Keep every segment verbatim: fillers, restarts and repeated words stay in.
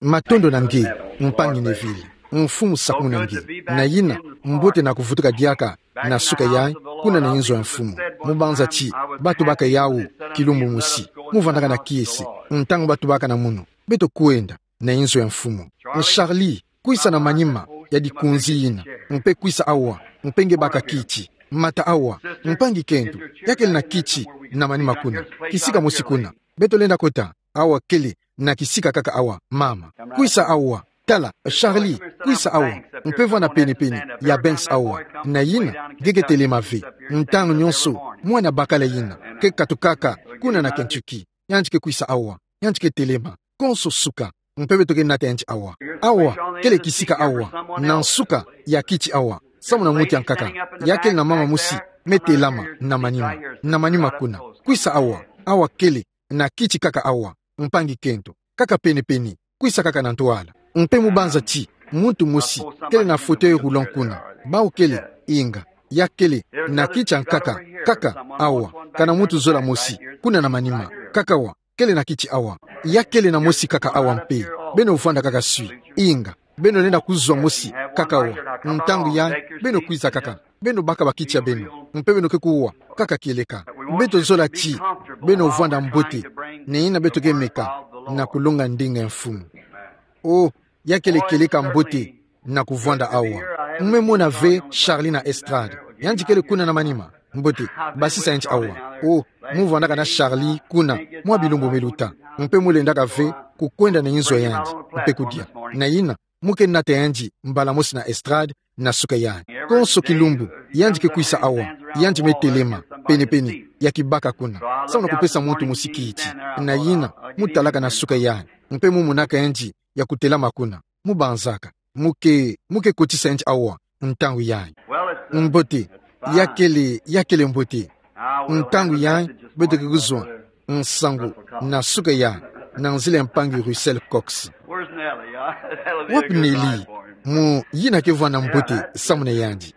Matondo na nge, mpangi Neville. Mfumu sakumuna nge. Na yina, mbote na kuvutuka diaka na suka yayi, kuna na inzo ya mfumu. Mubanza ti, batubaka yawu, kilumbu mosi. Muvwandaka na kiese, ntangu batubaka na munu. Beto kwenda na inzo ya mfumu. Charlie, kwisa na manima ya dikunzi yina, mpe kwisa awa, mpe nge baka kiti. Mata awa, mpangi kento, ya kele na kiti na manima kuna. Kisika mosi kuna. Beto lenda kota, awa kele na kisika kaka awa, mama. Kwisa awa, tala, Charlie, kwisa awa, mpe vwanda pene-pene ya Banks awa. Na yina, nge ke telema ve. Ntangu nyonso, mwana bakala yina ke katukaka kuna na Kentucky. Yandi ke kwisa awa, yandi ke telema, konso suka, mpe beto ke nata yandi awa. Awa kele kisika awa, na nsuka ya kiti awa, samu na muntu ya nkaka. Ya kele na mama mosi me telama na manima, na manima kuna. Kwisa awa, awa kele na kiti kaka awa, mpangi kento, kaka pene-pene, kwisa kaka na ntwala. Mpe mubanza ti, muntu mosi kele na fauteuil roulant kuna. Bawu kele, inga, ya kele na kiti ya nkaka, kaka awa, kana muntu zola mosi kuna na manima, kaka awa, kele na kiti awa. Ya kele na mosi kaka awa mpe. Beno vwanda kaka swi, inga, beno lenda kuzwa mosi kaka awa. Ntangu yayi, beno kwiza kaka, beno baka bakiti ya beno, mpe beno ke kuwa kaka kieleka. Beto zola ti beno vwanda mbote, na yina beto ke meka na kulonga ndinga ya mfumu. O, ya kele kieleka mbote na kuvwanda awa. Mu me mona ve Charlie na estrade. Yandi kele kuna na manima. Mbote, basisa yandi awa. O, muvwandaka na Charlie kuna mwa bilumbu me luta. Mpe mulendaka ve kukwenda na inzo ya yandi, mpe kudia. Na yina, mu ke nata yandi mbala mosi na estrade, na suka yayi. Konso kilumbu, yandi ke kwisa awa, yandi me telema pene-pene ya kibaka kuna, samu na kupesa muntu mosi kiti. Na yina, mutalaka na suka yayi, mpe mumonaka yandi ya kutelama kuna. Mubanzaka, mu ke, mu ke kotisa yandi awa, ntangu yayi. Mbote, ya kele, ya kele mbote. Ntangu yayi, beto ke kuzwa nsangu na suka yayi, na nzila ya mpangi Russell Cox. Wapi Nellie? Mu yina ke vwanda mbote samu na yandi.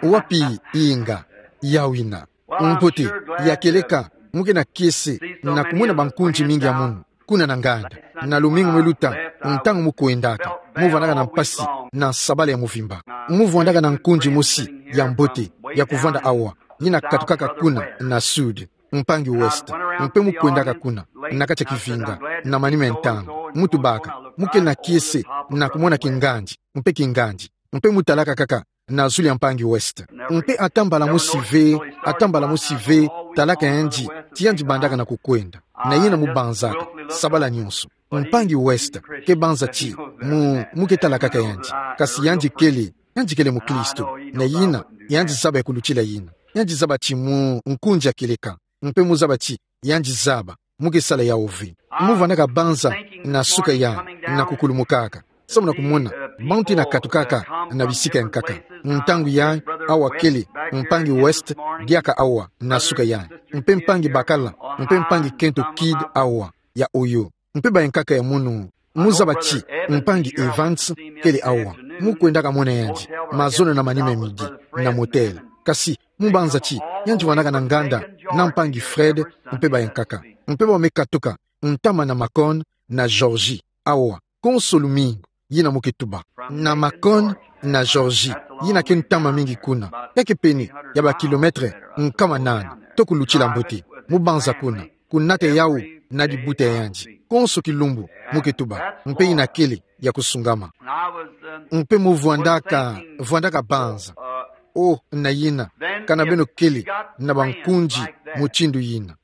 Wapi? Inga, yawu yina. Mbote, ya kieleka, mu ke na kiese na kumona bankunzi mingi ya munu kuna na nganda, na lumingu me luta, ntangu mu kwendaka, muvwandaka na mpasi na nsabala ya muvimba. Muvwandaka na nkunzi mosi ya mbote ya kuvwanda awa, yina katukaka kuna na sud, mpangi West, mpe mu kwendaka kuna na kati ya kivinga, na manima ya ntangu. Mutubaka, mu kele na kiese na kumona kingandi, mpe kingandi, mpe mutalaka kaka na zulu ya mpangi West. Mpe ata mbala mosi ve, ata mbala mosi ve, talaka yandi ti yandi bandaka na kukwenda. Na yina mubanzaka, sabala nyonso. Mpangi West ke banza ti mu, mu ke tala kaka yandi. Kasi yandi kele, yandi kele mukristu. Na yina, yandi zaba ya kulutila yina. Yandi zaba ti mu nkunzi ya kieleka. Mpe muzaba ti yandi zaba mu ke sala yawu ve. Muvwandaka banza na suka yayi, na kukulumukaka, samu na kumona bantu yina katukaka na bisika ya nkaka. Ntangu yayi, awa kele mpangi West diaka awa na suka yayi, mpe mpangi bakala, mpe mpangi kento Kidd awa ya Ohio, mpe bayankaka ya munu. Muzaba ti mpangi Evans kele awa. Mu kwendaka mona yandi mazono na manima ya midi na motel. Kasi mubanza ti yandi vwandaka na nganda na mpangi Fred mpe bayankaka. Mpe bawu me katuka ntama na Macon na Georgie awa, konso lumingu, yina mu ke tuba. Na Macon na Georgie, yina ke ntama mingi kuna. Ya ke pene ya ba kilomètre nkama nana, to kulutila mbote. Mubanza kuna, kunata yawu na dibuta ya yandi. Konso kilumbu mu ke tuba, mpe yina kele ya kusungama. Mpe muvwandaka, vwandaka banza. O, na yina, kana beno kele na bankunzi mutindu yina,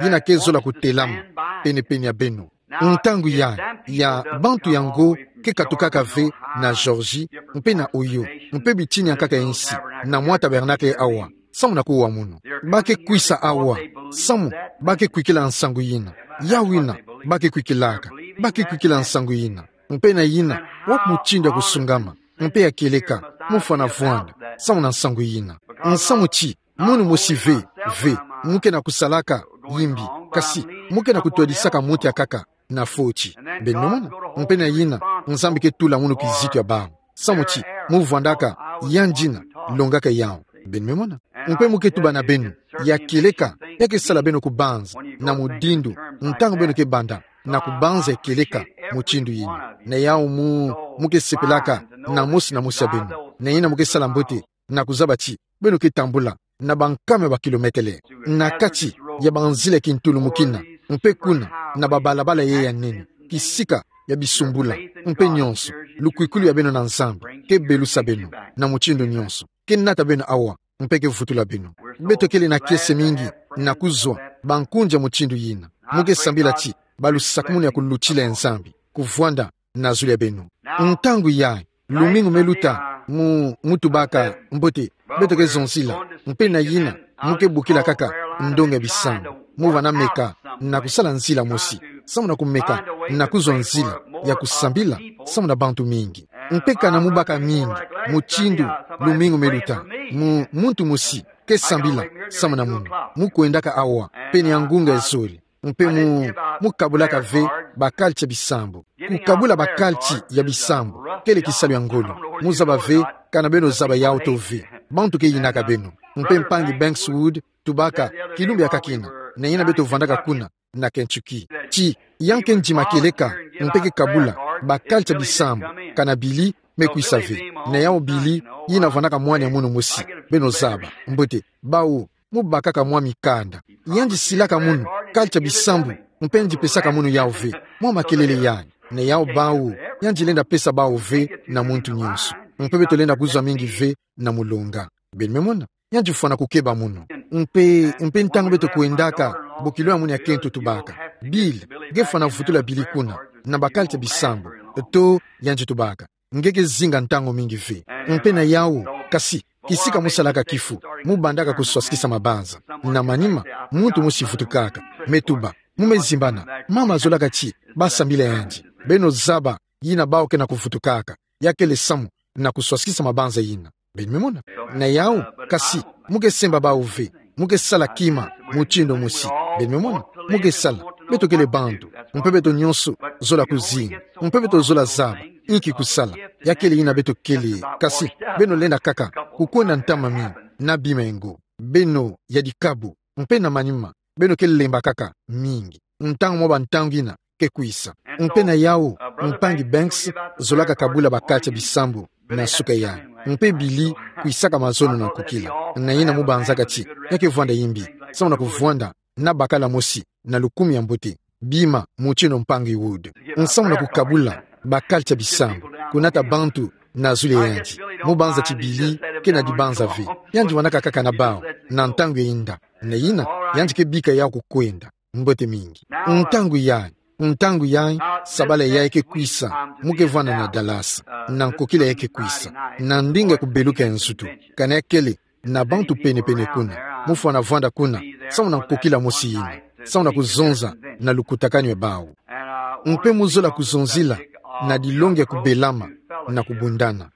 yina ke zola kutelama pene-pene ya beno. Ntangu yayi, ya bantu yango ke katukaka ve na Georgie mpe na Ohio, mpe bitini ya nkaka ya nsi, na mwa tabernacle awa, samu na kuwa munu. Ba ke kwisa awa samu ba ke kwikila nsangu yina. Yawu yina ba ke kwikilaka. Ba ke kwikila nsangu yina. Mpe na yina, wapi mutindu ya kusungama mpe ya kieleka mu fwana vwanda samu na nsangu yina? Nsamu ti munu mosi ve, ve, mu ke na kusalaka yimbi, kasi mu ke na kutwadisaka muntu ya nkaka na foti. Beno mona? Mpe na yina, Nzambi ke tula munu kizito ya bawu. Samu ti mu vwandaka yandi yina longaka yawu. Beno me mona? Mpe mu ke tuba na beno, ya kieleka, ya ke sala beno kubanza na mudindu, ntangu beno ke banda na kubanza ya kieleka mutindu yina. Na yawu mu, mu ke sepelaka na mosi na mosi ya beno. Na yina mu ke sala mbote na kuzaba ti beno ke tambula na bankama ya bakilometele na kati ya banzila ya kintulumukina, mpe kuna na babalabala yayi ya nene, kisika ya bisumbula, mpe nyonso, lukwikulu ya beno na Nzambi ke belusa beno na mutindu nyonso, ke nata beno awa, mpe ke vutula beno. Beto kele na kiese mingi na kuzwa bankunja mutindu yina. Mu ke sambila ti balusakumunu ya kulutila ya Nzambi kuvwanda na zulu ya beno. Ntangu yayi, lumingu me luta, mu, mu tubaka mbote beto ke zonzila, mpe na yina mu ke bokila kaka ndonga ya bisambu. Mu vana meka na kusala nzila mosi, samu na kumeka na kuzwa nzila ya kusambila samu na bantu mingi. Mpe kana mu baka mingi mutindu lumingu me luta, mu, muntu mosi ke sambila samu na munu. Mu kwendaka awa pene ya ngunga ya zole, mpe mu, mu kabulaka ve bakalti ya bisambu. Kukabula bakalti ya bisambu kele kisalu ya ngolo. Mu zaba ve kana beno zaba yawu to ve. Bantu ke yinaka beno. Mpe mpangi Banks Wood tubaka kilumbu ya kakina, na yina beto vwandaka kuna na Kentucky, ti yandi ke ndima kieleka mpe ke kabula bakalti ya bisambu kana Billy me kwisa ve. Na yawu Billy yina vwandaka mwana ya munu mosi, beno zaba. Mbote, bawu mu bakaka mwa mikanda. Yandi silaka munu kalti ya bisambu, mpe yandi pesaka munu yawu ve. Mwa makelele yayi. Na yawu bawu, yandi lenda pesa bawu ve na muntu nyonso. Mpe beto lenda kuzwa mingi ve na mulonga. Beno me mona? Yandi fwana kukeba munu. Mpe, mpe ntangu beto kwendaka, bokilo ya munu ya kento tubaka: Bill, nge fwana vutula Billy kuna na bakalti ya bisambu. To, yandi tubaka, nge ke zinga ntangu mingi ve. Mpe na yawu, kasi, kisika mu salaka kifu, mu bandaka kuswasikisa mabanza. Na manima, muntu mosi vutukaka. Me tuba, mu me zimbana, mama azolaka ti ba sambila yandi. Beno zaba yina bawu ke na kuvutukaka. Ya kele samu na kuswasikisa mabanza yina. Beno me mona? Na yawu, kasi, mu ke semba bawu ve. Mu ke sala kima mutindu mosi. Beno me mona? Mu ke sala. Beto kele bantu. Mpe beto nyonso zola kuzinga. Mpe beto zola zaba inki kusala. Ya kele yina beto kele. Kasi, beno lenda kaka kukwenda ntama mingi na bima ya ngo. Beno ya dikabu. Mpe na manima, beno ke lemba kaka mingi. Ntangu mwa bantangu yina ke kwisa. Mpe na yawu, mpangi Banks zolaka kabula bakalti ya bisambu na suka yayi. Mpe Billy kwisaka mazono na nkukila. Na yina mu banzaka ti ya ke vwanda yimbi, samu na kuvwanda na bakala mosi na lukumi ya mbote, bima mutindu mpangi Wood. Samu na kukabula bakalti ya bisambu, kunata bantu na zulu ya yandi. Mu banza ti Billy kena dibanza ve. Yandi vwandaka kaka na bawu na ntangu ya inda. Na yina, yandi ke bika yawu kukwenda. Mbote mingi. Ntangu yayi, ntangu yayi, sabala yayi ke kwisa, mu ke vwanda na Dallas, na nkukila yayi ke kwisa, na ndinga kubeluka ya nzutu, kana ya kele na bantu pene-pene kuna. Mu fwana vwanda kuna samu na nkukila mosi yina, samu na kuzonza na lukutakanu ya bawu. Mpe mu zola kuzonzila na dilongi ya kubelama na kubundana,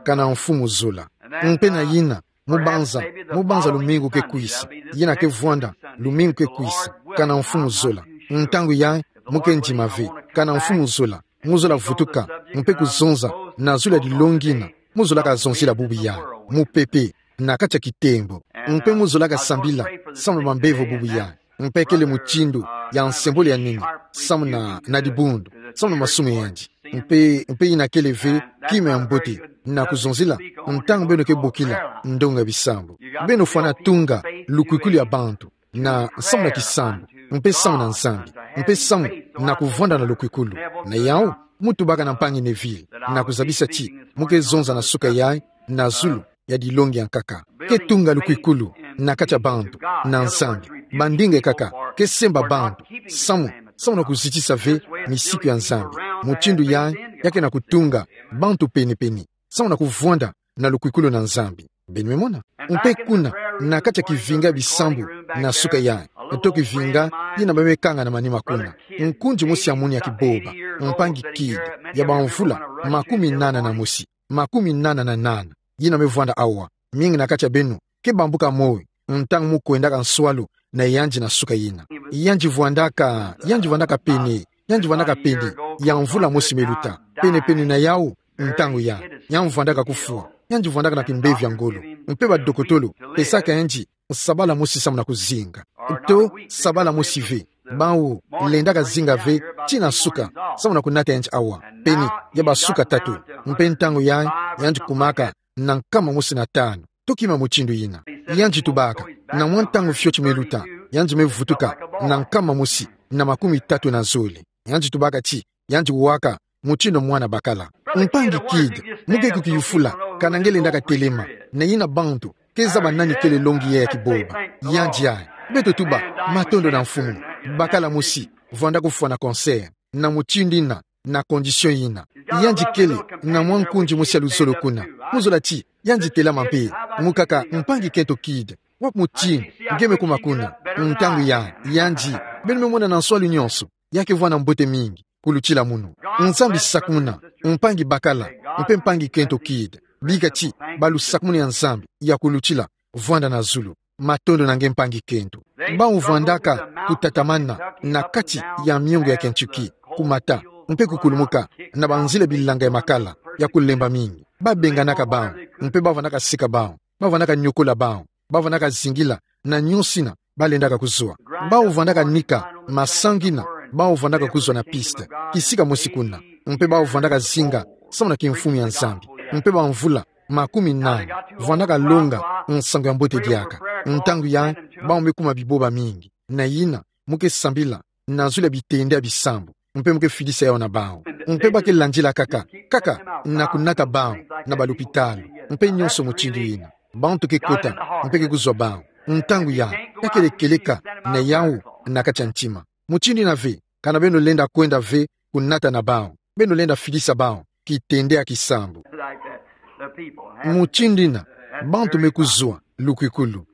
kana Mfumu zola. Mpe na yina, mu banza, mu banza lumingu ke kwisa, yina ke vwanda lumingu ke kwisa, kana Mfumu zola. Ntangu yayi, mu ke ndima ve, kana Mfumu zola, mu zola vutuka, mpe kuzonza na zulu ya dilongi yina mu zolaka zonzila bubu yayi, mupepe, na kati ya kitembo. Mpe mu zolaka sambila samu na bambevo bubu yayi. Mpe kele mutindu ya nsembolo ya nene samu na, na dibundu, samu na masumu ya yandi. Mpe, mpe yina kele ve kima ya mbote na kuzonzila ntangu beno ke bokila ndonga ya bisambu. Beno fwana tunga lukwikulu ya bantu na samu na kisambu, mpe samu na Nzambi, mpe samu na kuvwanda na lukwikulu. Na yawu, mu tubaka na mpangi Neville na kuzabisa ti mu ke zonza na suka yayi na zulu ya dilongi ya nkaka. Ke tunga lukwikulu na kati ya bantu na Nzambi, bandinga kaka ke semba bantu samu, samu na kuzitisa ve misiku ya Nzambi. Mutindu yayi ya ke na kutunga bantu pene-pene samu na kuvwanda na lukwikulu na Nzambi. Beno me mona? Mpe kuna, na kati ya kivinga ya bisambu na suka yayi, to kivinga yina ba me kanga na manima kuna, nkundi mosi ya munu ya kiboba, mpangi Kidd, ya bamvula makumi nana na mosi, makumi nana na nana, yina me vwanda awa. Mingi na kati ya beno ke bambuka moyo ntangu mu kwendaka nswalu na yandi na suka yina. Yandi vwandaka, yandi vwandaka pene, yandi vwandaka pene ya mvula mosi me luta, pene-pene na yawu, ntangu yayi, yandi vwandaka kufwa. Yandi vwandaka na kimbevo ya ngolo. Mpe badokotolo pesaka yandi sabala mosi samu na kuzinga, to sabala mosi ve. Bawu lendaka zinga ve tii na suka, samu na kunata yandi awa. Peni, ya basuka tatu. Mpe ntangu yayi, yandi kumaka na nkama mosi na tanu. Tokima mutindu yina. Yandi tubaka, na mwa ntangu fioti me luta, yandi me vutuka na nkama mosi na makumi tatu na zole. Yandi tubaka ti, yandi waka mutindu mwana bakala. Mpangi Kidd, mu ke kukiyufula kana nge lendaka telema, na yina bantu ke zaba nani kele longi ya ya kiboba. Yandi ayi, beto tuba, matondo na Mfumu. Bakala mosi, vwanda kufwa na cancer, na mutindu yina, na condition yina. Yandi kele na mwa nkunzi mosi ya luzolo kuna. Mu zola ti, yandi telama mpe, mukaka, Mpangi Kento Kidd, wapi mutindu nge me kuma kuna? Ntangu yayi, yandi, beno me mona na nswalu nyonso, ya ke vwanda mbote mingi kulutila munu. Nzambi sakumuna, Mpangi bakala, mpe Mpangi Kento Kidd. Bika ti, balu sakumuna ya Nzambi ya kulutila, vwanda na zulu. Matondo na nge Mpangi Kento. Bawu vwandaka kutatamana na kati ya miongo ya Kentucky, kumata, mpe kukulumuka na banzila bilanga ya makala, ya kulemba mingi. Ba benganaka bawu, mpe ba vwandaka seka bawu, ba vwandaka nyokola bawu, ba vwandaka zingila na nyonso yina ba lendaka kuzwa. Bawu vwandaka nika masangu yina bawu vwandaka kuzwa na piste, kisika mosi kuna. Mpe bawu vwandaka zinga samu na kimfumu ya Nzambi. Mpe bamvula makumi nani vwandaka longa nsangu ya mbote diaka. Ntangu yayi, bawu me kuma biboba mingi. Na yina, mu ke sambila na zulu ya bitende ya bisambu, mpe mu ke fidisa yawu na bawu. Mpe ba ke landila kaka, kaka na kunata bawu na balupitalu, mpe nyonso mutindu yina. Bantu ke kota, mpe ke kuzwa bawu. Ntangu yayi, ya kele kieleka na yawu na kati ya ntima. Mutindu yina ve, kana beno lenda kwenda ve kunata na bawu, beno lenda fidisa bawu kitende ya kisambu. Mutindu yina, bantu me kuzwa lukwikulu.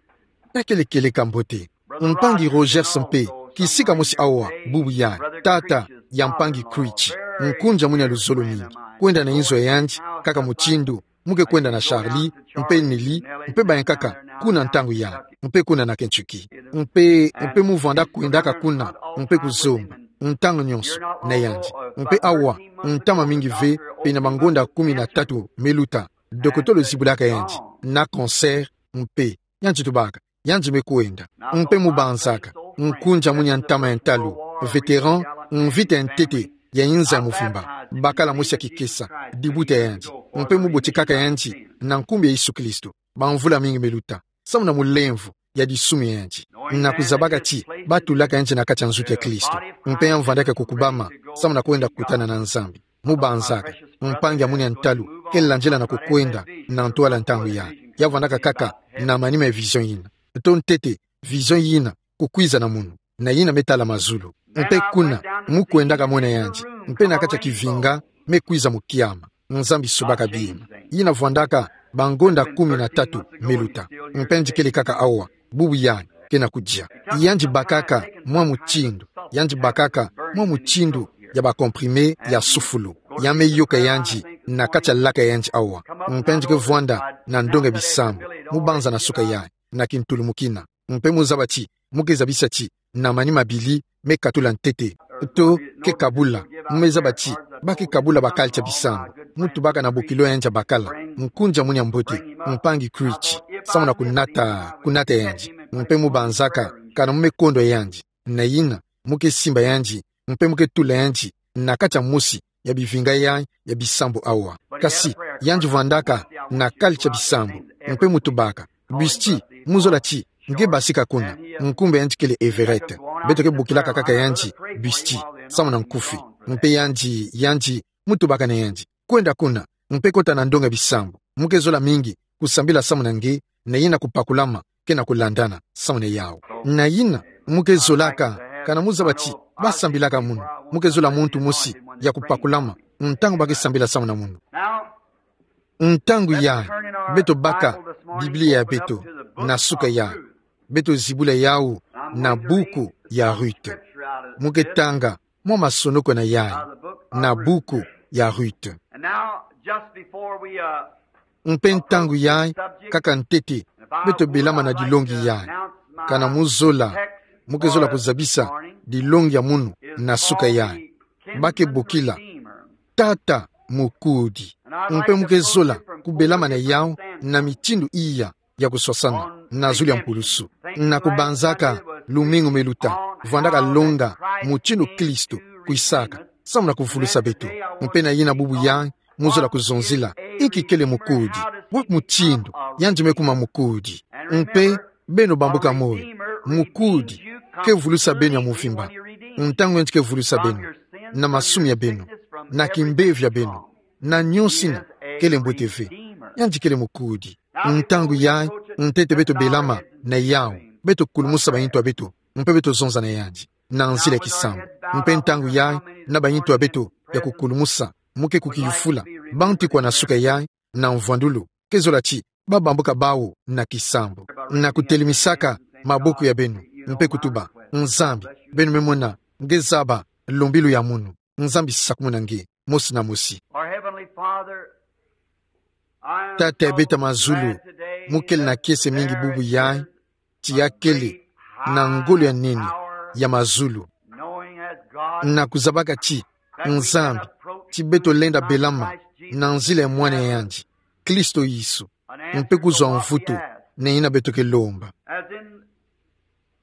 Ya kele kieleka mbote. Mpangi Rogers mpe, kisika mosi awa, bubu yayi, tata ya Mpangi Creech, nkunzi ya mwini ya luzolo mingi. Kwenda na inzo ya yandi, kaka mutindu mu ke kwenda na Charlie, mpe Nellie, mpe bayi kaka, kuna ntangu yayi, mpe kuna na Kentucky. Mpe, mpe mu vwanda kwendaka kuna, mpe kuzomba ntangu nyonso na yandi. Mpe awa, ntama mingi ve, pene mangonda kumi na tatu me luta, dokotolo zibulaka yandi na cancer, mpe yandi tubaka, yandi me kwenda. Mpe mu banzaka, nkunzi ya mwini ya ntama ya ntalu, vétéran, mvita ya ntete ya inza ya muvimba, bakala mosi ya kikesa dibuta ya yandi. Mpe mu botekaka yandi na nkumbu ya Yesu Kristo, bamvula mingi me luta, samu na mulemvo ya disumu ya yandi, na kuzabaka ti ba tulaka yandi na kati ya nzutu ya Kristo, mpe ya vwandaka kukubama samu na kwenda kukutana na Nzambi. Mu banzaka, mpangi ya mwini ya ntalu ke landila na kukwenda na ntwala ntangu yayi. Ya vwandaka kaka na manima ya vision yina. To ntete, vision yina kukwiza na munu, na yina me tala mazulu. Mpe kuna, mu kwendaka mona yandi, mpe na kati ya kivinga, me kwiza mu kiama. Nzambi subaka bima. Yina vwandaka bangonda kumi na tatu me luta. Mpe yandi kele kaka awa, bubu yayi, ke na kudia. Yandi bakaka mwa mutindu, yandi bakaka mwa mutindu ya ba comprimé ya sufulu. Ya me yoka yandi na kati ya laka ya yandi awa. Mpe yandi ke vwanda na ndonga ya bisambu, mu banza na suka yayi, na kintulumukina. Mpe mu zaba ti, mu ke zabisa ti, na manima mabili, me katula ntete. To, ke kabula, mu me zaba ti, ba ke kabula ba culture bisambu. Mu tubaka na bokilo ya yandi ya bakala, nkunzi ya mwini ya mbote, Mpangi Creech, samu na kunata, kunata yandi. Mpe mu banzaka, kana mu me kondwa yandi. Na yina, mu ke simba yandi, mpe mu ke tula yandi na kati ya mosi ya bivinga yayi ya bisambu awa. Kasi, yandi vwandaka na culture bisambu, mpe mu tubaka, Busty, mu zola ti nge basika kuna. Nkumbu ya yandi kele Everett. Beto ke bokilaka kaka yandi Busty, samu na nkufi. Mpe yandi, yandi, mu tubaka na yandi, kwenda kuna, mpe kota na ndonga ya bisambu. Mu ke zola mingi kusambila samu na nge, na yina kupakulama ke na kulandana samu na yawu. Na yina, mu ke zolaka, kana mu zaba ti ba sambilaka munu, mu ke zola muntu mosi ya kupakulama ntangu ba ke sambila samu na munu. Ntangu yayi, beto baka Biblia ya beto na suka yayi, beto zibula yawu na buku ya Ruth. Mu ke tanga mwa masonoko na yayi na buku ya Ruth. Mpe ntangu yayi, kaka ntete, beto belama na dilongi yayi. Kana mu zola, mu ke zola kuzabisa dilongi ya munu na suka yayi. Ba ke bokila Tata Mukudi. Mpe mu ke zola kubelama na yawu na mitindu iya ya kuswasana na zulu ya mpulusu. Na kubanzaka lumingu meluta, vandaka longa mutindu Kristo kwisaka, samu na kuvulusa beto. Mpe na yina bubu yayi, muzolo kuzonzila, inki kele mukudi, wa mutindu, yandi me kuma mukudi. Mpe, beno bambuka moyo, mukudi ke vulusa beno ya muvimba. Ntangu yandi ke vulusa beno, na masumu ya beno, na kimbevo ya beno, na nionso ina, kele mbote ve. Yandi kele mukudi. Ntangu yayi, ntete beto belama na yawu, beto kulumusa bayintu ya beto, mpe beto zonza na yandi na nzila ya kisambu. Mpe ntangu yayi, na bayintu ya beto ya kukulumusa, mu ke kukiyufula, bantu kwa na suka yayi, na mvwandulu, ke zola ti, babambuka bawu na kisambu, na kutelemisaka maboko ya beno, mpe kutuba: Nzambi, beno me mona, nge zaba lumbilu ya munu. Nzambi sakumuna nge, mosi na mosi. Our Heavenly Father, I am Tata ya beto ya mazulu, so glad today mu kele na kiese mingi bubu yayi, ti ya kele na ngolo ya nene ya mazulu, na kuzabaka ti Nzambi, ti beto lenda belama na nzila ya mwana ya yandi, Kristo Yesu, mpe kuzwa mvutu na yina beto ke lomba.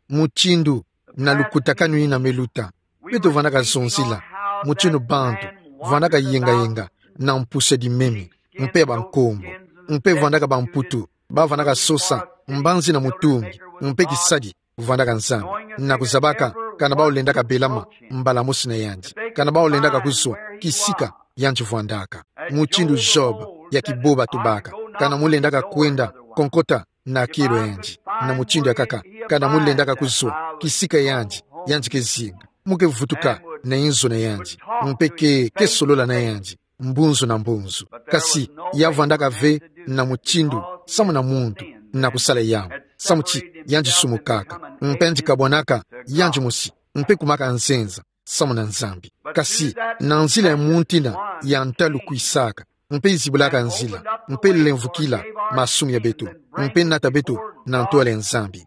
Mutindu na lukutakanu yina meluta, beto vandaka zonzila mutindu bantu vandaka yengayenga na mpusu ya dimemi, mpe ya bankombo, mpe vandaka bamputu, bavandaka sosa mbanzi na mutungi, mpe kisadi vandaka Nzambi, na kuzabaka kana bawu lendaka belama mbala mosi na yandi, kana bawu lendaka kuzwa kisika yandi vandaka. Mutindu Job ya kiboba tubaka, kana mu lendaka kwenda konkota na kielo yandi, na mutindu ya kaka, kana mu lendaka kuzwa kisika yandi, yandi ke zinga, mu ke vutuka na inzo na yandi, mpe ke, ke solola na yandi mbunzu na mbunzu. Kasi ya vandaka ve na mutindu samu na muntu na kusala yawu, samu ti yandi sumukaka, mpe yandi kabwanaka yandi mosi, mpe kumaka nzenza samu na Nzambi. Kasi na nzila ya muntu ina ya ntalu kwisaka, mpe zibulaka nzila, mpe lemvukila masumu ya beto, mpe nata beto na ntwala ya Nzambi.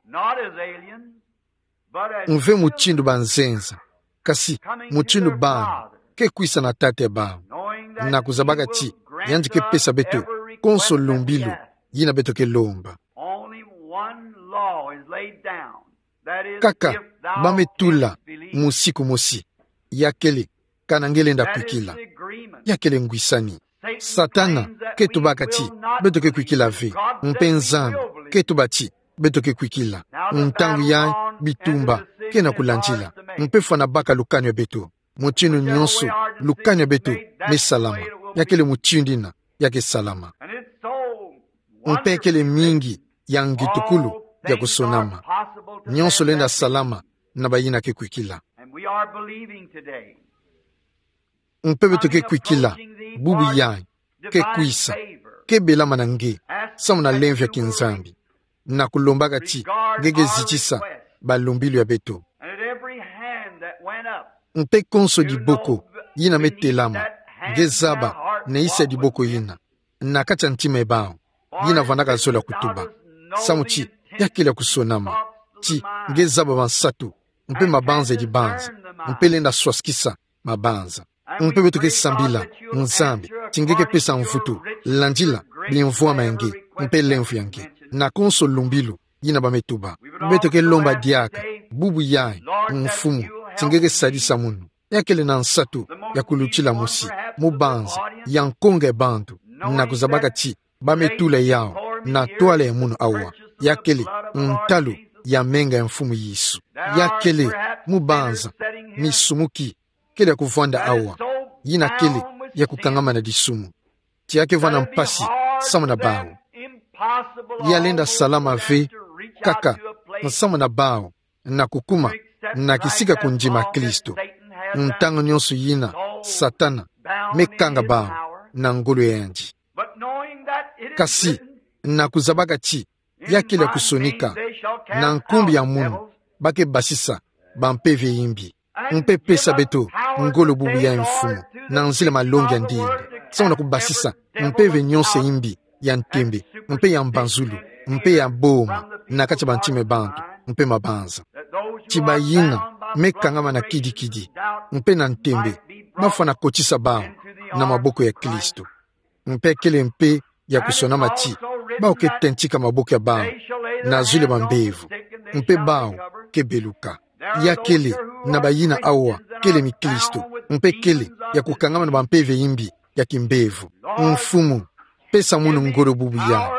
Mve mutindu banzenza, kasi mutindu bantu ke kwisa na Tata ya bawu, na kuzabaka ti yandi ke pesa beto konso lumbilu yina beto ke lomba. Only one law is laid down. That is, kaka, if thou ba me tula, canst believe. Musiku mosi, ya kele, kana nge lenda kwikila. That is the agreement. Ya kele ngwisani. Satan, Satana, thinks that ke tubaka ti, we will not beto ke kwikila ve, believe. God mpe says we Nzambi, will believe. Ke tuba ti, beto ke kwikila. Now the battle on, and the decision is ours to make. Ntangu yayi, bitumba, ke na kulandila, mpe fwana baka lukanu ya beto. Mutindu nionso, lukanu ya beto me salama, ya kele mutindu yina ya ke salama. Mpe kele mingi ya ngitukulu ya kusonama. Nionso lenda salama na bayina ke kwikila. Mpe beto ke kwikila, bubu yayi, ke kwisa, ke belama na nge, samu na lemvo ya kinzambi, na kulombaka ti nge ke zitisa balumbilu ya beto. Mpe konso diboko yina me telama, nge zaba na isi ya diboko yina, na kati ya ntima ya bawu, yina vandaka zola kutuba. Samu ti ya kele ya kusonama, ti nge zaba bansatu, mpe mabanza ya dibanza, mpe lenda swasukisa mabanza. Mpe beto ke sambila, Nzambi, ti nge ke pesa mvutu, landila bimvwama ya nge, mpe lemvo ya nge, na konso lumbilu yina ba me tuba. Beto ke lomba diaka, bubu yayi, Mfumu, ti nge ke sadisa munu. Ya kele na nsatu ya kulutila mosi, mubanza ya nkonga ya bantu, na kuzabaka ti ba me tula yawu na ntwala ya munu awa. Ya kele ntalu ya menga ya Mfumu Yesu. Ya kele mubanza misumuki kele ya kuvwanda awa, yina kele ya kukangama na disumu. Ti ya kevwanda mpasi samu na bawu. Ya lenda salama ve kaka samu na bawu na kukuma na kisika kundima Kristo, ntangu nionso yina Satana me kanga bawu na ngolo ya yandi. Kasi, na kuzabaka ti ya kele ya kusonika, na nkumbu ya munu ba ke basisa bampeve ya imbi. Mpe pesa beto ngolo bubu yayi, Mfumu, na nzila malongi ya ndinga, samu na kubasisa mpeve nionso ya imbi ya ntembe, mpe ya mbanzulu, mpe ya boma, na kati ya bantima ya bantu mpe mabanza. Ti bayina me kangama na kidikidi mpe na ntembe, ba fwana kotisa bawu na maboko ya Kristo. Mpe kele mpe ya kusonama ti bawu ke tentika maboko ya bawu na zulu ya bambevo, mpe bawu ke beluka. Ya kele na bayina awa kele mikilisto, mpe kele ya kukangama na bampeve imbi ya kimbevo. Mfumu, pesa munu ngolo bubu ya,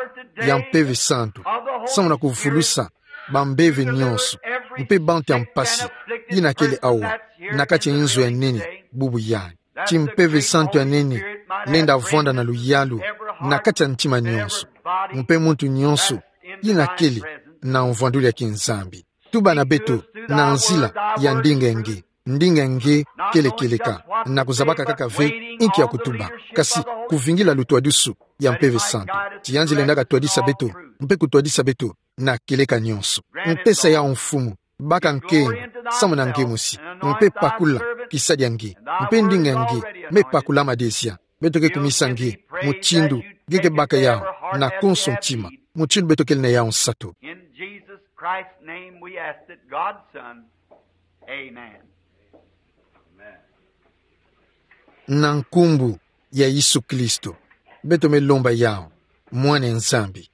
ya Mpeve Santu, samu na kuvulusa bambeve nyonso, mpe bantu ya mpasi yina kele awa na kati ya inzo ya nene bubu ya. Ti Mpeve Santu ya nene lenda vwanda na luyalu na kati ya ntima nyonso, mpe muntu nyonso yina kele na mvwandulu ya kinzambi. Tuba na beto na nzila ya ndinga nge. Ndinga nge kele kieleka, na kuzabaka kaka ve inki ya kutuba, kasi kuvingila lutwadusu ya Mpeve Santu. Ti yandi lendaka twadisa beto, mpe kutwadisa beto na kieleka nyonso. Mpesa yau, Mfumu, baka nkembo samu na nge mosi, mpe pakula kisadi ya nge, mpe ndinga nge me pakulama dezia. Beto ke kumisa nge mutindu nge ke baka yau na konso ntima, mutindu beto kele na yau nsatu. In Jesus Christ's name we ask it, God's Son. Amen. Na nkumbu ya Yesu Kristo beto me lomba yau, Mwana Nzambi.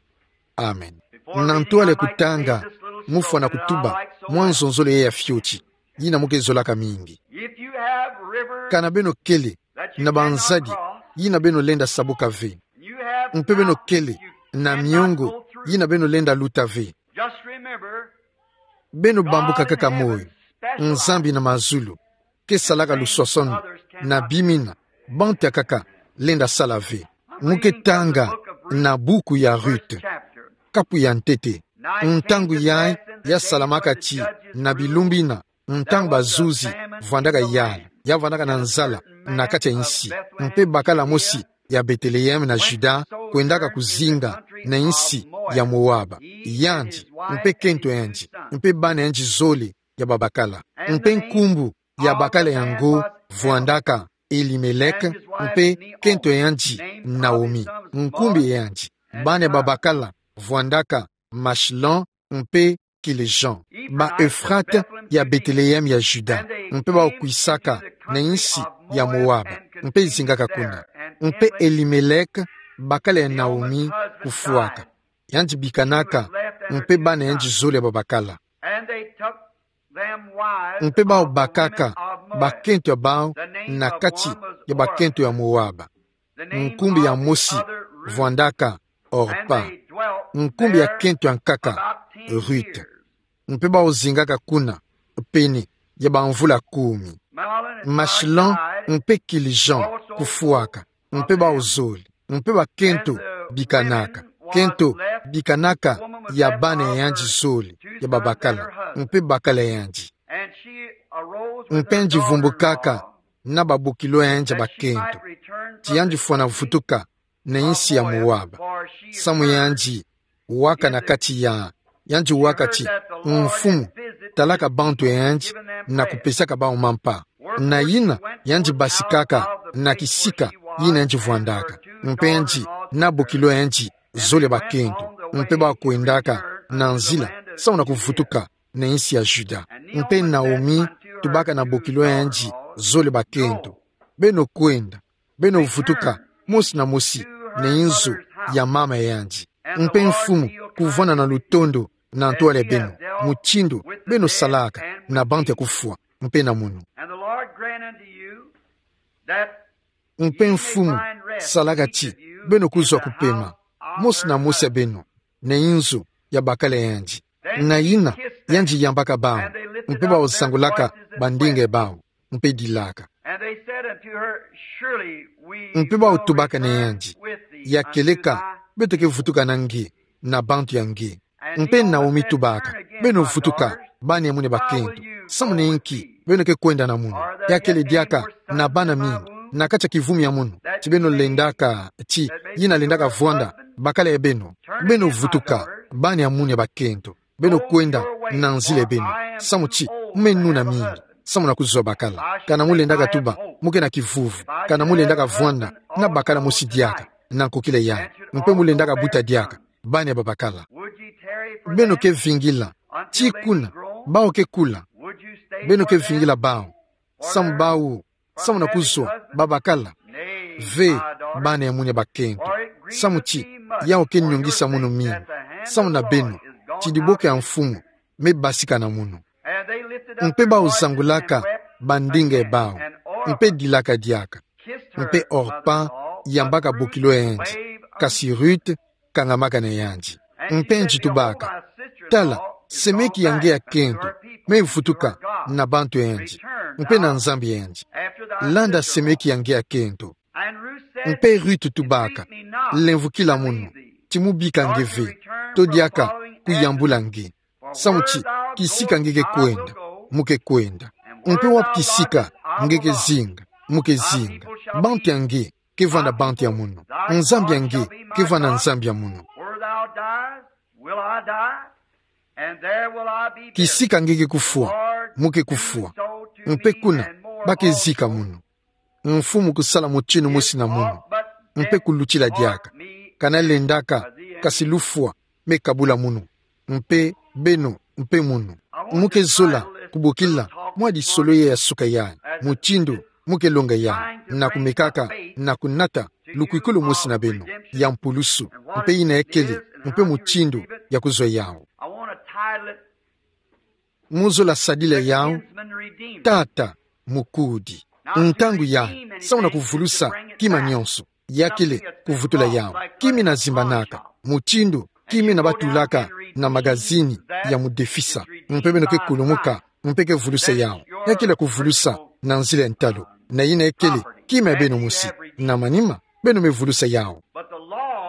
Amen. Na ntwala ya kutanga, mufwana kutuba mwa nzonzolo ya fioti yina mu ke zolaka mingi. If you have rivers Kana beno kele that you na cannot banzadi cross, yina beno lenda sabuka ve, you have mpe beno kele na miongo yina beno lenda luta ve, just remember, beno bambuka kaka moyo, Nzambi na mazulu ke salaka luswaswanu na bima yina bantu ya nkaka lenda sala ve. Mu ke tanga na buku ya Ruth, kapu ya ntete. Ntangu yayi ya salamaka ti na bilumbu yina, ntangu bazuzi vwandaka yala, ya vwandaka na nzala na kati ya insi, mpe bakala mosi ya Bethléem na Juda kwendaka kuzinga na insi ya Moaba. Yandi, mpe kento yandi, mpe bana yandi zole ya babakala. Mpe nkumbu ya bakala yango vwandaka Elimelek, mpe kento yandi Naomi. Nkumbu yandi, bana ya babakala vwandaka Machlon mpe Kilijon. Ba Euphrate ya Bethléem ya Juda, mpe bau kwisaka na insi ya Moaba, mpe zingaka kuna. Mpe Elimelek, bakala ya Naomi, kufwaka. Yandi bikanaka, mpe bana yandi zole ya babakala. Mpe bau bakaka bakento ya bau na kati ya bakento ya Moaba. Nkumbu ya mosi vwandaka Orpa. Nkumbu ya kento ya nkaka Ruth. Mpe bau zingaka kuna pene ya bamvula kumi. Machlon mpe Kilijon kufwaka, mpe bau zole, mpe bakento bikanaka. Kento bikanaka ya bana ya yandi zole ya babakala, mpe bakala ya yandi. Mpe yandi vumbukaka na babokilo ya yandi ya bakento, ti yandi fwana vutuka na insi ya Moaba, samu yandi waka na kati ya, yandi waka ti Mfumu talaka bantu ya yandi na kupesaka bau mampa. Na yina yandi basikaka na kisika yina yandi vwandaka. Mpe yandi na bokilo ya yandi zole ya bakento, mpe bau kwendaka na nzila samu na kuvutuka na insi ya Juda. Mpe Naomi tubaka na bokilo ya yandi zole ya bakento: Beno kwenda, beno vutuka mosi na mosi na inzo ya mama ya yandi. Mpe Mfumu kuvwanda na lutondo na ntwala ya beno, mutindu beno salaka na bantu ya kufwa, mpe na munu. And the Lord grant unto you that Mpe Mfumu salaka ti beno kuzwa kupema, mosi na mosi ya beno, na inzo ya bakala ya yandi. Na yina yandi yambaka bau, mpe bau zangulaka bandinga ya bau, mpe dilaka. And they said unto her, Surely we Mpe bau tubaka na yandi: Ya kieleka beto ke vutuka na nge, na bantu ya nge. Mpe Naomi tubaka: Beno vutuka, bana ya munu ya bakento. Samu na inki beno ke kwenda na munu? Ya kele diaka na bana mingi na kati ya kivumi ya munu, ti beno lendaka, ti yina lendaka vwanda bakala ya beno? Beno vutuka, bana ya munu ya bakento. Beno kwenda na nzila ya beno, samu ti me nuna mingi samu na kuzwa bakala. Kana mu lendaka tuba mu ke na kivuvu, kana mu lendaka vwanda na bakala mosi diaka na nkokila yayi, mpe mu lendaka buta diaka bana ya babakala? Beno ke vingila tii kuna bau ke kula? Beno ke vingila bau samu bau, samu na kuzwa babakala? Ve, bana ya munu ya bakento, samu ti yau ke nyongisa munu mingi samu na beno, ti diboko ya Mfumu me basika na munu. Mpe bau zangulaka bandinga bau, mpe dilaka diaka. Mpe Orpa yambaka bokilo yandi, kasi Ruth kangamaka na yandi. Mpe nzi tubaka: Tala, semeki ya nge ya kento me vutuka na bantu yandi, mpe na Nzambi yandi. Landa semeki ya nge ya kento. Mpe Ruth tubaka: Lemvukila munu, ti mu bika nge ve, to diaka kuyambula nge. Samu ti kisika nge ke kwenda, mu ke kwenda. Mpe wapi kisika nge ke zinga, mu ke zinga. Bantu ya nge ke vwanda bantu ya munu. Nzambi ya nge ke vwanda Nzambi ya munu. Kisika nge ke kufwa, mu ke kufwa. Mpe kuna ba ke zika munu. Mfumu kusala mutinu mosi na munu, mpe kulutila diaka. Ka nalendaka, kasi lufwa me kabula munu, mpe beno mpe munu. Mu ke zola kubokila mwa disolo ya suka yayi, mutindu mu ke longa yayi, na kumekaka na kunata lukwikulu mosi na beno ya mpulusu, mpe yina ekele, mpe mutindu ya kuzwa yawu. Mu zola sadila yawu: Tata Mukudi. Ntangu yayi, samu na kuvulusa kima nionso, ya kele kuvutula yawu. Kima ina zimbanaka, mutindu kima ina batulaka na magazini ya mudefisa, mpe beno ke kulumuka, mpe ke vulusa yawu. Ya kele kuvulusa na nzila ya ntalu, na yina ekele kima ya beno mosi. Na manima, beno me vulusa yawu.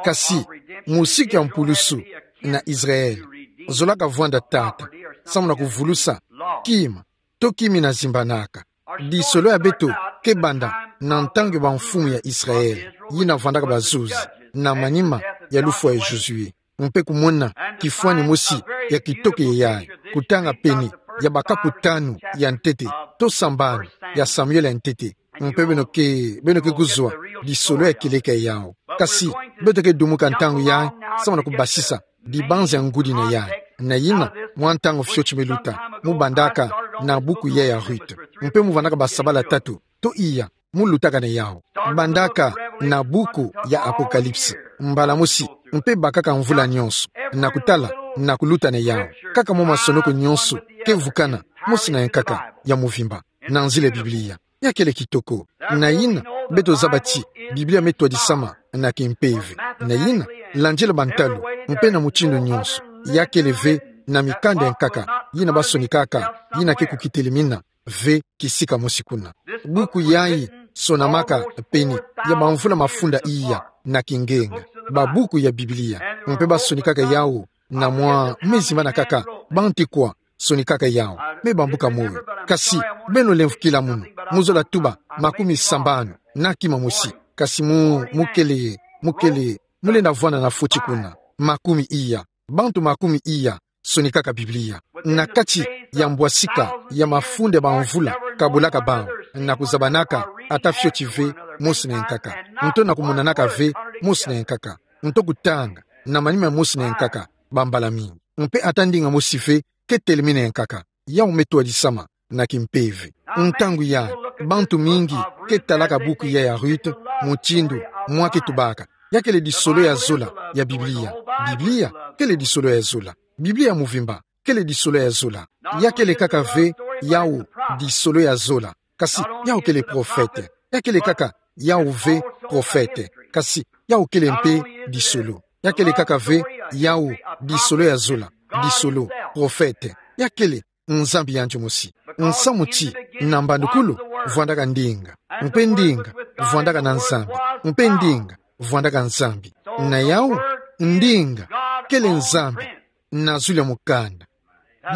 Kasi musiku ya mpulusu na Israel, zolaka vwanda tata, samu na kuvulusa kima, to kima ina zimbanaka. Disolo ya beto ke banda na ntangu ya bamfumu ya Israel, yina vwandaka bazuzi, na manima ya lufwa ya Josué. Mpe kumona kifwani mosi ya kitoko yayi, kutanga peni ya bakapu tanu ya ntete, to sambanu ya Samuel ya ntete. Mpe beno ke, beno ke kuzwa disolo ya kieleka yawu. Kasi beto ke dumuka ntangu yayi, samu na kubasisa dibanza ya ngudi na yayi. Na yina, mwa ntangu fioti me luta, mu bandaka na buku yayi ya Ruth. Mpe mu vwandaka basabala tatu, to iya, mu lutaka na yawu. Bandaka na buku ya Apocalypse, mbala mosi, mpe bakaka mvula nionso, na kutala, na kuluta na yawu. Kaka mwa masonoko nionso ke vukana mosi na yankaka ya muvimba, na nzila ya Biblia. Ya kele kitoko. Na yina, beto zaba ti Biblia me twadisama na kimpeve. Na yina, landila bantalu, mpe na mutindu nionso. Ya kele ve na mikanda ya nkaka yina basonikaka, yina ke kukitelimina ve kisika mosi kuna. Buku yayi sonamaka peni ya bamvula mafunda iya na kingenga, babuku ya Biblia, mpe basonikaka yawu na mwa mezi mana kaka, bantu kwa sonikaka yawu, me bambuka moyo. Kasi beno lemvukila munu, mu zola tuba makumi sambanu na kima mosi. Kasi mu, mu kele, mu kele, mu lenda vwanda na foti kuna makumi iya. Bantu makumi iya sonikaka Biblia na kati ya mbwasika ya mafunda ya bamvula, kabulaka bawu, na kuzabanaka ata fioti ve mosi na yankaka, nto na kumonanaka ve mosi na yankaka, nto kutanga na manima mosi na yankaka bambala mingi. Mpe ata ndinga mosi ve ke telimina yankaka. Yawu me twadisama na kimpeve. Ntangu yayi, bantu mingi ke talaka buku yayi ya Ruth, mutindu mwa ke tubaka: Ya kele disolo ya zola ya Biblia. Biblia kele disolo ya zola. Biblia ya muvimba kele disolo ya zola. Ya kele kaka ve yawu disolo ya zola, kasi yawu kele profete. Ya kele kaka yawu ve profete, kasi yawu kele mpe disolo. Ya kele kaka ve yawu disolo ya zola, disolo, profete. Ya kele Nzambi yandi mosi. Nsamu ti, na mbandukulu, vwandaka ndinga. Mpe ndinga vwandaka na Nzambi. Mpe ndinga vwandaka Nzambi. Na yawu, ndinga kele Nzambi na zulu ya mukanda.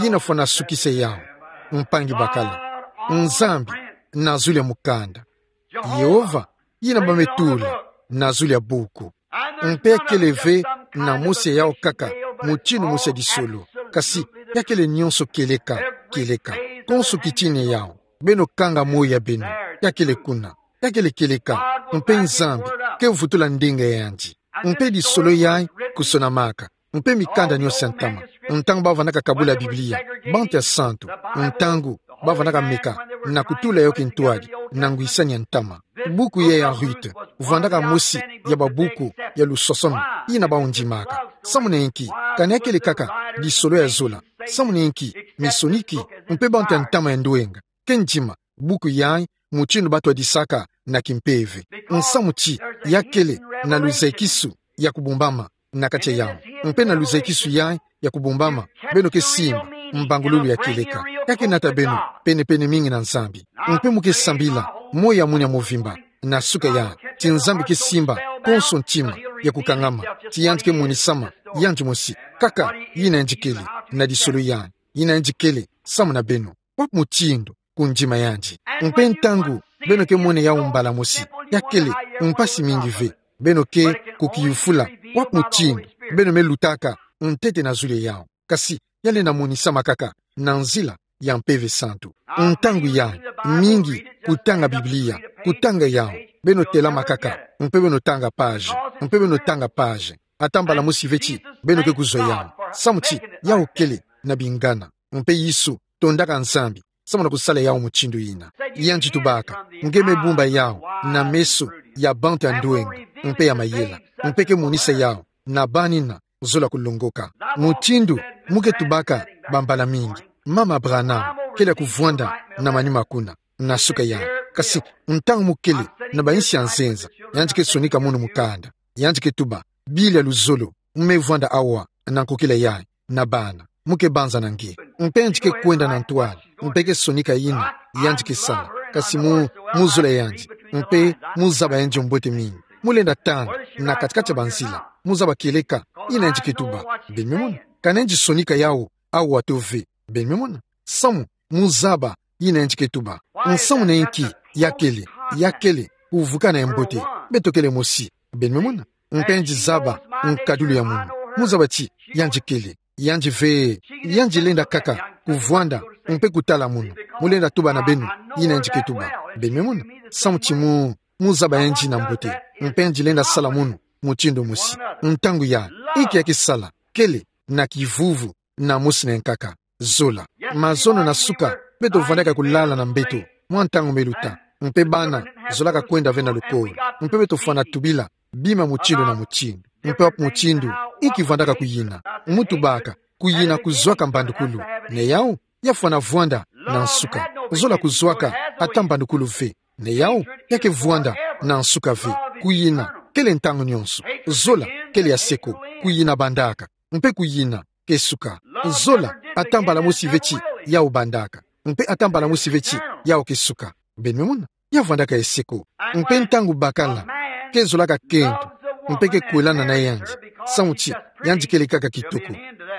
Yina fwana sukisa yawu, mpangi bakala. Nzambi na zulu ya mukanda. Yehova yina ba me tula na zulu ya buku. Mpe ya kele ve na mosi ya yawu kaka, mutindu mosi ya disolo. Kasi ya kele nionso kieleka, kieleka. Konso kitina ya yawu, beno kanga moyo ya beno. Ya kele kuna. Ya kele kieleka. Mpe Nzambi ke vutula ndinga ya yandi. Mpe disolo yayi kusonamaka. Mpe mikanda nionso ya ntama, ntangu ba vandaka kabula Biblia, bantu ya santu, ntangu ba vandaka meka na kutula yo kintwadi na ngwisani ya ntama. Buku yayi ya Ruth vandaka mosi ya babuku ya lusosomi yina bau ndimaka. Samu na inki? Kani ya kele kaka disolo ya zola. Samu na inki? misoniki, mpe bantu ya ntama ya ndwenga. Ke ndima buku yayi, mutindu batwadisaka na kimpeve. Nsamu ti, ya kele na luzakisu ya kubombama na kati ya yawu. Mpe na luzakisu yayi ya kubombama, beno ke simba mbangululu ya kieleka. Ka ke nata beno penepene mingi na Nzambi. Mpe mu ke sambila moyo ya mwini ya movimba na suka yayi, ti Nzambi ke simba konso ntima ya kukangama, ti yandi ke monisama yandi mosi kaka yina yandi kele, na lisolo yayi, yina yandi kele samu na beno. Wapi mutindu? Ku ndima yandi. Mpe ntangu beno ke mona yawu mbala mosi, ya kele mpasi mingi ve. Beno ke kukiyufula wapi mutindu beno me lutaka ntete na zulu ya yawu. Kasi ya lenda monisama kaka na nzila ya Mpeve Santu. Ntangu yayi, mingi kutanga Biblia, kutanga yawu, beno telama kaka, mpe beno tanga page, mpe beno tanga page. Ata mbala mosi ve ti beno ke kuzwa yawu, samu ti yawu kele na bingana. Mpe Yesu tondaka Nzambi samu na kusala yawu mutindu yina. Yandi tubaka: Nge me bumba yawu na meso ya bantu ya ndwenga mpe ya mayela, mpe ke monisa yawu na banina zola kulongoka. Mutindu mu ke tubaka bambala mingi, Mama Branham kele ya kuvwanda na manima kuna, na suka yayi. Kasi ntangu mu kele na bayinsi ya nzenza, yandi ke sonika munu mukanda. Yandi ke tuba: Bili ya luzolo, mu me vwanda awa na nkokila yayi na bana. Mu ke banza na nge. Mpe yandi ke kwenda na ntwala, mpe ke sonika yina yandi ke sala. Kasi mu, mu zola yandi, mpe mu zaba yandi mbote mingi. Mu lenda tanga na kati-kati ya banzila, mu zaba kieleka yina yandi ke tuba. Beno me mona? Ka nge sonika yawu awa to ve. Beno me mona? Samu mu zaba yina yandi ke tuba. Nsamu na inki? Ya kele, ya kele kuvukana ya mbote. Beto kele mosi. Beno me mona? Mpe yandi zaba nkadulu ya munu. Mu zaba ti yandi kele, yandi ve, yandi lenda kaka kuvwanda mpe kutala munu. Mu lenda tuba na beno yina yandi ke tuba. Beno me mona? Samu ti mu, mu zaba yandi na mbote. Mpe yandi lenda sala munu mutindu mosi. Ntangu yayi, inki ya ke sala? Kele na kivuvu na mosi na nkaka. Zola. Mazono na suka, beto vwandaka kulala na mbeto mwa ntangu me luta. Mpe bana zolaka kwenda ve na lukolo. Mpe beto fwana tubila bima mutindu na mutindu. Mpe wapi mutindu? Inki vwandaka kuyina? Mu tubaka: Kuyina kuzwaka mbandukulu. Na yawu, ya fwana vwanda na nsuka. Zola kuzwaka ata mbandukulu ve. Na yawu, ya ke vwanda na nsuka ve. Kuyina kele ntangu nyonso. Zola kele ya seko. Kuyina bandaka. Mpe kuyina ke suka. Zola ata mbala mosi ve ti yawu bandaka. Mpe ata mbala mosi ve ti yawu ke suka. Beno me mona? Ya vwandaka ya seko. Mpe ntangu bakala ke zolaka kento, mpe ke kwelana na yandi, samu ti yandi kele kaka kitoko,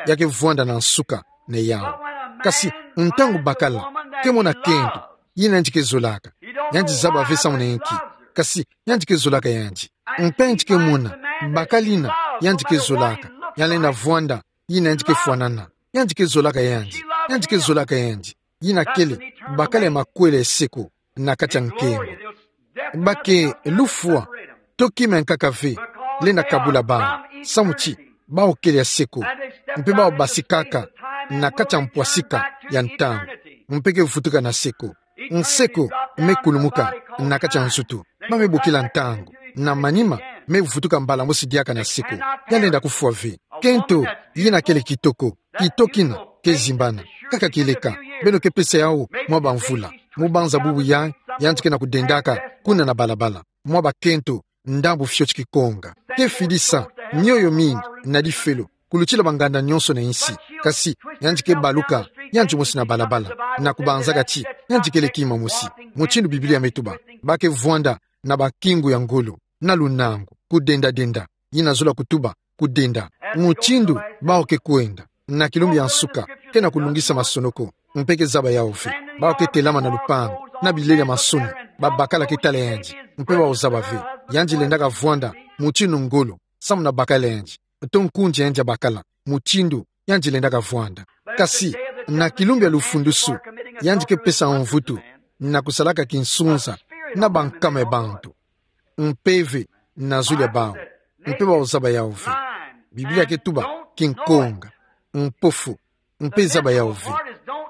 ya ke vwanda na nsuka na yawu. Kasi ntangu bakala ke mona kento, yina yandi ke zolaka, yandi zaba ve samu na inki. Kasi yandi ke zolaka yandi. Mpe yandi ke mona bakala yina yandi ke zolaka, ya lenda vwanda yina yandi ke fwanana. Yandi ke zolaka yandi. Yandi ke zolaka yandi. Yina kele bakala ya makwela ya seko na kati ya nkembo. Ba ke lufwa to kima ya nkaka ve lenda kabula bawu, samu ti bawu kele ya seko. Mpe bawu basikaka na kati ya mpwasika ya ntangu, mpe ke vutuka na seko. Nseko me kulumuka na kati ya nzutu. Ba me bokila ntangu. Na manima me vutuka mbala mosi diaka na seko. Ya lenda kufwa ve. Kento yina kele kitoko, kito kina ke zimbana. Kaka kieleka, beno ke pesa yawu mwa bamvula. Mu banza bubu yayi, yandi ke na kudendaka kuna na balabala. Mwa bakento ndambu fioti kikonga. Ke fidisa mioyo mingi na lifelo kulutila banganda nyonso na insi. Kasi yandi ke baluka yandi mosi na balabala, na kubanzaka ti yandi kele kima mosi. Mutindu Biblia me tuba, ba ke vwanda na bakingu ya ngolo, na lunangu, kudenda-denda. Yina zola kutuba kudenda. Mutindu bawu ke kwenda na kilumbu ya nsuka, ke na kulungisa masonoko, mpe ke zaba yawu ve. Bawu ke telama na lupangu, na bilele ya masoni, babakala ke tala yandi, mpe bawu zaba ve. Yandi lendaka vwanda mutindu ngolo, samu na bakala yandi, to nkunzi yandi ya bakala, mutindu yandi lendaka vwanda. Kasi na kilumbu ya lufundusu, yandi ke pesa mvutu na kusalaka kinsunza na bankama ya bantu. Mpeve na zulu ya bawu, mpe bawu zaba yawu ve. Biblia ke tuba kinkonga, mpofu, mpe zaba yawu ve.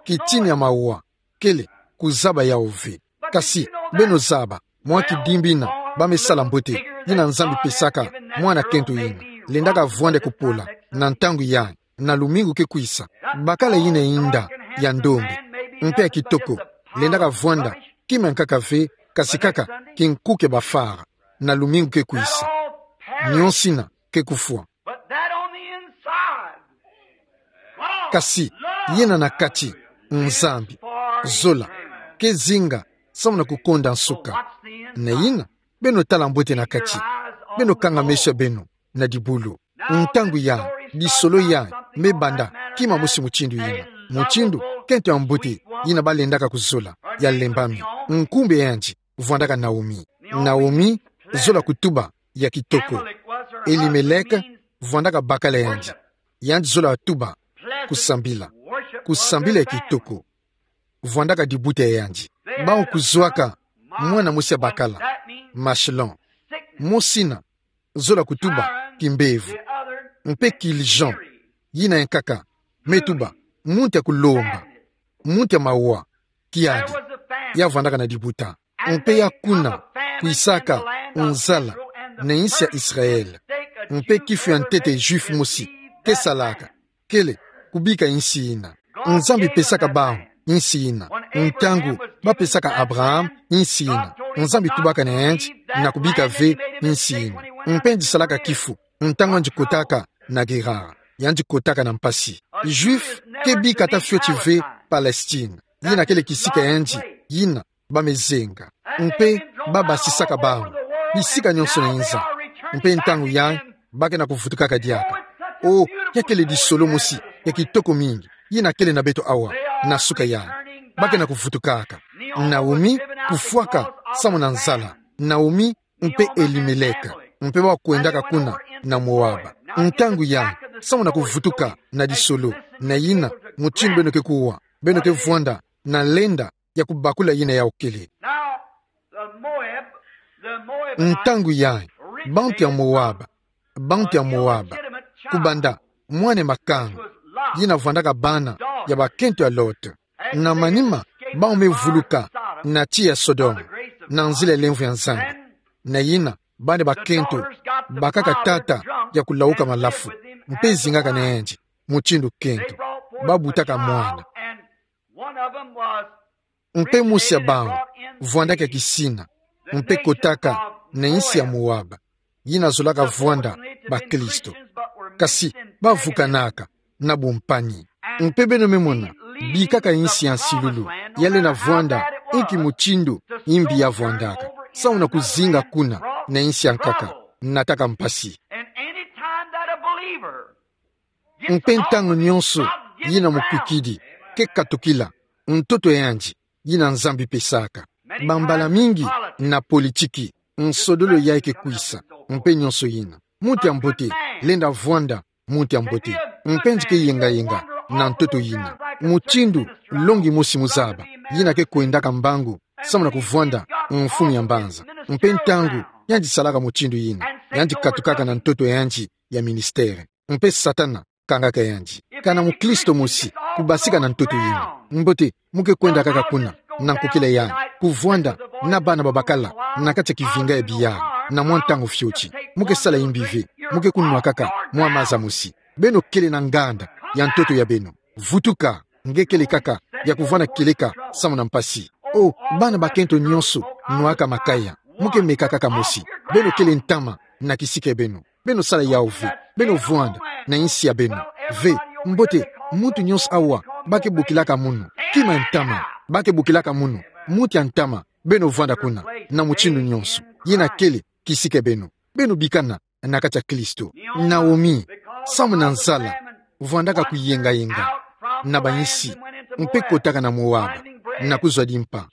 Kitini ya mawa kele kuzaba yawu ve. Kasi beno zaba, mwa kidimbu yina ba me sala mbote, yina Nzambi pesaka mwana kento yina, lendaka vwanda kupola na ntangu yayi, na lumingu ke kwisa. Bakala yina yinda ya ndombe, mpe ya kitoko, lendaka vwanda kima nkaka ve, kasi kaka kinkuke bafara na lumingu ke kwisa. Nionso ina ke kufwa. But that on the inside, God, kasi yina na kati, Nzambi, zola, ke zinga samu na kukonda nsuka. Na yina, beno tala mbote na kati. Beno kanga meso ya beno na dibulu. Ntangu ya, disolo ya me banda kima mosi mutindu yina. Mutindu kento ya mbote yina balendaka kuzola, ya lembami. Nkumbu ya yandi vwandaka Naomi. Naomi, zola kutuba ya kitoko. Elimeleke vwandaka bakala ya yandi. Yandi zola tuba kusambila. Kusambila ya kitoko vwandaka dibuta ya yandi. Bawu kuzwaka mwana mosi ya bakala, Machlon. Mosi ina, zola kutuba kimbevo. Mpe Kiljon, yina ya nkaka, me tuba muntu ya kulomba, muntu ya mawa, kiadi, ya vwandaka na dibuta. Mpe ya kuna kwisaka nzala na insi ya Israel. Mpe kifu ya ntete Juif mosi ke salaka kele kubika insi ina. Nzambi pesaka bawu insi ina. Ntangu bapesaka Abraham insi ina, Nzambi tubaka na yandi na kubika ve insi ina. Mpe yandi salaka kifu ntangu yandi kotaka na Gerar, yandi kotaka na mpasi. Juif ke bika ata fioti ve Palestine. Yina kele kisika ya yandi yina ba me zenga. Mpe babasisaka bawu bisika nionso na inza. Mpe ntangu yayi ba ke na kuvutukaka diaka. O, ya kele disolo mosi ya kitoko mingi yina kele na beto awa na suka yayi. Ba ke na kuvutukaka. Naomi kufwaka samu na nzala. Naomi mpe Elimeleke, mpe bawu kwendaka kuna na Moaba. Ntangu yayi, samu na kuvutuka na disolo, na yina mutindu beno ke kuwa, beno ke vwanda na lenda ya kubakula yina yawu kele. Now, the Moab, the Moabites, ntangu yayi, bantu ya Moaba, bantu ya Moaba, kubanda mwana makanga, yina vwandaka bana ya bakento ya Lot. Na manima, bawu me vuluka na tiya ya Sodome, na nzila ya lemvo ya Nzambi. Na yina, bana bakento bakaka tata ya kulawuka malafu, mpe zingaka na yandi mutindu kento. Babutaka mwana. Mpe mosi ya bawu vwandaka ya kisina, mpe kotaka na insi ya Moaba, yina zolaka vwanda bakristo. Kasi bavukanaka na bumpani. Mpe beno me mona, bikaka insi ya nsilulu, ya lenda vwanda inki mutindu yimbi ya vwandaka, samu na kuzinga kuna na insi ya nkaka, nataka mpasi. And any time that a believer gets a hold of the gospel, yina mukwikidi ke katukila ntoto ya yandi, yina Nzambi pesaka. Bambala mingi na politiki, nsodolo yayi ke kwisa, mpe nionso yina. Muntu ya mbote lenda vwanda muntu ya mbote, mpe yandi ke yenga-yenga na ntoto yina. Mutindu longi mosi mu zaba, yina ke kwendaka mbangu samu na kuvwanda mfumu ya mbanza. Mpe ntangu yandi salaka mutindu yina, yandi katukaka na ntoto ya yandi ya ministère. Mpe Satana kangaka yandi. Kana mukristo mosi kubasika na ntoto yina, mbote, mu ke kwenda kaka kuna na nkokila yayi, kuvwanda na bana babakala na kati ya kivinga ya biyala, na mwa ntangu fioti. Mu ke sala yimbi ve, mu ke kunwa kaka mwa maza mosi. Beno kele na nganda ya ntoto ya beno. Vutuka, nge kele kaka ya kuvwanda kieleka samu na mpasi. O, bana bakento nionso nwaka makaya. Mu ke meka kaka mosi. Beno kele ntama na kisika ya beno. Beno sala yawu ve. Beno vwanda na insi ya beno ve. Mbote, muntu nionso awa ba ke bokilaka munu kima ntama. Ba ke bokilaka munu muntu ya ntama. Beno vwanda kuna na mutindu nionso. Yina kele kisika ya beno. Beno bikana na kati ya Kristo. Naomi, samu na nzala, vwandaka kuyenga-yenga na bainsi, mpe kotaka na Moaba na kuzwa dimpa.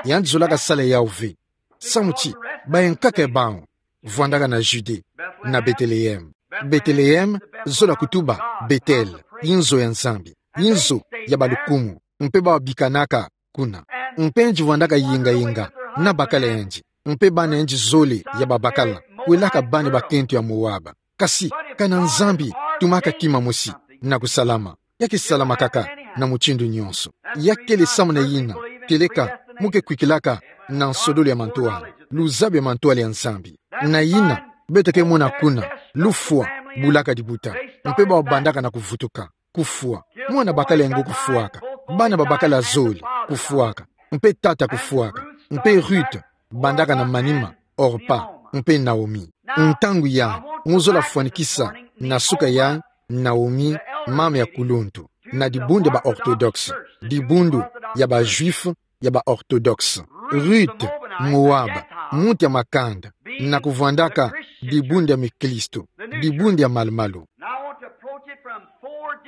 Yandi zolaka sala yawu ve. Samu ti bayankaka ya bawu vwandaka na Judée, na Bethléem. Bethléem zola kutuba Bethel, inzo ya Nzambi, inzo ya balukumu, mpe bawu bikanaka kuna. Mpe yandi vwandaka yenga-yenga na bakala yandi, mpe bana yandi zole ya babakala, kwelaka bana bakento ya Moaba. Kasi, kana Nzambi tumaka kima mosi na kusalama, ya ke salama kaka na mutindu nionso. Ya kele samu na yina, kieleka mu ke kwikilaka na nsodolo ya mantwala, luzabu ya mantwala ya Nzambi. Na yina, beto ke mona kuna, lufwa bulaka dibuta, mpe bawu bandaka na kuvutuka, kufwa. Mwana bakala ya ngo kufwaka. Bana babakala zole kufwaka, mpe tata kufwaka, mpe Ruth, bandaka na manima, Orpa, mpe Naomi. Ntangu ya, muzola fwanikisa, na suka ya, Naomi, mama ya kuluntu, na dibundu ya ba orthodoxe, dibundu ya ba juif, ya ba orthodoxe. Ruth, Moab, muntu ya makanda, na kuvwandaka dibundu ya miklisto, dibundu ya malumalu.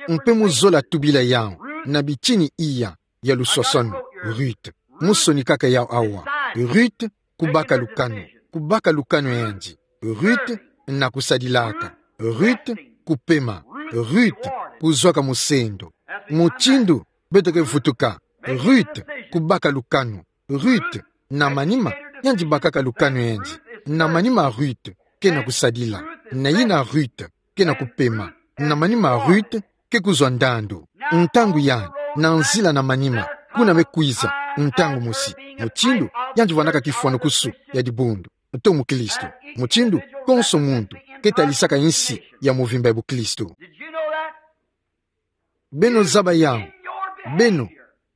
Mpe muzola tubila yau na bitini iya ya luswaswanu, Ruth. Musonikaka yau awa. Ruth, kubaka lukanu, kubaka lukanu yandi. Ruth, na kusadilaka. Ruth, kupema. Ruth, kuzwaka musendo. Mutindu beto ke vutuka. Ruth, kubaka lukanu. Ruth, na manima, yandi bakaka lukanu yandi. Na manima Ruth, ke na kusadila. Na yina Ruth, ke na kupema. Na manima Ruth, ke kuzwa ndandu. Ntangu ya, na nzila na manima, kuna me kwiza, ntangu mosi. Mutindu, yandi vwandaka kifwanukusu ya dibundu. To muklisto. Mutindu, konso muntu, ke talisaka insi ya muvimba ya buklisto. Beno zaba yau, beno,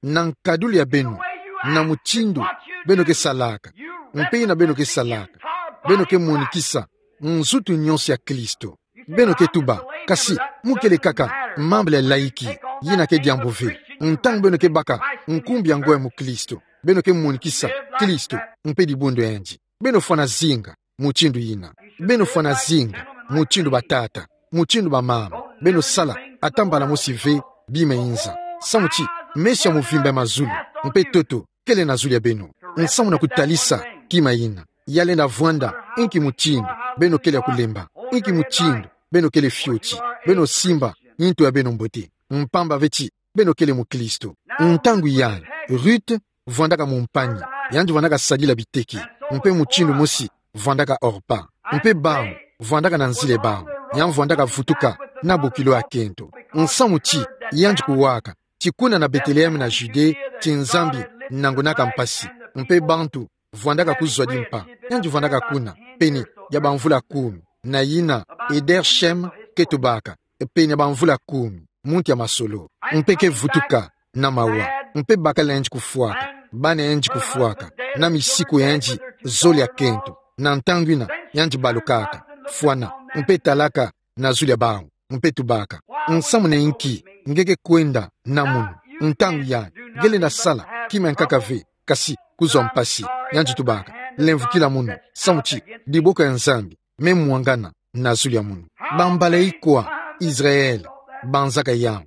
na nkadulu ya beno, na mutindu beno ke salaka, mpe yina beno ke salaka, beno ke monikisa nzutu nyonso ya Klisto. Beno ke tuba, kasi mu kele kaka mambala ya laïki, yina ke diambu ve. Ntangu beno ke baka nkumbu ya ngo ya muklisto, beno ke monikisa Klisto mpe dibundu yandi. Beno fwana zinga mutindu yina. Beno fwana zinga mutindu batata, mutindu bamama. Beno sala ata mbala mosi ve bima inza. Samu ti mesi ya muvimba ya mazulu mpe ntoto kele na zulu ya beno, nsamu na kutalisa kima yina. Ya lenda vwanda inki mutindu beno kele ya kulemba, inki mutindu beno kele fioti. Beno simba nto ya beno mbote, mpamba ve ti beno kele muklisto. Ntangu yai, Ruth vwandaka mumpani, yandi vwandaka sadila biteke, mpe mutindu mosi vwandaka Orpa, mpe bawu vwandaka na nzila ya bawu, yandi vwandaka vutuka na bokilo ya kento. Nsamu ti yandi kuwaka ti kuna na Bethléem na Judée, ti Nzambi nangonaka mpasi, mpe bantu vwandaka kuzwa dimpa. Yandi vwandaka kuna pene ya bamvula kumi, na yina Eder Shem ke tubaka, pene ya bamvula kumi, muntu ya masolo. Mpe ke vutuka na mawa, mpe bakala yandi kufwaka, bana yandi kufwaka, na misiku yandi zole ya kento. Na ntangu yina yandi balukaka, fwana, mpe talaka na zulu ya bawu, mpe tubaka: Nsamu na inki nge ke kwenda na munu? Ntangu yai nge lenda sala kima ya nkaka ve, kasi kuzwa mpasi. Yandi tubaka: Lemvukila munu, samu ti diboko ya Nzambi me mwangana na zulu ya munu. Bambala ikwa Israël banzaka yau,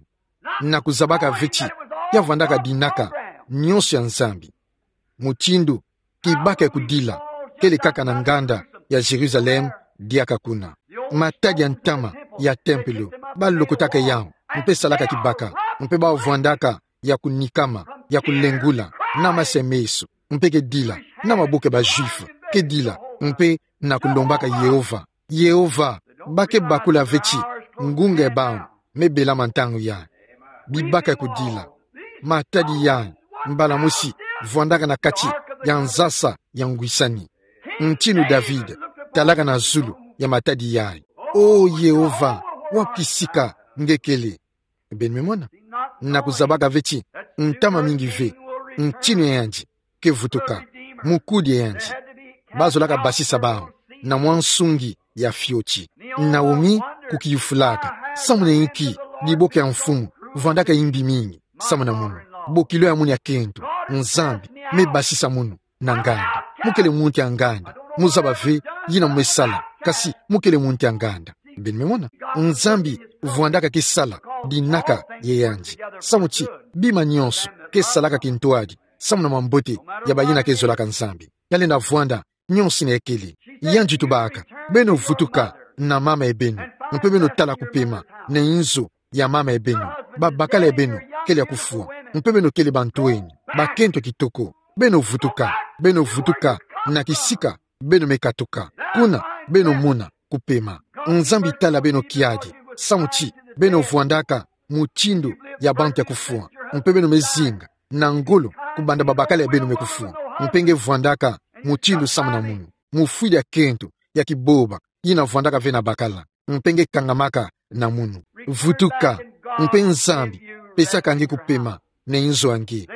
na kuzabaka ve ti ya vwandaka dinaka nyonso ya Nzambi. Mutindu kibaka ya kudila kele kaka na nganda ya Jérusalem diaka kuna. Matadi ya ntama ya tempelo, balokotaka yau, mpe salaka kibaka, mpe bawu vwandaka ya kunikama, ya kulengula, na mase meso, mpe ke dila na maboko ya ba Juifs, ke dila mpe na kulombaka Yehova. Yehova, ba ke bakula ve ti ngunga ya bawu me belama ntangu yai. Bibaka ya kudila, matadi yai, mbala mosi vwandaka na kati ya nzasa ya ngwisani. Ntinu David talaka na zulu ya matadi yai: O Yehova, wapi sika nge kele? Beno me mona? Na kuzabaka ve ti ntama mingi ve, ntinu ya yandi ke vutuka, mukudi ya yandi. Bazolaka basisa bawu na mwa nsungi ya fioti. Naomi kukiyufulaka: Samu na inki diboko ya mfumu vwandaka imbi mingi samu na munu? Bokilo ya munu ya kento, Nzambi me basisa munu na nganda. Mu kele muntu ya nganda, mu zaba ve yina mu me sala, kasi mu kele muntu ya nganda. Beno me mona? Nzambi vwandaka ke sala dinaka ya yandi, samu ti bima nyonso ke salaka kintwadi samu na mambote ya bayina ke zolaka Nzambi. Ya lenda vwanda nyonso yina ya kele. Yandi tubaka: Beno vutuka na mama ya beno, mpe beno tala kupema na inzo ya mama ya beno. Babakala ya beno kele ya kufwa, mpe beno kele bantwenya, bakento kitoko. Beno vutuka, beno vutuka na kisika beno me katuka. Kuna beno mona kupema. Nzambi tala beno kiadi, samu ti beno vwandaka mutindu ya bantu ya kufwa, mpe beno me zinga na ngolo kubanda babakala ya beno me kufwa. Mpe nge vwandaka mutindu samu na munu. Mufwidi ya kento ya kiboba yina vwandaka ve na bakala, mpe nge kangamaka na munu. Vutuka, mpe Nzambi pesaka nge kupema na inzo a nge.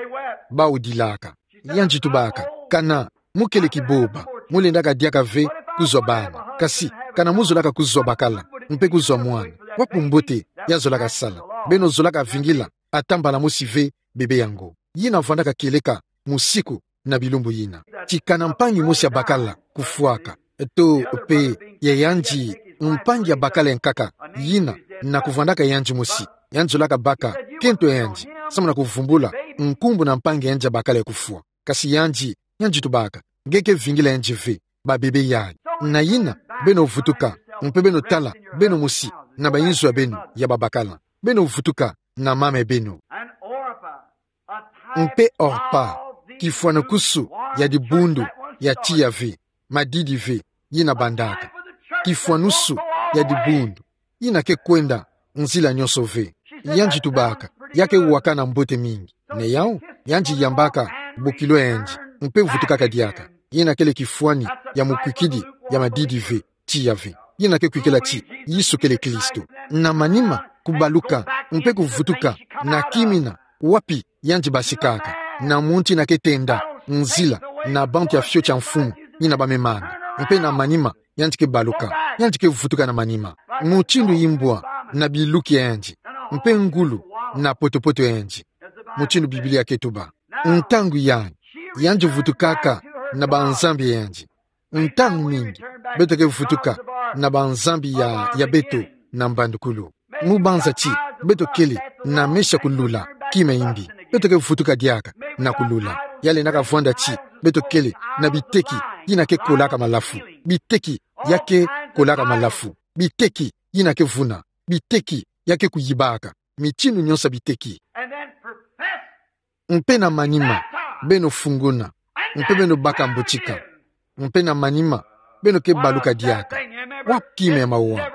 Bawu dilaka. Yandi tubaka: Kana mu kele kiboba, mu lendaka diaka ve kuzwa bana. Kasi kana mu zolaka kuzwa bakala, mpe kuzwa mwana, wapi mbote ya zolaka sala? Beno zolaka vingila ata mbala mosi ve bebe yango. Yina vwandaka kieleka musiku na bilumbu yina. Ti kana mpangi mosi abakala kufwaka, to pe ya yandi mpangi abakala ya nkaka, yina na kuvwandaka yandi mosi, yandi zolaka baka kento ya yandi samu na kuvumbula nkumbu na mpangi ya yandi abakala ya kufwa. Kasi yandi, yandi tubaka: Nge ke vingila yandi ve, babebe yayi. Na yina, beno vutuka, mpe beno tala beno mosi na bainzo ya beno ya babakala. Beno vutuka na mama ya beno. Mpe Orpa, kifwanukusu ya dibundu ya tiya ve, madidi ve, yina bandaka. Kifwanukusu ya dibundu, yina ke kwenda nzila nyonso ve. Yandi tubaka: Ya ke wakana mbote mingi. Na yawu, yandi yambaka bokilo ya yandi, mpe vutukaka diaka. Yina kele kifwani ya mukwikidi ya madidi ve, tiya ve. Yina ke kwikila ti Yesu kele Kristo. Na manima, kubaluka mpe kuvutuka na kimina wapi yandi basikaka, na muntu yina ke tenda nzila na bantu ya fioti ya mfumu yina bamemana. Mpe na manima, yandi ke baluka, yandi ke vutuka na manima, mutindu imbwa na biluki ya yandi, mpe ngulu na potopoto ya yandi, mutindu Biblia ke tuba. Ntangu yayi, yandi vutukaka na banzambi ya yandi. Ntangu mingi, beto ke vutuka na banzambi ya, ya beto na mbandukulu. Mu banza ti beto kele na meso ya kulula kima imbi, beto ke vutuka diaka na kulula. Ya lendaka vwanda ti beto kele na biteki yina ke kolaka malafu, biteki ya ke kolaka malafu, biteki yina ke vuna, biteki ya ke kuyibaka, mitindu nyonso ya biteki. Mpe na manima, beno funguna, mpe beno baka mbotika. Mpe na manima, beno ke baluka diaka: Wapi kima ya mawa?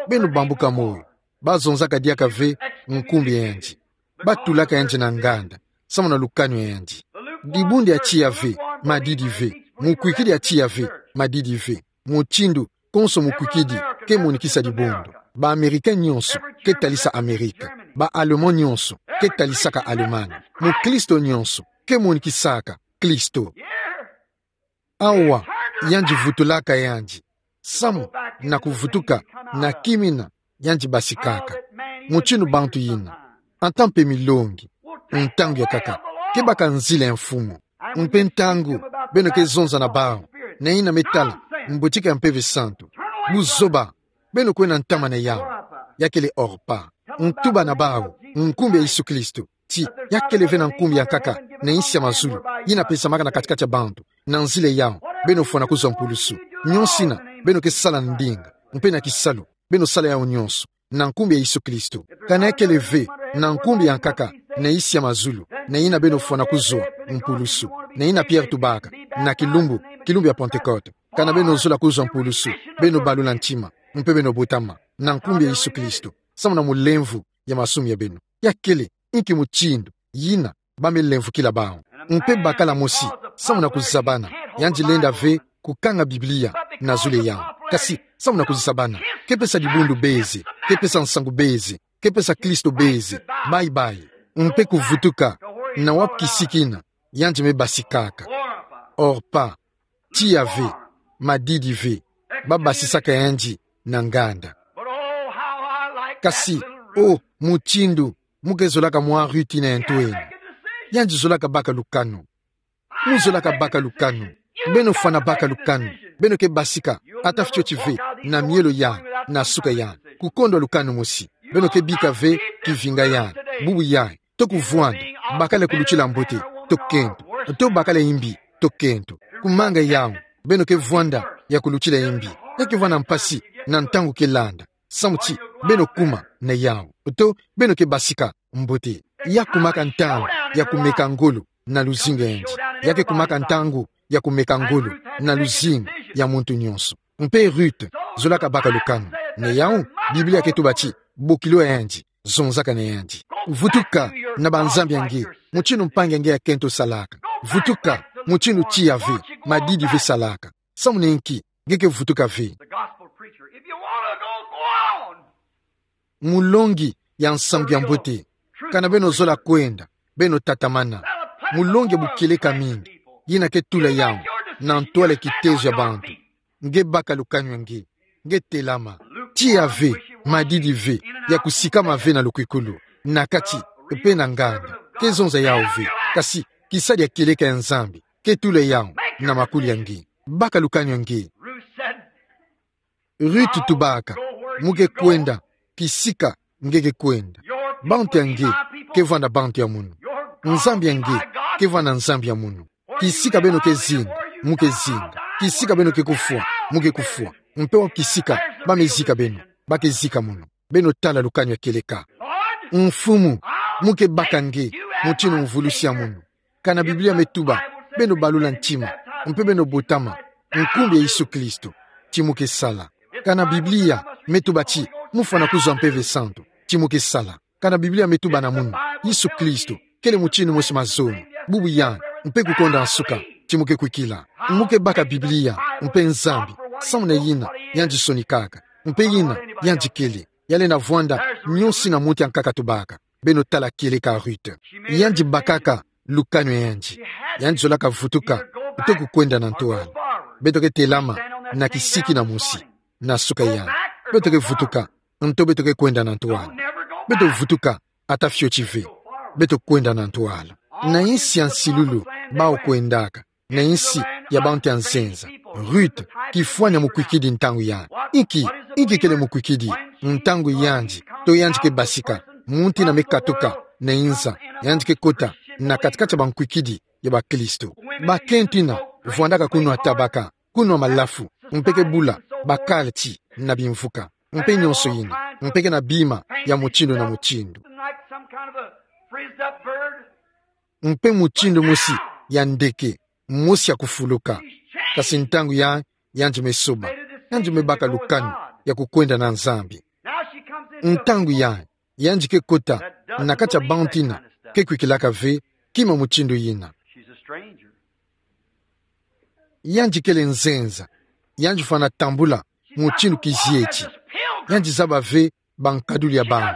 Beno bambuka moyo. Bazonzaka diaka ve nkumbu ya yandi. Batulaka yandi na nganda samu na lukanu ya yandi. Dibundu ya tiya ve, madidi ve, mukwikidi ya tiya ve, madidi ve, mutindu konso mukwikidi ke monikisa dibundu. Ba Américains nyonso ke talisa Amerika. Ba Allemands nyonso ke talisaka Allemagne. Mukristo nyonso ke monikisaka Kristo. Awa, yandi vutulaka yandi samu na kuvutuka na kimina yandi basikaka. Mutindu bantu yina, ata mpe milongi, ntangu ya nkaka, ke baka nzila ya mfumu. Mpe ntangu beno ke zonza na bawu, na yina me tala mbotika ya Mpeve Santu, buzoba, beno kwenda ntama na yawu. Ya kele Orpa. Ntuba na bawu nkumbu ya Yesu Kristo ti ya kele ve na nkumbu ya nkaka na nsi ya mazulu, yina pesamaka na kati-kati ya bantu. Na nzila yawu, beno fwana kuzwa mpulusu. Nyonso yina beno ke sala na ndinga mpe na kisalu, beno sala yawu nyonso na nkumbu ya Yesu Kristo. Kana ya kele ve na nkumbu ya nkaka na nsi ya mazulu, na yina beno fwana kuzwa mpulusu. Na yina Pierre tubaka na kilumbu, kilumbu ya Pentecôte: Kana beno zola kuzwa mpulusu, beno balula ntima, mpe beno botama na nkumbu ya Yesu Kristo samu na mulemvo ya masumu ya beno. Ya kele inki mutindu yina ba me lemvokila bawu? Mpe bakala mosi, samu na kuzabana, yandi lenda ve kukanga Biblia na zulu ya yawu. Kasi samu na kuzabana, ke pesa dibundu bezi, ke pesa nsangu bezi, ke pesa Kristo bezi. Bye bye. Mpe kuvutuka na wapi kisiki yina yandi me basikaka. Orpa, tiya ve, madidi ve, babasisaka yandi na nganda. Kasi, oh, mutindu mu ke zolaka mwa Ruth yina ya ntwenya. Yandi zolaka baka lukanu. Mu zolaka baka lukanu. Beno fwana baka lukanu. Beno ke basika ata fioti ve na mielo yai, na suka yai, kukondwa lukanu mosi. Beno ke bika ve kivinga yai, bubu yai, to kuvwanda, bakala ya kulutila mbote, to kento, to bakala ya imbi, to kento. Kumanga yawu, beno ke vwanda ya kulutila imbi. Ya ke vwanda mpasi na ntangu ke landa, samu ti beno kuma na yawu. To beno ke basika mbote. Ya kumaka ntangu ya kumeka ngolo na luzingu ya yandi. Ya ke kumaka ntangu ya kumeka ngolo na luzingu ya muntu nyonso. Mpe Ruth zolaka baka lukanu. Na yawu, Biblia ke tuba ti bokilo ya yandi zonzaka na yandi. Vutuka na banzambi ya nge, mutindu mpangi ya nge ya kento salaka. Vutuka, mutindu tiya ve, madidi ve salaka. Samu na inki nge ke vutuka ve? The gospel preacher. If you want to go, go on. Mulongi ya nsangu ya mbote. Kana beno zola kwenda, Beno tatamana. Mulongi ya bukieleka mingi yina ke tula yawu na ntwala ya kitezo ya bantu. Nge baka lukanu ya nge. Nge telama. Tiya ve, madidi ve, ya kusikama ve na lukwikulu, na kati, mpe na nganda. Ke zonza yawu ve. Kasi, kisadia kieleka ya Nzambi ke tula yawu na makuli ya nge. Baka lukanu ya nge. Ruth tubaka: Mu ke kwenda kisika nge ke kwenda. Bantu ya nge ke vwanda bantu ya munu. Nzambi ya nge ke vwanda Nzambi ya munu. Kisika beno ke zinga, mu ke zinga. Kisika beno ke kufwa, mu ke kufwa. Mpe wapi kisika ba me zika beno, ba ke zika munu. Beno tala lukanu ya kieleka. Mfumu, mu ke baka nge mutindu mvulusi ya munu. Kana Biblia me tuba, beno balula ntima, mpe beno botama, nkumbu ya Yesu Kristo, ti mu ke sala. Kana Biblia me tuba ti mu fwana kuzwa Mpeve Santu, ti mu ke sala. Kana Biblia me tuba na munu Yesu Kristo kele mutindu mosi, mazono, bubu, yandi, mpe kukonda nsuka, ti mu ke kwikila. Mu ke baka Biblia mpe Nzambi, samu na yina yandi sonikaka, mpe yina yandi kele. Ya lenda vwanda nionso yina muntu ya nkaka atubaka. Beno tala kieleka Ruth. Yandi bakaka lukanu ya yandi. Yandi zolaka vutuka, nto kukwenda na ntwala. Beto ke telama na kisiki na mosi, na nsuka yandi. Beto ke vutuka, nto beto ke kwenda na ntwala. Beto vutuka ata fioti ve. Beto kwenda na ntwala. Na insi ya nsilulu bawu kwendaka, na insi ya bantu ya nzenza. Ruth, kifwani ya mukwikidi ntangu yandi. Inki, inki kele mukwikidi? Ntangu yandi, to yandi ke basika, muntu yina me katuka na inza, yandi ke kota na kati-kati ya bankwikidi ya bakristo. Bakento yina vwandaka kunwa tabaka, kunwa malafu, mpe ke bula bakalti na bimvuka, mpe nionso yina, mpe ke na bima ya mutindu na mutindu. Mpe mutindu mosi ya ndeke, mosi ya kufuluka. Kasi ntangu yandi, yandi me soba. Yandi me baka lukanu ya kukwenda na Nzambi. Ntangu yandi, yandi ke kota na kati ya bantu yina ke kwikilaka ve kima mutindu yina. Yandi kele nzenza. Yandi fwana tambula mutindu kizieti. Yandi zaba ve bankaduli ya bawu.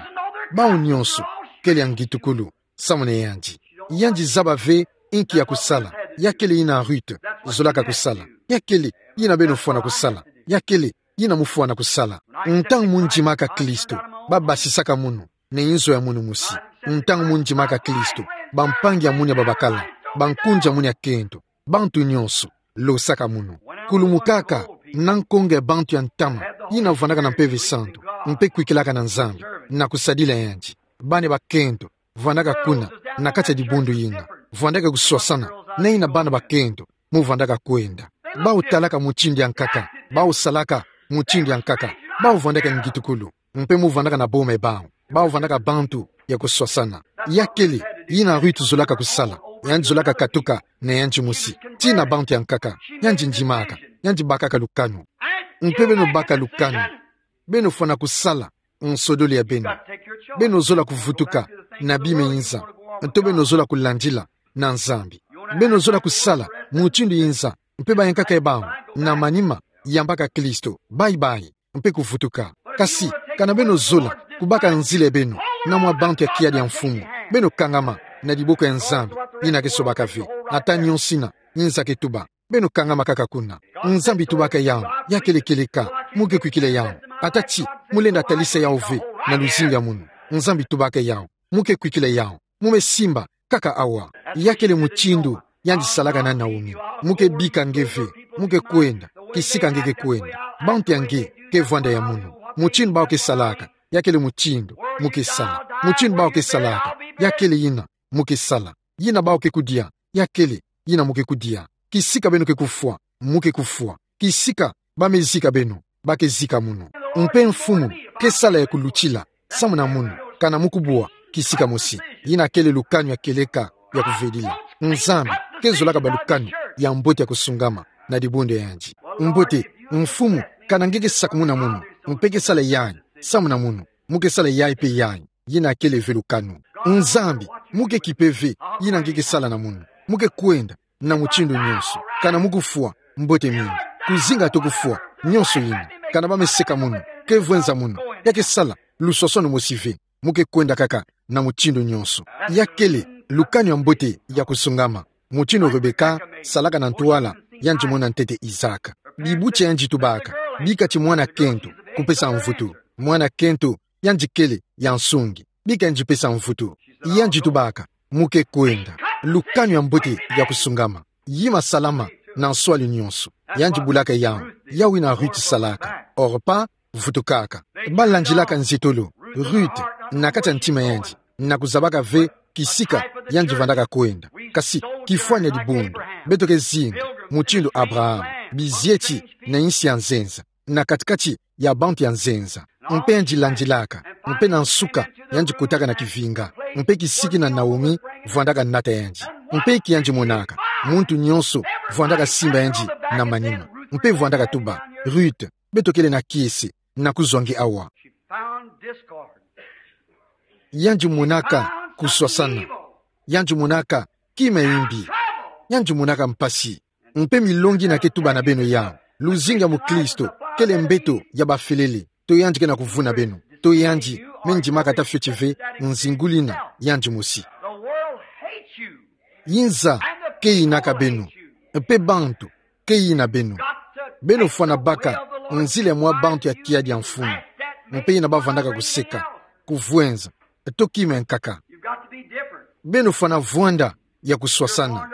Bawu nionso kele ya ngitukulu samu na yandi. Yandi zaba ve inki ya kusala. Ya kele yina Ruth zolaka kusala. Ya kele yina beno fwana kusala. Ya kele yina mu fwana kusala. Ntangu mu ndimaka Kristo, ba basisaka munu na inzo ya munu mosi. Ntangu mu ndimaka Kristo, bampangi ya munu ya babakala, bankunzi ya munu ya kento, bantu nionso losaka munu. Kulumukaka na nkonga ya bantu ya ntama yina vwandaka na Mpeve Santu, mpe kwikilaka na Nzambi na kusadila yandi. Bana ya bakento vwandaka kuna na kati ya dibundu yina, vwandaka kuswasana na yina bana bakento mu vwandaka kwenda. Bawu talaka mutindu ya nkaka, bawu salaka mutindu ya nkaka, bawu vwandaka ngitukulu, mpe mu vwandaka na boma ya bawu, bawu vwandaka bantu ya kuswasana. Ya kele yina Ruth zolaka kusala. Yandi zolaka katuka na yandi mosi tii na bantu ya nkaka. Yandi ndimaka, yandi bakaka lukanu. Mpe beno baka lukanu. Beno fwana kusala nsodolo ya beno. Beno zola kuvutuka na bima ya inza, nto beno zola kulandila na Nzambi. Beno zola kusala mutindu ya inza, mpe ba ya nkaka ya bawu na manima yambaka Kristo bye-bye, mpe kuvutuka. Kasi kana beno zola kubaka nzila ya beno na mwa bantu ya kiadi ya mfumu, beno kangama na diboko ya Nzambi yina ke sobaka ve ata nionso yina inza ke tuba. Beno kangama kaka kuna. Nzambi tubaka yawu, ya kele kieleka, mu ke kwikila yawu. Ata ti mu lenda talisa yawu ve na luzingu ya munu, Nzambi tubaka yawu, mu ke kwikila yawu. Mu me simba kaka awa. Ya kele mutindu yandi salaka na Naomi. Mu ke bika nge ve, mu ke kwenda kisika nge ke kwenda. Bantu ya nge ke vwanda ya munu. Mutindu bawu ke salaka, ya kele mutindu mu ke sala. Mutindu bawu ke salaka, ya kele yina mu ke sala. Yina bawu ke kudia, ya kele yina mu ke kudia. Kisika beno ke kufwa, mu ke kufwa. Kisika ba me zika beno, ba ke zika munu. Mpe mfumu ke sala ya kulutila samu na munu kana mu kubwa kisika mosi. Yina kele lukanu ya kieleka ya kuvedila. Nzambi ke zolaka balukanu ya mbote ya kusungama na dibundu ya yandi. Mbote, mfumu, kana nge ke sakumuna munu, mpe ke sala yayi samu na munu, mu ke sala yayi mpe yayi. Yina kele ve lukanu. Nzambi, mu ke kipe ve yina nge ke sala na munu. Mu ke kwenda na mutindu nionso. Kana mu kufwa, mbote mingi. Kuzinga to kufwa, nionso yina. Kana ba me seka munu, ke vwenza munu, ya ke sala luswaswanu mosi ve. Mu ke kwenda kaka na mutindu nionso. Ya kele Lukanu ya mbote ya kusungama. Mutindu Rebeka salaka na ntwala yandi mona ntete Isaac. Bibuti yandi tubaka, bika ti mwana kento, kupesa mvutu. Mwana kento, yandi kele ya nsungi. Bika yandi pesa mvutu. Yandi tubaka, mu ke kwenda. Lukanu ya mbote ya kusungama. Yima salama na nswali nyonso. Yandi bulaka yawu. Yawu yina Ruth salaka. Orpa vutukaka. Balandilaka nzietolo. Ruth, na kati ya ntima yandi, na kuzabaka ve kisika yandi vandaka kwenda. Kasi, kifwani ya dibundu, beto ke zinga mutindu Abraham, bizieti na insi ya nzenza, na kati-kati ya bantu ya nzenza. Mpe yandi landilaka, mpe na nsuka yandi kotaka na kivinga, mpe kisiki na Naomi vandaka nata yandi. Mpe inki yandi monaka? Muntu nyonso vandaka simba yandi na manima. Mpe vandaka tuba: Ruth, beto kele na kiese, na kuzwa nge awa. She found discord. Yandi monaka kuswasana. Yandi monaka kima ya imbi. Yandi monaka mpasi. Mpe milongi yina ke tuba na beno yawu. Luzingu ya mukristo kele mbeto ya bafelele, to yandi ke na kuvuna beno, to yandi me ndimaka ata fioti ve nzingulu yina yandi mosi. The world hates you. Inza ke yinaka beno, mpe bantu ke yina beno. Beno fwana baka nzila ya mwa bantu ya kiadi ya mfumu, mpe yina bavandaka kuseka, kuvwenza, to kima ya nkaka. You've got to be different. Beno fwana vwanda ya kuswasana.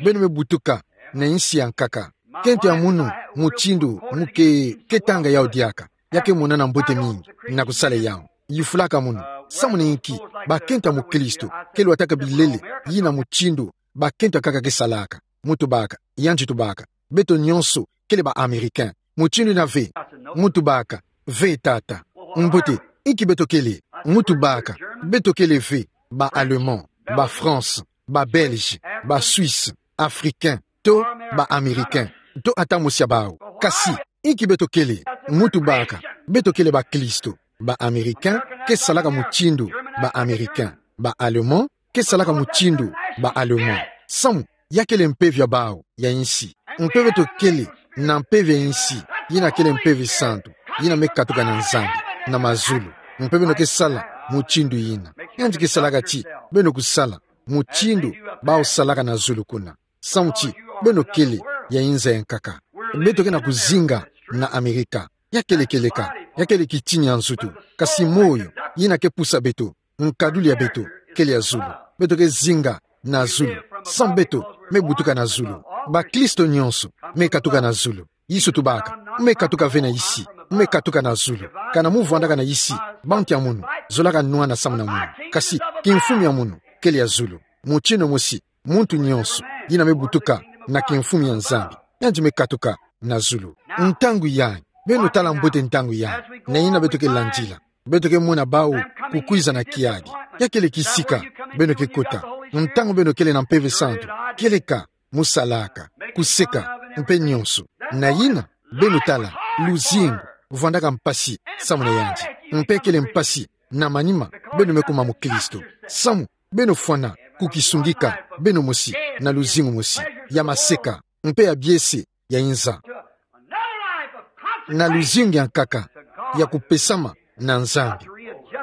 Beno me butuka na insi ya nkaka. Kento ya munu mutindu mu ke, ke tanga yawu diaka, ya ke monana mbote mingi na kusala yawu. Yufulaka munu: Samu na inki bakento ya mukristo ke lwataka bilele yina mutindu bakento ya nkaka ke salaka? Mu tubaka, yandi tubaka: Beto nyonso kele ba Américains. Mutindu yina ve? Mu tubaka: Ve, tata. Mbote, inki beto kele? Mu tubaka: Beto kele ve ba Allemands, ba Français, ba Belges, ba Suisses, Africains, to ba Américains, to ata mosi ya bawu. Kasi, inki beto kele? Mu tubaka: Beto kele bakristo. Ba Américains ke salaka mutindu ba Américains. Ba Allemands ke salaka mutindu ba Allemands. Samu, ya kele mpeve ya bawu ya insi. Mpe beto kele na mpeve ya insi, yina kele mpeve santu, yina me katuka na Nzambi, na mazulu. Mpe beno ke sala mutindu yina. Yandi ke salaka ti beno kusala mutindu bawu salaka na zulu kuna. Samu ti beno kele ya inza ya nkaka. Beto ke na kuzinga na Amerika. Ya kele kieleka, ya kele kitini ya nzutu. Kasi moyo yina ke pusa beto, nkaduli ya beto, kele ya zulu. Beto ke zinga na zulu. Samu beto me butuka na zulu. Bakristo nyonso me katuka na zulu. Yesu tubaka: Me katuka ve na isi, me katuka na zulu. Kana mu vwandaka na isi, bantu ya munu zolaka nwana samu na munu. Kasi kimfumu ya munu kele ya zulu. Mutindu mosi, muntu nyonso yina me butuka na kimfumu ya Nzambi, yandi me katuka na zulu. Ntangu yayi, beno tala mbote ntangu yayi, na yina beto ke landila. Beto ke mona bawu kukwiza na kiadi. Ya kele kisika beno ke kota. Ntangu beno kele na Mpeve Santu, kieleka, mu salaka, kuseka, mpe nyonso. Na yina, beno tala luzingu vwandaka mpasi samu na yandi. Mpe kele mpasi na manima beno me kuma mukristo. Samu beno fwana kukisungika beno mosi na luzingu mosi ya maseka, mpe ya biese ya inza, na luzingu ya nkaka ya kupesama na Nzambi.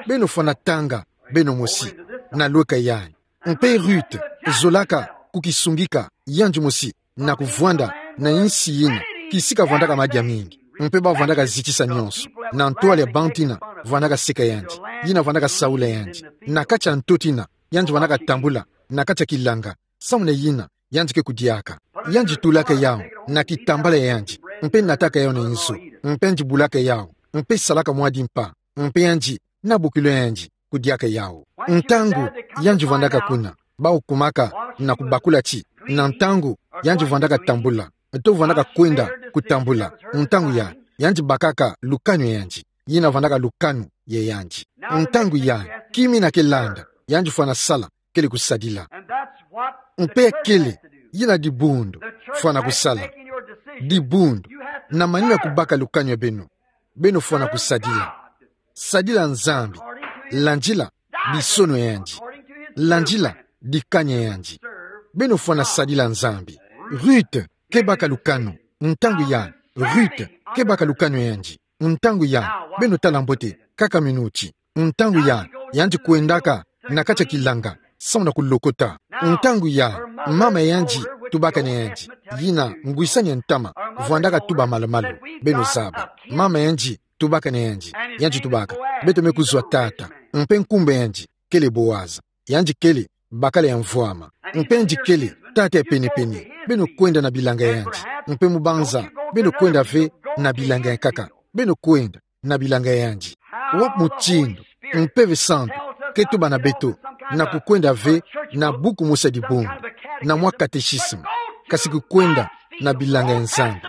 Beno fwana tanga beno mosi na lweka yayi. Mpe Ruth zolaka kukisungika yandi mosi na kuvwanda na insi yina kisika vwandaka madia mingi, mpe bavwandaka zitisa nyonso. Na ntwala ya bantu yina vwandaka seka yandi, yina vwandaka saula yandi. Na kati ya ntoto yina yandi vwandaka tambula na kati ya kilanga, samu na yina yandi ke kudiaka. Yandi tulaka yawu na kitambala ya yandi, mpe nataka yawu na inzo, mpe yandi bulaka yawu, mpe salaka mwa dimpa, mpe yandi na bokilo ya yandi kudiaka yawu. Ntangu yandi vwandaka kuna, bawu kumaka na kubakula ti na ntangu yandi vwandaka tambula, to vwandaka kwenda kutambula, ntangu yayi yandi bakaka lukanu ya yandi, yina vwandaka lukanu ya yandi. Ntangu yayi, kima yina ke landa yandi fwana sala kele kusadila. Mpe kele yina dibundu fwana kusala. Dibundu, na manima ya kubaka lukanu ya beno, beno fwana kusadila. Sadila Nzambi, landila bisono ya yandi, landila dikanya ya yandi. Beno fwana sadila Nzambi. Ruth ke baka lukanu, ntangu yayi, Ruth ke baka lukanu ya yandi. Ntangu yayi, beno tala mbote, kaka minuti. Ntangu yayi, yandi kwendaka na kati ya kilanga, samu na kulokota. Ntangu yayi, mama yandi tubaka na yandi, yina ngwisani ya ntama, vwandaka tuba malu-malu, beno zaba. Mama yandi tubaka na yandi, yandi tubaka: Beto me kuzwa tata. Mpe nkumbu a yandi kele Boaza. Yandi kele bakala ya mvwama. Mpe yandi kele tata ya pene-pene. Beno kwenda na bilanga ya yandi. Mpe mubanza, beno kwenda ve na bilanga ya nkaka. Beno kwenda na bilanga ya yandi. Wapi mutindu Mpeve Santu ke tuba na beto na kukwenda ve na buku mosi ya dibundu, na mwa catéchisme, kasi kukwenda na bilanga ya Nzambi,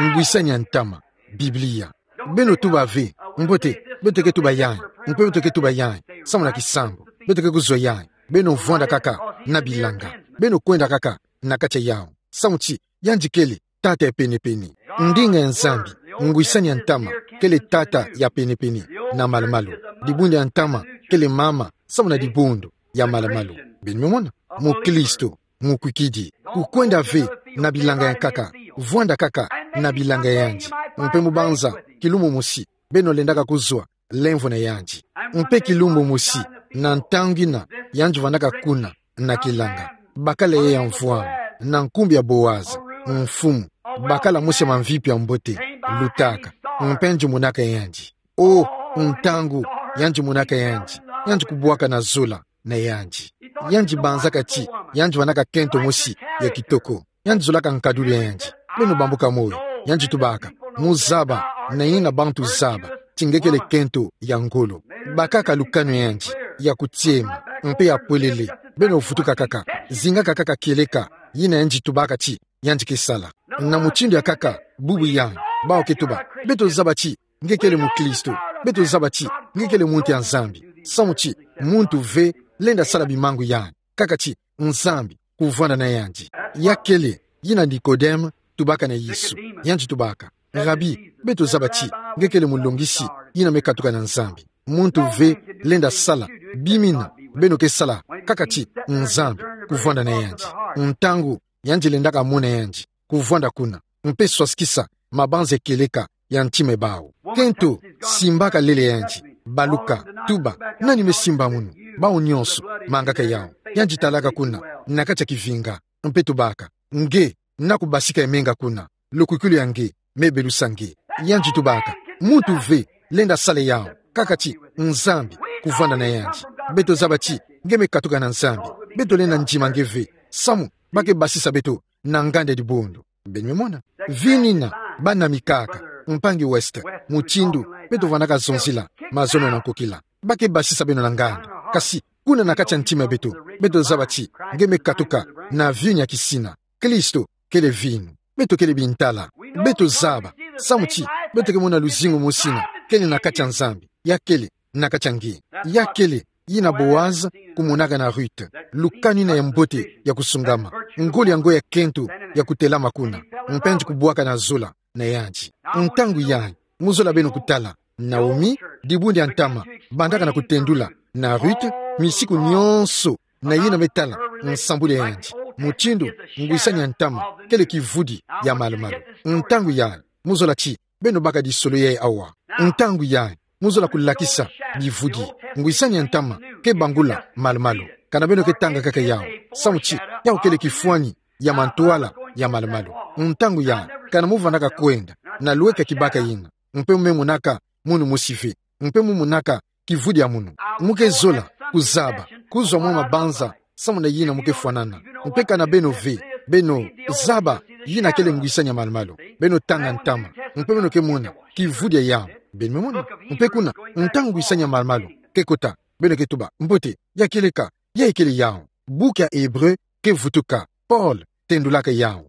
ngwisani ya ntama, Biblia. Beno tuba ve: Mbote, beto ke tuba yayi, mpe beto ke tuba yayi, samu na kisambu, beto ke kuzwa yayi. Beno vwanda kaka na bilanga. Beno kwenda kaka na kati ya yawu. Samu ti yandi kele tata ya pene-pene. Ndinga ya Nzambi, ngwisani ya ntama, kele tata ya pene-pene na malu-malu. Dibundu ya ntama kele mama, samu na dibundu ya malu-malu. Beno me mona? Mukristu mukwikidi, kukwenda ve na bilanga ya nkaka, vwanda kaka na bilanga ya yandi. Mpe mubanza, kilumbu mosi, beno lendaka kuzwa lemvo na yandi. Mpe kilumbu mosi, na ntangu yina, yandi vwandaka kuna na kilanga, bakala yayi ya mvwama, na nkumbu ya Boaza, mfumu, bakala mosi ya mamvipi ya mbote, lutaka. Mpe yandi monaka yandi. O, ntangu yandi monaka yandi, yandi kubwaka na zola na yandi. Yandi banzaka ti yandi vwandaka kento mosi ya kitoko. Yandi zolaka nkadulu ya yandi. Beno bambuka moyo. Yandi tubaka: Muzaba, na yina bantu zaba ti nge kele kento ya ngolo. Bakaka lukanu ya yandi ya kutiema, mpe ya pwelele. Beno vutuka kaka, zingaka kaka kieleka yina yandi tubaka ti yandi ke sala. Na mutindu ya nkaka bubu yayi, bawu ke tuba: Beto zaba ti nge kele mukristu. Beto zaba ti nge kele muntu ya Nzambi. Samu ti muntu ve lenda sala bimangu yayi, kaka ti Nzambi kuvwanda na yandi. Ya kele yina Nikodeme tubaka na Yesu. Yandi tubaka: Rabi, beto zaba ti nge kele mulongisi yina me katuka na Nzambi. Muntu ve lenda sala bimina beno ke sala, kaka ti Nzambi kuvwanda na yandi. Ntangu yandi lendaka mona yandi kuvwanda kuna, mpe swasikisa mabanza kieleka ya ntima ya bawu. Kento simbaka lele yandi, baluka, tuba: Nani me simba munu? Bawu nyonso mangaka yawu. Yandi talaka kuna na kati ya kivinga, mpe tubaka: Nge, na kubasika ya menga kuna, lukwikilu ya nge me belusa nge. Yandi tubaka: Muntu ve lenda sala yawu, kaka ti Nzambi kuvwanda na yandi. Beto zaba ti nge me katuka na Nzambi. Beto lenda ndima nge ve, samu ba ke basisa beto na nganda ya dibundu. Beno me mona? Vini yina bana mikaka, mpangi West, mutindu beto vwandaka zonzila mazono na nkokila. Ba ke basisa beno na nganda, kasi kuna na kati ya ntima ya beto, beto zaba ti nge me katuka na vinu ya kisina. Kristu kele vinu. Beto kele bintala. Beto zaba, samu ti beto ke mona luzingu mosi yina kele na kati ya Nzambi, ya kele na kati ya nge. Ya kele yina Boaza kumonaka na Ruth, lukanu yina ya mbote ya kusungama, ngolo ya ngo ya kento ya kutelama kuna, mpe yandi kubwaka na zola na yandi. Ntangu yayi, mu zola beno kutala Naomi, dibundu ya ntama, bandaka na kutendula na Ruth misiku nyonso na yina me tala nsambulu ya yandi. Mutindu ngwisani ya ntama kele kivudi ya malu-malu. Ntangu yayi, mu zola ti beno baka disolo yayi awa. Ntangu yayi, mu zola kulakisa bivudi. Ngwisani ya ntama ke bangula malu-malu. Kana beno ke tanga kaka yawu, samu ti yawu kele kifwani ya mantwala ya malu-malu. Ntangu yayi, kana mu vwandaka kwenda na lweka kibaka yina, mpe mu me monaka munu mosi ve, mpe mu monaka kivudi ya munu, mu ke zola kuzaba kuzwa mwa mabanza samu na yina mu ke fwanana. Mpe kana beno ve, beno zaba yina kele ngwisani ya malu-malu, beno tanga ntama, mpe beno ke mona kivudi ya yawu. Beno me mona? Mpe kuna, ntangu ngwisani ya malu-malu ke kota, beno ke tuba: Mbote, ya kieleka, yayi kele yawu. Buku ya Ebre ke vutuka, Paul tendulaka yawu.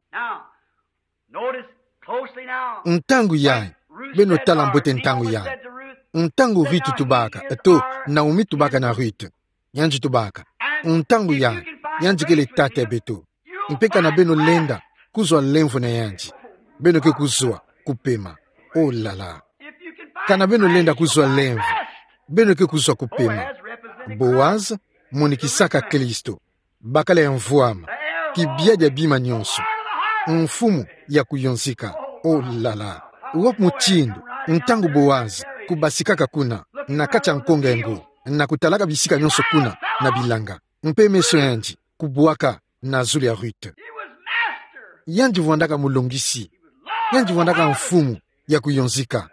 Ntangu yayi, beno tala mbote ntangu yayi. Ntangu Ruth tubaka, to, Naomi tubaka na Ruth, yandi tubaka: Ntangu yayi, yandi kele tata ya beto. Mpe kana beno lenda kuzwa lemvo na yandi, beno ke kuzwa kupema. Oh là là. Kana beno lenda kuzwa lemvo, beno ke kuzwa kupema. Boaz monikisaka Kristu, bakala ya mvwama, kibia dia bima nyonso, mfumu ya kuyonzika. Oh là là. Wapi mutindu ntangu Boaz kubasikaka kuna na kati ya nkonga ya ngo, na kutalaka bisika nyonso kuna na bilanga, mpe meso yandi kubwaka na zulu ya Ruth. Yandi vwandaka mulongisi. Yandi vwandaka mfumu ya kuyonzika.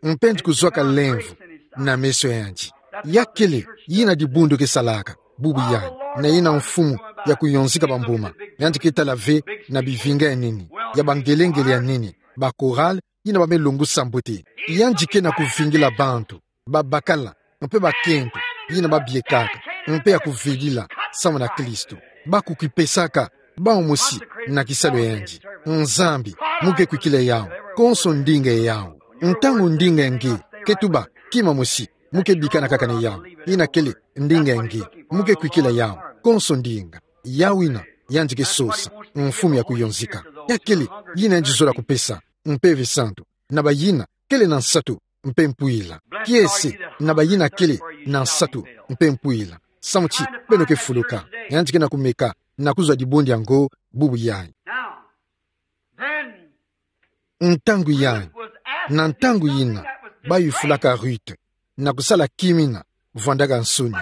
Mpe yandi kuzwaka lemvo na meso yandi. Ya kele yina dibundu kesalaka bubu yandi. Na yina mfumu ya kuyonzika bambuma. Yandi ketala ve na bivinga ya nini, ya bangelengele ya nini, ba chorale, yina bame longusa mbote. Yandi ke na kuvingila bantu babakala mpe bakento, yina babiekaka, mpe ya kuvilila samu na Kristo. Bakukipesaka bawu mosi na kisalu ya yandi. Nzambi, mu ke kwikila yawu, konso ndinga yawu. Ntangu ndinga nge ketuba kima mosi, mu ke bikana kaka na yawu. Yina kele ndinga nge, mu ke kwikila yawu, konso ndinga. Yawu yina yandi kesosa, mfumu ya kuyonzika. Ya kele yina yandi zola kupesa, mpe ve santu, na bayina kele na nsatu mpe mpwila. Kiese na bayina kele na nsatu mpe mpwila. Samu ti beno ke fuluka. Yandi ke na kumeka na kuzwa dibundu yango bubu yayi. Now, then, ntangu yayi, na ntangu yina, bayufulaka Ruth na kusala kimina vwandaka nsoni.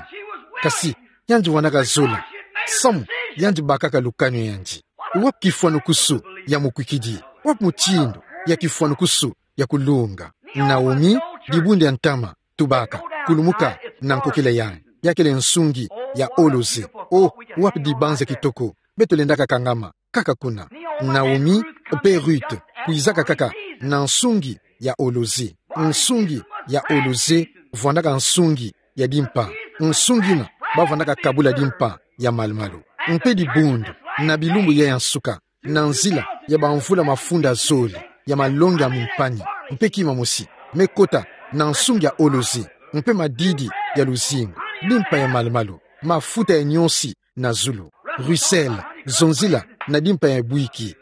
Kasi yandi vwandaka zola, samu yandi bakaka lukanu ya yandi. Wapi kifwanukusu ya mukwikidi? Wapi mutindu ya kifwanukusu ya kulunga? Naomi, dibundu ya ntama, tubaka, kulumuka na nkokila yayi. Ya kele nsungi ya olozi. Oh, wapi dibanza kitoko beto lendaka kangama kaka kuna. Naomi mpe Ruth kwizaka kaka na nsungi ya olozi. Nsungi ya olozi vwandaka nsungi ya dimpa. Nsungi yina bavwandaka kabula dimpa ya malumalu. Mpe dibundu, na bilumbu yayi ya nsuka, na nzila ya bamvula mafunda zole, ya malongi ya mimpani, mpe kima mosi, mekota na nsungi ya olozi, mpe madidi ya luzingu, dimpa ya malumalu, mafuta ya nionsi na zulu. Russell, zonzila na dimpa ya bwiki.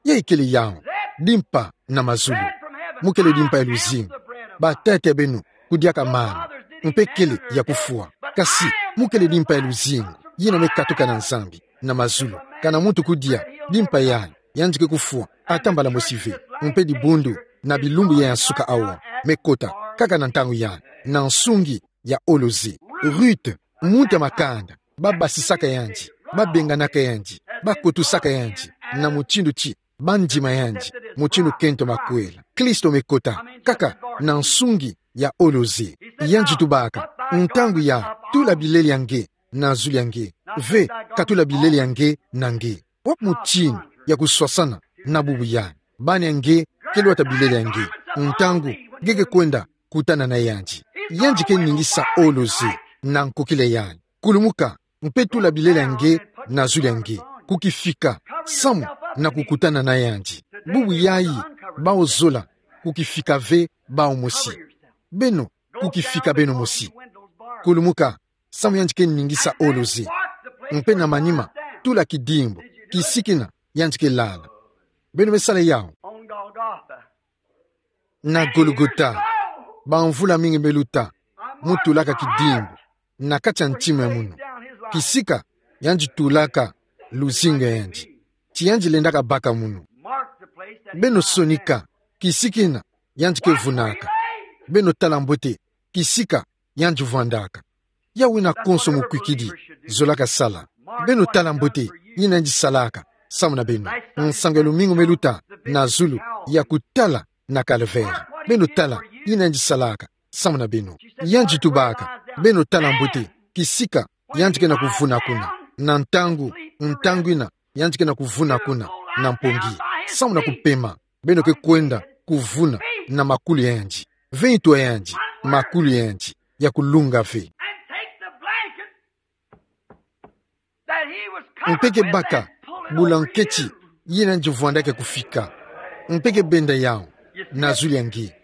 Yayi kele yawu, dimpa na mazulu. Mu kele dimpa ya luzingu. Batata beno kudiaka mana, mpe kele ya kufwa. Kasi mu kele dimpa ya luzingu, yina mekatuka na Nzambi na mazulu. Kana muntu kudia dimpa yayi, yandi ke kufwa ata mbala mosi ve. Mpe dibundu, na bilumbu yayi ya nsuka awa, mekota kaka na ntangu yayi, na nsungi ya olozi. Ruth, muntu ya makanda, babasisaka yandi, babenganaka yandi, bakotusaka yandi, na mutindu ti bandima yandi, mutindu kento makwela. Kristo mekota kaka na nsungi ya olozi. Yandi tubaka: Ntangu ya tula bilele ya nge na zulu ya nge, ve katula bilele ya nge na nge. Wapi mutindu ya kuswasana na bubu yayi? Bana ya nge ke lwata bilele ya nge ntangu nge ke kwenda kutana na yandi. Yandi ke ningisa olozi na nkokila yayi: Kulumuka, mpe tula bilele ya nge na zulu ya nge, kukifika samu na kukutana na yandi. Bubu yayi, bawu zola kukifika ve bawu mosi. Beno, kukifika beno mosi. Kulumuka, samu yandi ke ningisa olozi. Mpe na manima, tula kidimbu kisiki yina yandi ke lala. Beno me sala yawu. On Golgotha. Na Golgota, bamvula mingi meluta, mu tulaka kidimbu na kati ya ntima ya munu, kisika yandi tulaka luzingu ya yandi, ti yandi lendaka baka munu. Beno sonika kisiki yina yandi ke vunaka. Beno tala mbote kisika yandi vwandaka. Yawu yina konso mukwikidi zolaka sala. Beno tala mbote yina yandi salaka samu na beno. Nsangu ya lumingu meluta na zulu, ya kutala na Calvaire. Beno tala yina yandi salaka samu na beno. Yandi tubaka: Beno tala mbote kisika yandi ke na kuvuna kuna. Na ntangu, ntangu yina yandi ke na kuvuna kuna na mpongi, samu na kupema, beno ke kwenda kuvuna na makulu ya yandi, ve ntu ya yandi, makulu ya yandi ya kulunga ve. And take the blanket that he was covered with and pull it over you. Mpe ke baka bulanketi yina yandi vwandaka kufika, mpe ke benda yawu na zulu ya nge.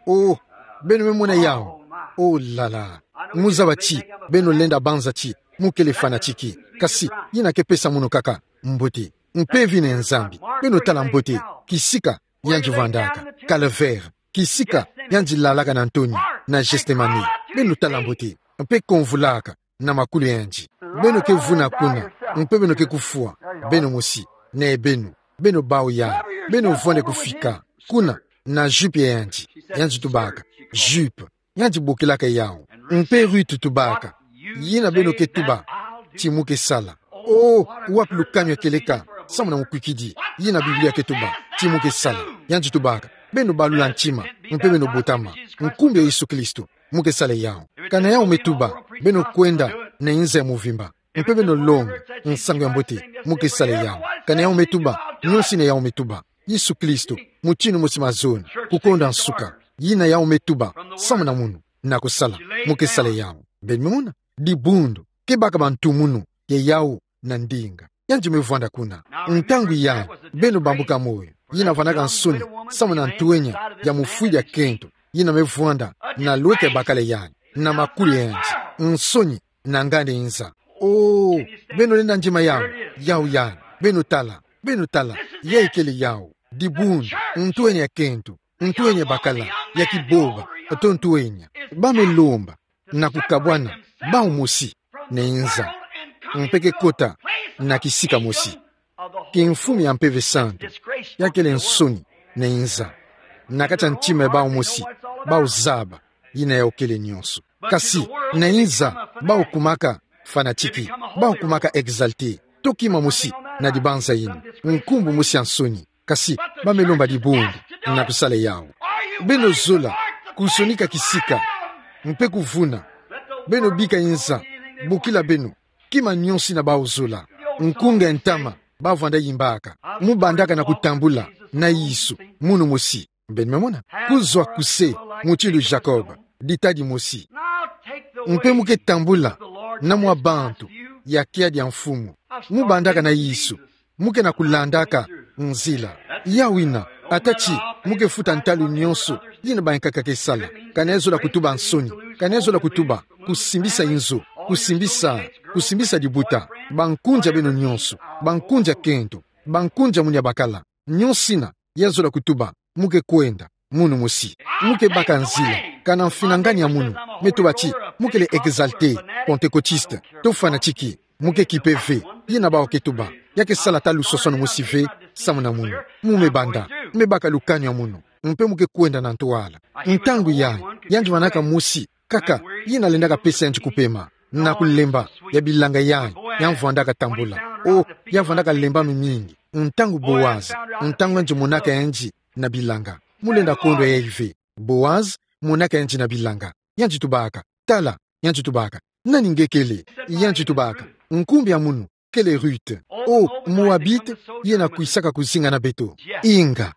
Oh, beno me mona yawu? Oh là là. Mu zaba ti beno lenda banza ti mu kele fanatique, kasi yina ke pesa munu kaka mbote. Mpe vina ya Nzambi, beno tala mbote kisika yandi vwandaka, Calvaire, kisika yandi lalaka na ntoni na Gethsemane. Beno tala mbote, mpe komvulaka na makulu ya yandi. Beno ke vuna kuna, mpe beno ke kufwa beno mosi, na beno, beno bawu ya, beno vwanda kufika kuna na jupe ya yandi. Yandi tubaka: Jupe. Yandi bokilaka yawu. Mpe Ruth tubaka: Yina beno ke tuba, ti mu ke sala. Oh, wapi lukanu ya kieleka, samu na mukwikidi, yina Biblia ke tuba, ti mu ke sala. Yandi tubaka, beno balula ntima, mpe beno botama, nkumbu ya Yesu Kristo, mu ke sala yawu. Kana yawu me tuba, beno kwenda na inza ya muvimba, mpe beno longa nsangu ya mbote, mu ke sala yawu. Kana yawu me tuba, nyosi na yawu me tuba, Yesu Kristo, mutinu mosi mazono, kukonda nsuka. Yina yawu me tuba, samu na munu, na kusala, mu ke sala yawu. Beno me mona, dibundu, ke baka bantumunu ya yawu na ndinga. Yandi me vwanda kuna. Ntangu yayi, beno bambuka moyo, yina vwanaka nsoni, samu na ntwenya ya mufwidi ya kento, yina me vwanda na lweka ya bakala yayi, na makuli ya yandi, nsoni, na nganda inza. Oh, beno lenda ndima yawu, yawu yayi, beno tala, beno tala, yayi kele yawu, dibundu, ntwenya ya kento, ntwenya ya bakala, ya kiboba, to ntwenya. Ba me lomba, na kukabwana, bawu mosi, na inza. Mpe ke kota, na kisika mosi. Kimfumu ya Mpeve Santu, ya kele nsoni, na inza. Na kati ya ntima ya bawu mosi, bawu zaba, yina yawu kele nyonso. Kasi, na inza, bawu kumaka, fanatiki, bawu kumaka exalté. To kima mosi, na dibanza yina. Nkumbu mosi ya nsoni. Kasi, ba me lomba dibundu, na kusala yawu. Beno zola, kusonika kisika, mpe kuvuna. Beno bika inza, bokila beno, kima nyonso yina bawu zola. Nkunga ya ntama, ba vwanda yimbaka. Mu bandaka na kutambula, na Yesu, munu mosi. Beno me mona. Kuzwa kuse, mutindu Jacob, ditadi mosi. Mpe mu ke tambula, na mwa bantu, ya kiadi ya mfumu. Mu bandaka na Yesu, mu ke na kulandaka nzila. Yawu yina, ata ti, mu ke futa ntalu nyonso, yina bayankaka ke sala. Ka na zola kutuba nsoni, ka na zola kutuba, kusimbisa inzo, kusimbisa, kusimbisa dibuta, bankunzi ya beno nyonso, bankunzi ya kento, bankunzi ya munu ya bakala, nyonso yina, ya zola kutuba, mu ke kwenda, munu mosi. Mu ke baka nzila, kana mfinangani ya munu, me tuba ti, mu kele exalté, pentecôtiste, to fanatiki, mu ke kipe ve, yina bawu ke tuba, ya ke sala ata lusosono mosi ve, samu na munu. Mu me banda, me baka lukanu ya munu, mpe mu ke kwenda na ntwala. Ntangu yayi, yandi vwanaka mosi, kaka, yina lendaka pesa yandi kupema, na kulemba, ya bilanga yayi, ya vwandaka tambula. Oh, ya vwandaka lemba mimingi, ntangu Boaz, ntangu yandi monaka yandi, na bilanga. Mu lenda kondwa yayi ve, Boaz, monaka yandi na bilanga. Yandi tubaka, tala, yandi tubaka, nani nge kele? Yandi tubaka, nkumbu ya munu, kele Ruth. Oh, Moabite, yena kwisaka kuzinga na beto. Inga.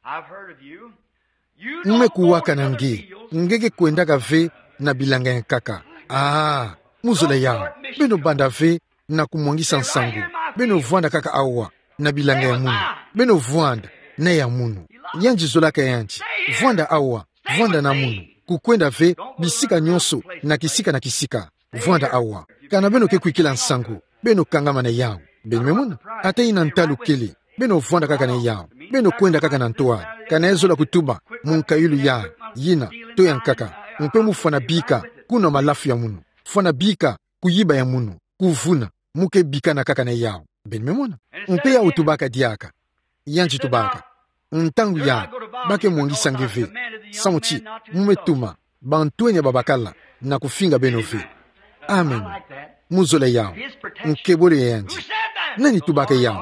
Mu me kuwaka na nge, nge ke kwendaka ve na bilanga ya nkaka. Ah, mu zola yawu, beno banda ve na kumwangisa nsangu. Beno vwanda kaka awa, na bilanga ya munu. Beno vwanda, na ya munu. Yandi zolaka yandi, vwanda awa, vwanda na munu. Kukwenda ve, bisika nyonso, na kisika na kisika. Vwanda awa. Kana beno ke kwikila nsangu, beno kangama na yawu. Beno me mona, ata yina ntalu kele, beno vwanda kaka na yawu. Beno kwenda kaka na ntwala. Kana zola kutuba, mu nkayulu yayi, yina, to ya nkaka. Mpe mu fwana bika, kuna malafu ya munu. Fwana bika, kuyiba ya munu. Kuvuna, mu ke bikana kaka na yawu. Beno me mona. Mpe yawu tubaka diaka. Yandi tubaka, ntangu yayi, ba ke mwangisa nge ve. Samu ti, mu me tuma bantwenya babakala na kufinga beno ve. Amen. Mu zola yawu. Nkebolo ya yandi. Nani tubaka yawu?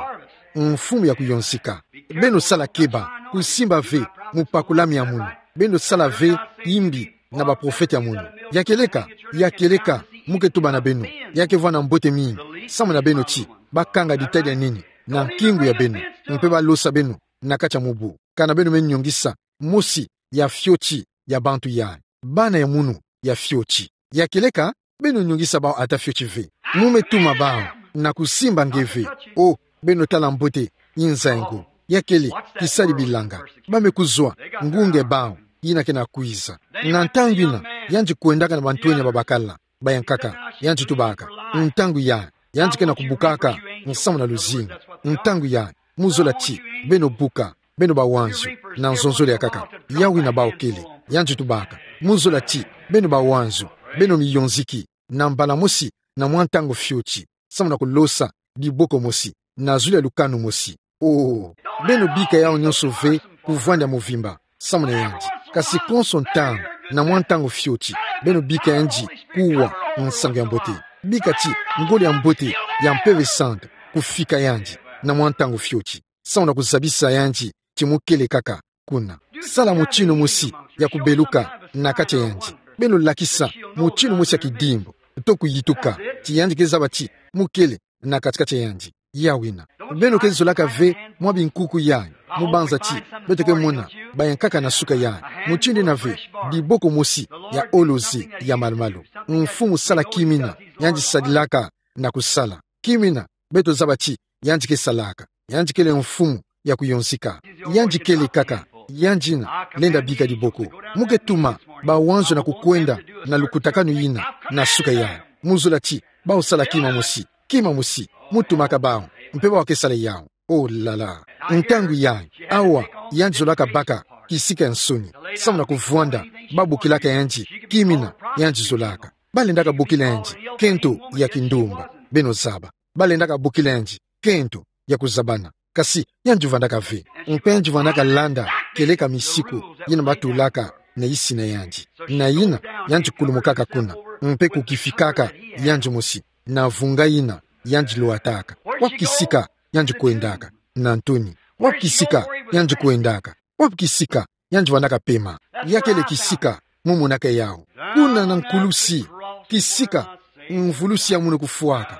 Mfumu ya kuyonzika. Beno sala keba, kusimba ve mupakulami ya munu. Beno sala ve yimbi na baprofete ya munu. Ya kieleka, ya kieleka, mu ke tuba na beno. Ya ke vwanda mbote mingi, samu na beno ti, ba kanga ditadi ya nini na nkingu ya beno, mpe ba losa beno na kati ya mubu. Kana beno me nyongisa mosi ya fioti ya bantu yayi, bana ya munu ya fioti. Ya kieleka, beno nyongisa bawu ata fioti ve. Mu me tuma bawu na kusimba nge ve. Oh, beno tala mbote, inza ya ngo. Ya kele, kisadi bilanga. Ba me kuzwa, ngunge bawu, yina ke na kwiza. Na ntangu yina, yandi kwendaka na bantwenya babakala, ba ya nkaka, yandi tubaka. Ntangu yayi, yandi ke na kubukaka, nsamu na luzingu. Ntangu yayi, mu zola ti, beno buka, beno bawanzu, na nzonzolo ya nkaka. Yawu yina bawu kele, yandi tubaka. Mu zola ti, beno bawanzu, beno miyonziki, na mbala mosi, na mwa ntangu fioti, samu na kulosa, diboko mosi, na zulu ya lukanu mosi. Oh, beno bika yawu nyonso ve, kuvwanda muvimba, samu na yandi. Kasi konso ntangu, na mwa ntangu fioti, beno bika yandi, kuwa, nsangu ya mbote. Bika ti ngolo ya mbote ya Mpeve Santu kufika yandi na mwa ntangu fioti, samu na kuzabisa yandi ti mukele kaka kuna. Sala mutindu mosi ya kubeluka na kati ya yandi. Beno lakisa mutindu mosi ya kidimbu to kuyituka ti yandi ke zaba ti mukele na kati-kati ya yandi. Ya wina. Beno ke zolaka ve mwa binkuku yayi, mu banza ti beto ke mona bayankaka na suka yayi. Mutindu yina ve, diboko mosi ya olozi ya malu-malu. Mfumu sala kimina yandi sadilaka na kusala. Kimina beto zaba ti yandi ke salaka. Yandi kele mfumu ya kuyonzika. Yandi kele kaka, yandi yina lenda bika diboko. Mu ke tuma bawanzo na kukwenda na lukutakanu yina na suka yayi. Mu zola ti bawu sala kima mosi, kima mosi mu tumaka bawu, mpe bawu ke sala yawu. Oh là là. Ntangu yayi, awa, yandi zolaka baka kisika ya nsoni, samu na kuvwanda babokilaka yandi kimina yandi zolaka. Balendaka bokila yandi kento ya kindumba, beno zaba. Balendaka bokila yandi kento ya kuzabana. Kasi yandi vwandaka ve. Mpe yandi vwandaka landa kieleka misiku yina batulaka na yisi na yandi. Na yina, yandi kulumukaka kuna, mpe kukifikaka yandi mosi na vunga yina yandi lwataka. Wapi kisika yandi kwendaka? Na ntoni. Wapi kisika yandi kwendaka? Wapi kisika yandi vwandaka pema? Ya kele kisika mu monaka yawu. Kuna na nkulusi, kisika mvulusi ya munu kufwaka.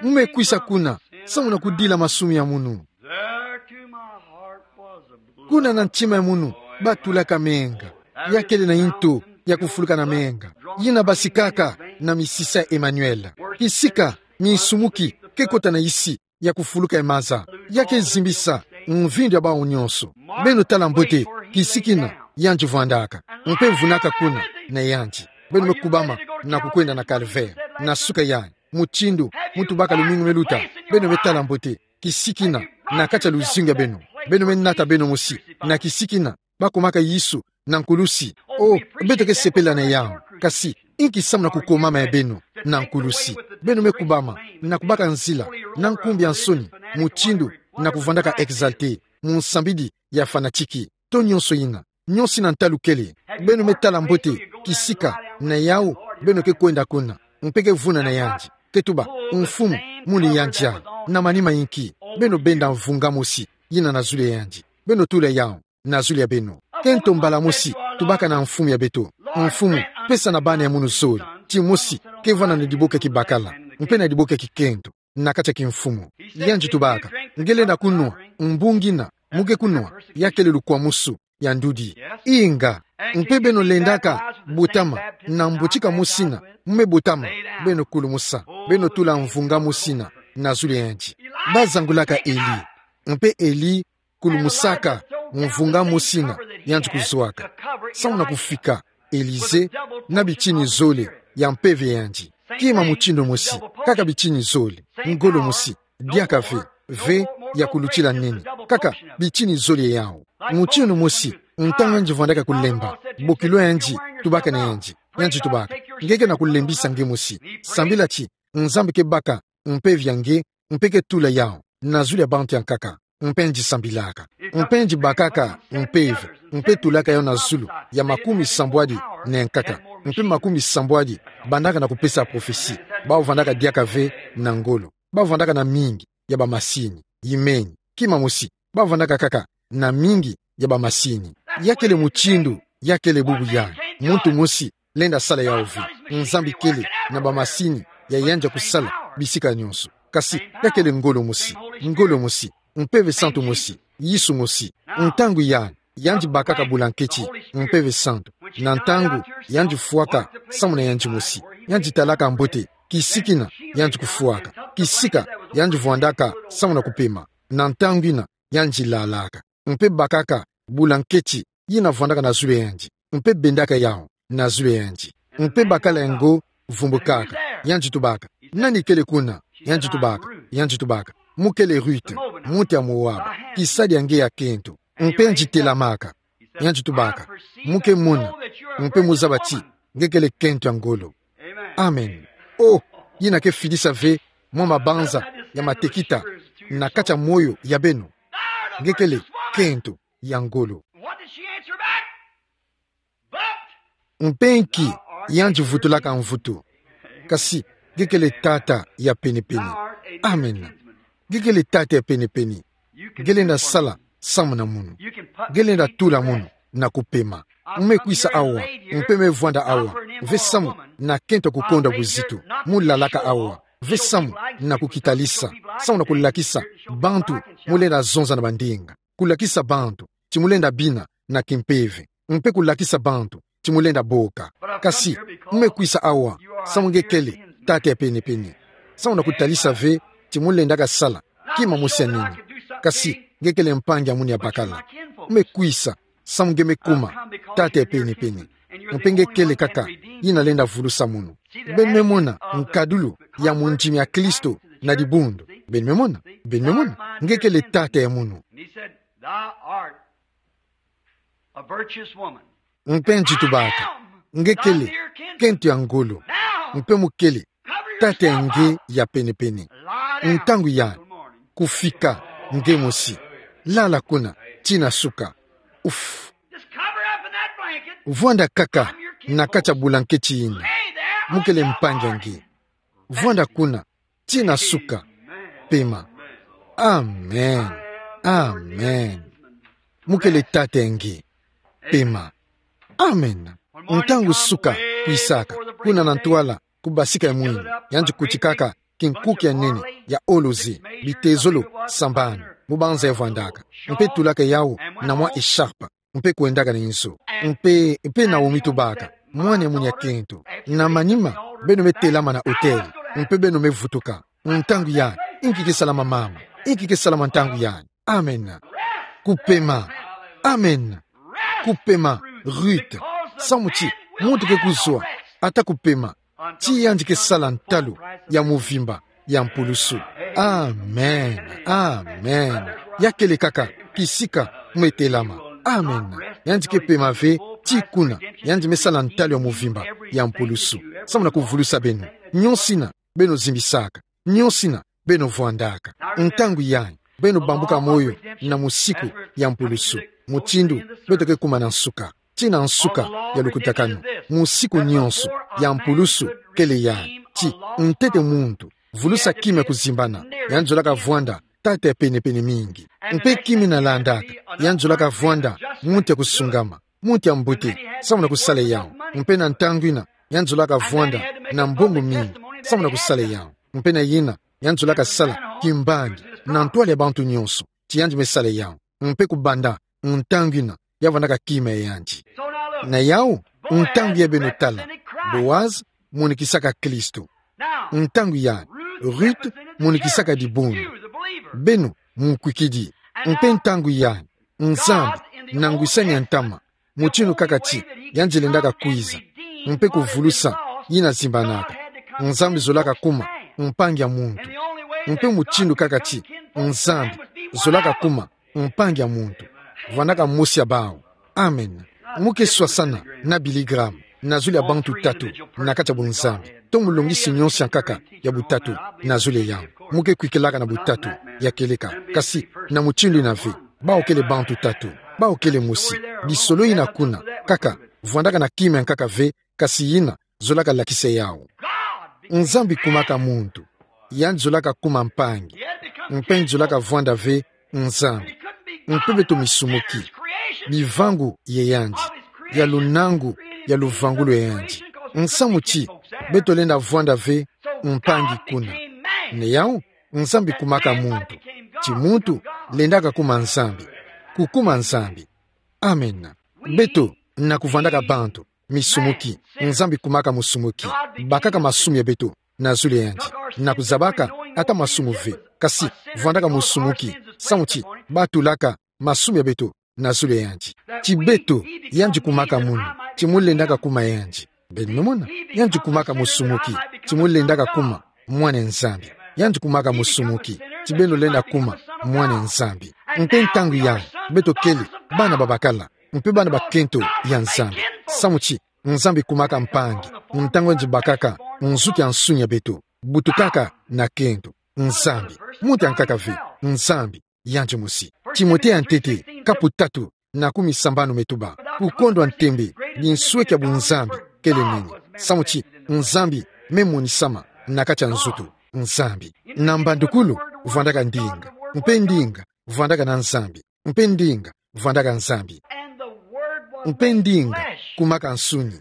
Mu me kwisa kuna, samu na kudila masumu ya munu. Kuna na ntima ya munu batulaka menga. Ya kele na ntu ya kufuluka na menga, yina basikaka na misisa ya Emmanuel. Kisika minsumuki ke kota na yisi ya kufuluka ya maza, ya ke zimbisa mvindu ya bawu nyonso. Beno tala mbote kisika yina yandi vwandaka, mpe vunaka kuna na yandi. Beno me kubama na kukwenda na calvaire, na suka yayi, mutindu mu tubaka lumingu me luta. Beno me tala mbote kisika yina na kati ya luzingu ya beno. Beno me nata beno mosi na kisika yina bakumaka Yesu na nkulusi. Oh, beto ke sepela na yawu. Kasi inki samu na kukumama ya beno na nkulusi? Beno me kubama na kubaka nzila na nkumbu ya nsoni, mutindu na kuvwandaka exalté, munsambidi ya fanatique, to nyonso yina, nyonso yina ntalu kele. Beno me tala mbote kisika na yawu beno ke kwenda kuna, mpe ke vuna na yandi, ke tuba: Mfumu, muni yandi a? Na manima inki? Beno benda mvunga mosi yina na zulu ya yandi. Beno tula yawu na zulu ya beno. Kento mbala mosi tubaka na mfumu ya beto: Mfumu, pesa na bana ya munu zole timosi ke vwanda na diboko ya kibakala mpe na diboko ya kikento na kati ya kimfumu. Yandi tubaka: Nge lenda kunwa mbungi yina mu ke kunwa? Ya kele lukwamusu ya ndudi. Inga. Mpe beno lendaka botama na mbotika mosi yina mu me botama? Beno kulumusa, beno tula mvunga mosi yina na zulu ya yandi. Bazangulaka Eli. Mpe Eli kulumusaka mvunga mosi yina yandi kuzwaka, samu na kufika Elisée na bitini zole ya mpeve ya yandi. Kima mutindu mosi, kaka bitini zole, ngolo mosi, diaka ve, ve ya kulutila nene, kaka bitini zole yawu. Mutindu mosi, ntangu yandi vwandaka kulemba, bokilo yandi tubaka na yandi, yandi tubaka: Nge ke na kulembisa nge mosi. Sambila ti Nzambi ke baka mpeve ya nge, mpe ke tula yawu na zulu ya bantu ya nkaka. Mpe yandi sambilaka. Mpe yandi bakaka mpeve, mpe tulaka yawu na zulu ya makumi sambwadi na nkaka. Mpe makumi sambwadi bandaka na kupesa prophesie. Bawu vandaka diaka ve na ngolo. Bawu vandaka na mingi ya bamasini. Imeni. Kima mosi, bawu vandaka kaka na mingi ya bamasini. Ya kele mutindu, ya kele bubu ya muntu mosi lenda sala yawu ve. Nzambi kele na bamasini ya yandi ya kusala bisika nyonso. Kasi ya kele ngolo mosi, ngolo mosi, mpeve santu mosi, Yesu mosi. Ntangu ya yandi bakaka bulanketi, mpeve santu. Na ntangu yandi fwaka samu na yandi mosi, yandi talaka mbote kisika yina yandi kufwaka, kisika yandi vwandaka samu na kupema. Na ntangu yina yandi lalaka, mpe bakaka bulanketi yina vwandaka na zulu ya yandi, mpe bendaka yawu na zulu ya yandi. Mpe bakala ya ngo vumbukaka. Yandi tubaka: Nani kele kuna? Yandi tubaka, yandi tubaka: Mu kele Ruth, muntu ya Moab, kisadi ya nge ya kento. Mpe yandi telamaka. Yandi tubaka: Mu ke mona, mpe mu zaba ti nge kele kento ya ngolo. Amen. Oh, yina ke fidisa ve mwa mabanza ya matekita na kati ya moyo ya beno. Nge kele kento ya ngolo. What did she answer back? But mpe nki yandi vutulaka mvutu? Kasi, nge kele tata ya penepene. Amen. Nge kele tata ya penepene. Nge lenda sala samu na munu. Nge lenda tula munu na kupema. Mu me kwisa awa, mpe me vwanda awa, ve samu na kento ya kukondwa buzitu. Mu lalaka awa, ve samu na kukitalisa, samu na kulakisa bantu mu lenda zonza na bandinga. Kulakisa bantu ti mu lenda bina na kimpeve, mpe kulakisa bantu ti mu lenda boka. Kasi, mu me kwisa awa samu nge kele tata ya penepene, samu na kutalisa ve ti mu lendaka sala kima mosi ya nini. Kasi, nge kele mpangi ya munu ya bakala. Mu me kwisa samu nge me kuma tata ya penepene. Mpe nge kele kaka yina lenda vulusa munu. Beno me mona nkadulu ya mondimi ya Kristo na dibundu. Beno me mona, beno me mona. Nge kele tata ya munu. Thou art a virtuous woman. Mpe nge tubaka, nge kele kento ya ngolo, mpe mu kele tata ya nge ya penepene. Ntangu ya kufika nge mosi. Lala kuna tina suka. Uf. Just cover up in that blanket. Vwanda kaka na kati ya bulanketi yina. Mu kele mpangi ya nge. Vwanda kuna tina suka. Pema. Amen. Amen. Mu kele tata ya nge. Pema. Amen. Ntangu suka kwisaka, kuna na ntwala, ku basika ya mwini, yandi kutikaka kinkuki ya nene ya olozi, bitezolo sambanu, mu banza ya vwandaka, mpe tulaka yawu na mwa echarpe, mpe kwendaka na inzo. Mpe, mpe Naomi tubaka, mwana ya munu ya kento, na manima beno me telama na autel, mpe beno me vutuka. Ntangu ya, inki ke salama mama, inki ke salama ntangu ya. Amen. Kupema. Amen. Kupema, Ruth. Samu ti muntu ke kuzwa ata kupema ti yandi ke sala ntalu ya muvimba ya mpulusu. Amen. Amen. Ya kele kaka kisika mu me telama. Amen. Yandi ke pema ve ti kuna yandi me sala ntalu ya muvimba ya mpulusu. Samu na kuvulusa beno. Nyonso yina beno zimbisaka. Nyonso yina beno vwandaka. Ntangu yayi, beno bambuka moyo na musiku ya mpulusu. Mutindu beto ke kuma na nsuka, tina nsuka ya lukutakanu, musiku nyonso ya mpulusu kele yayi. Ti ntete muntu vulusa kima ya kuzimbana, yandi zolaka vwanda tata ya penepene mingi. Mpe kima yina landaka, yandi zolaka vwanda muntu ya kusungama, muntu ya mbote, samu na kusala yawu. Mpe na ntangu yina, yandi zolaka vwanda na mbongo mingi, samu na kusala yawu. Mpe na yina, yandi zolaka sala kimbangi na ntwala ya bantu nyonso, ti yandi me sala yawu. Mpe kubanda ntangu yina, ya vwandaka kima ya yandi. Na yawu, ntangu yayi beno tala, Boaz monikisaka Kristo. Ntangu yayi, Ruth monikisaka dibundu. Beno, mukwikidi. Mpe ntangu yayi, Nzambi, na ngwisani ya ntama, mutindu kaka ti yandi lendaka kwiza, mpe kuvulusa yina zimbanaka, Nzambi zolaka kuma mpangi ya muntu. Mpe mutindu kaka ti Nzambi zolaka kuma mpangi ya muntu, vwandaka mosi ya bawu. Amen. Mu ke swasana na Billy Graham na zulu ya bantu tatu na kati ya bunzambi. To mulongisi nyonso ya nkaka ya butatu na zulu ya yawu. Mu ke kwikilaka na butatu ya kieleka. Kasi na mutindu yina ve, bawu kele bantu tatu. Bawu kele mosi. Lisolo yina kuna kaka vwandaka na kima ya nkaka ve, kasi yina zolaka lakisa yawu. Nzambi kumaka muntu. Yandi zolaka kuma mpangi. Mpe yandi zolaka vwanda ve Nzambi. Mpe beto misumuki, mivangu ya yandi, ya lunangu, ya luvangulu ya yandi. Nsamu ti beto lenda vwanda ve mpangi kuna. Na yawu, Nzambi kumaka muntu. Ti muntu lendaka kuma Nzambi. Kukuma Nzambi. Amen. Beto, na kuvwandaka bantu misumuki, Nzambi kumaka musumuki. Bakaka masumu ya beto na zulu ya yandi, na kuzabaka ata masumu ve. Kasi vwandaka musumuki, samu ti batulaka masumu ya beto na zulu ya yandi. Ti beto, yandi kumaka munu, ti mu lendaka kuma yandi. Beno mona, yandi kumaka musumuki, ti mu lendaka kuma mwana Nzambi. Yandi kumaka musumuki, ti beno lenda kuma mwana Nzambi. Mpe ntangu yayi, beto kele bana babakala, mpe bana bakento ya Nzambi. Samu ti Nzambi kumaka mpangi, ntangu yandi bakaka nzuki ya nsunia beto, butukaka na kento. Nzambi. Muntu ya nkaka ve, Nzambi yandi mosi. Timote ya ntete, kapu tatu, na kumi sambanu me tuba: Kukondwa ntembe, binsweki ya bunzambi kele nini? Samu ti Nzambi me monisama na kati ya nzutu. Nzambi. Na mbandukulu vwandaka ndinga. Mpe ndinga vwandaka na Nzambi. Mpe ndinga vwandaka Nzambi. Mpe ndinga kumaka nsuni.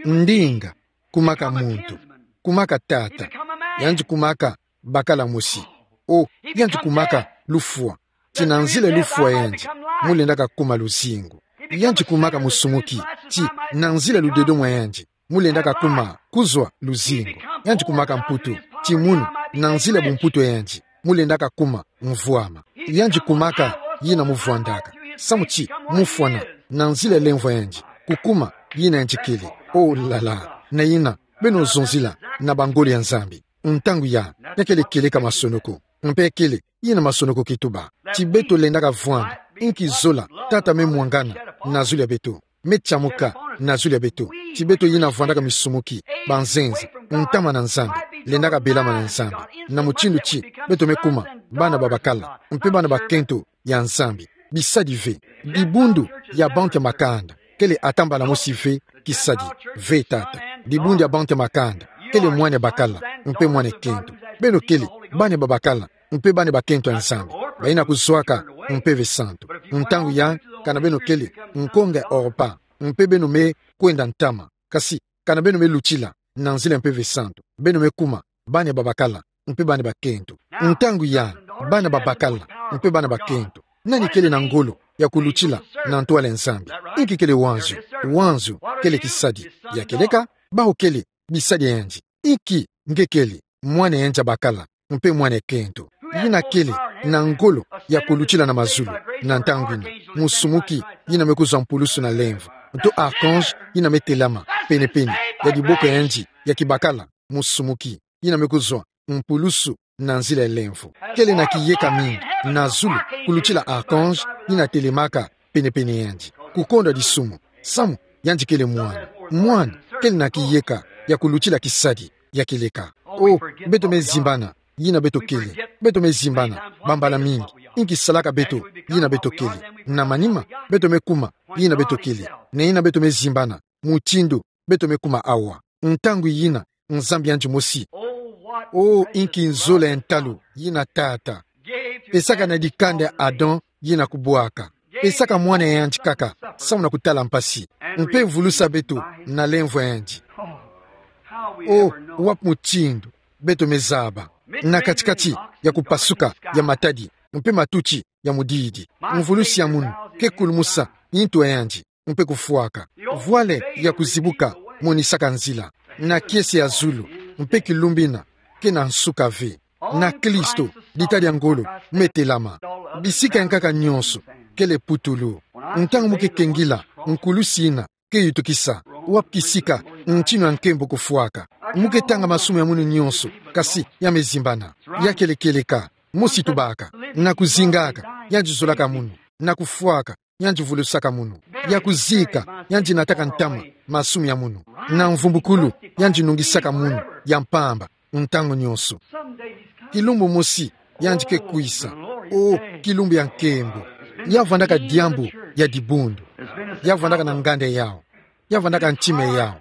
Ndinga kumaka muntu. Kumaka tata. Yandi kumaka bakala mosi. O, yandi kumaka lufwa. Ti na nzila lufwa yandi, mu lendaka kuma luzingu. Yandi kumaka musumuki. Ti na nzila ludedo mwa yandi, mu lendaka kuma kuzwa luzingu. Yandi kumaka mputu. Ti munu, na nzila bumputu yandi, mu lendaka kuma mvwama. Yandi kumaka yina muvwandaka. Samu ti mufwana na nzila lemvo yandi, kukuma yina yandi kele. O lala, na yina beno zonzila na bangolo ya Nzambi. Ntangu ya, ya kele kieleka masonoko. Mpe kele yina masonoko kituba. Ti beto lendaka vwanda, inki zola, tata me mwangana na zulu ya beto, me tiamuka na zulu ya beto. Ti beto yina vwandaka misumuki, banzenza, ntama na Nzambi, lendaka belama na Nzambi. Na mutindu ti beto me kuma bana babakala, mpe bana bakento ya Nzambi. Bisadi ve. Dibundu ya bantu ya makanda kele ata mbala mosi ve kisadi, ve tata. Dibundu ya bantu ya makanda kele mwana ya bakala, mpe mwana ya kento. Beno kele bana babakala, mpe bana bakento ya Nzambi, bayina kuzwaka Mpeve Santu. Ntangu ya, kana beno kele nkonga ya Orpa, mpe beno me kwenda ntama. Kasi, kana beno me lutila na nzila Mpeve Santu, beno me kuma bana babakala, mpe bana bakento. Ntangu ya, bana babakala, mpe bana bakento. Nani kele na ngolo ya kulutila na ntwala ya Nzambi? Inki kele wanzu? Wanzu kele kisadi. Ya kieleka, bawu kele bisadi ya yandi. Inki nge kele? Mwana ya yandi ya bakala, mpe mwana ya kento. Yina kele na ngolo ya kulutila na mazulu na ntangu yina. Musumuki yina me kuzwa mpulusu na lemvo. Nto archange yina me telama penepene ya diboko ya yandi ya kibakala. Musumuki yina me kuzwa mpulusu na nzila ya lemvo. Kele na kiyeka mingi na zulu kulutila archange yina telamaka penepene ya yandi. Kukondwa disumu, samu yandi kele mwana. Mwana kele na kiyeka ya kulutila kisadi. Ya kieleka. O, beto me zimbana yina beto kele. Beto me zimbana bambala mingi inki salaka beto yina beto kele. Na manima, beto me kuma yina beto kele. Na yina beto me zimbana mutindu beto me kuma awa. Ntangu yina, Nzambi yandi mosi. O, inki nzola ya ntalu yina tata pesaka na dikanda ya Adam yina kubwaka. Pesaka mwana ya yandi kaka, samu na kutala mpasi, mpe vulusa beto na lemvo ya yandi. O, wapi mutindu beto me zaba, na kati-kati ya kupasuka ya matadi mpe matuti ya mudidi, mvulusi ya munu ke kulumusa yintu ya yandi mpe kufwaka. Vwale ya kuzibuka monisaka nzila. Na kiese ya zulu, mpe kilumbu yina ke na nsuka ve. Na Kristo, dita dia ngolo me telama. Bisika ya nkaka nyonso kele putulu. Ntangu mu ke kengila nkulusi yina ke yutukisa, wapi kisika ntinu ya nkembo kufwaka? Mu ke tanga masumu ya munu nyonso, kasi ya me zimbana. Ya kele kieleka, mosi tubaka, na kuzingaka, yandi zolaka munu, na kufwaka, yandi vulusaka munu. Ya kuzika, yandi nataka ntama masumu ya munu. Na mvumbukulu, yandi nungisaka munu ya mpamba ntangu nyonso. Kilumbu mosi, yandi ke kwisa. O, kilumbu ya nkembo. Ya vwandaka diambu ya dibundu. Ya vwandaka na nganda yawu. Ya vwandaka ntima yawu.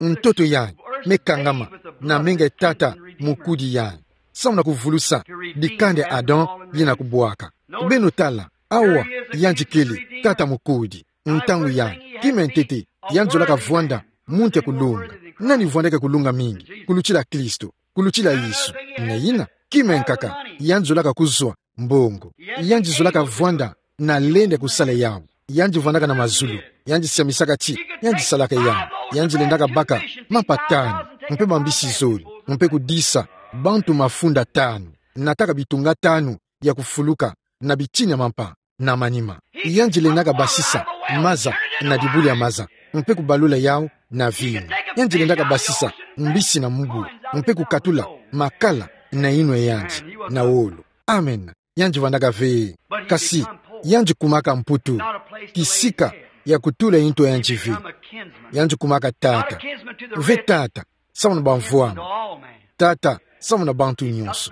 Ntoto yayi me kangama na menga ya tata mukudi yayi, samu na kuvulusa dikanda ya Adam yina kubwaka. Beno tala, awa yandi kele, tata mukudi. Ntangu yayi, kima ya ntete yandi zolaka vwanda muntu ya kulunga. Nani vwandaka ya kulunga mingi kulutila Kristo, kulutila Yesu? Na yina, kima ya nkaka, yandi zolaka kuzwa mbongo. Yandi zolaka vwanda na lenda ya kusala yawu. Yandi vwandaka na mazulu. Yandi siamisaka ti yandi salaka yawu. Yandi lendaka baka mapa tanu, mpe bambisi zole, mpe kudisa bantu mafunda tanu, nataka bitunga tanu ya kufuluka na bitini ya mampa na manima. Yandi lendaka basisa maza na dibulu ya maza, mpe kubalula yawu na vinu. Yandi lendaka basisa mbisi na mubu, mpe kukatula makala na yinwa ya yandi na wolo. Amen. Yandi vwandaka ve. Kasi, yandi kumaka mputu, kisika ya kutula yintu ya yandi ve. Yandi kumaka tata. Ve tata samu na bamvwama. Tata samu na bantu nyonso.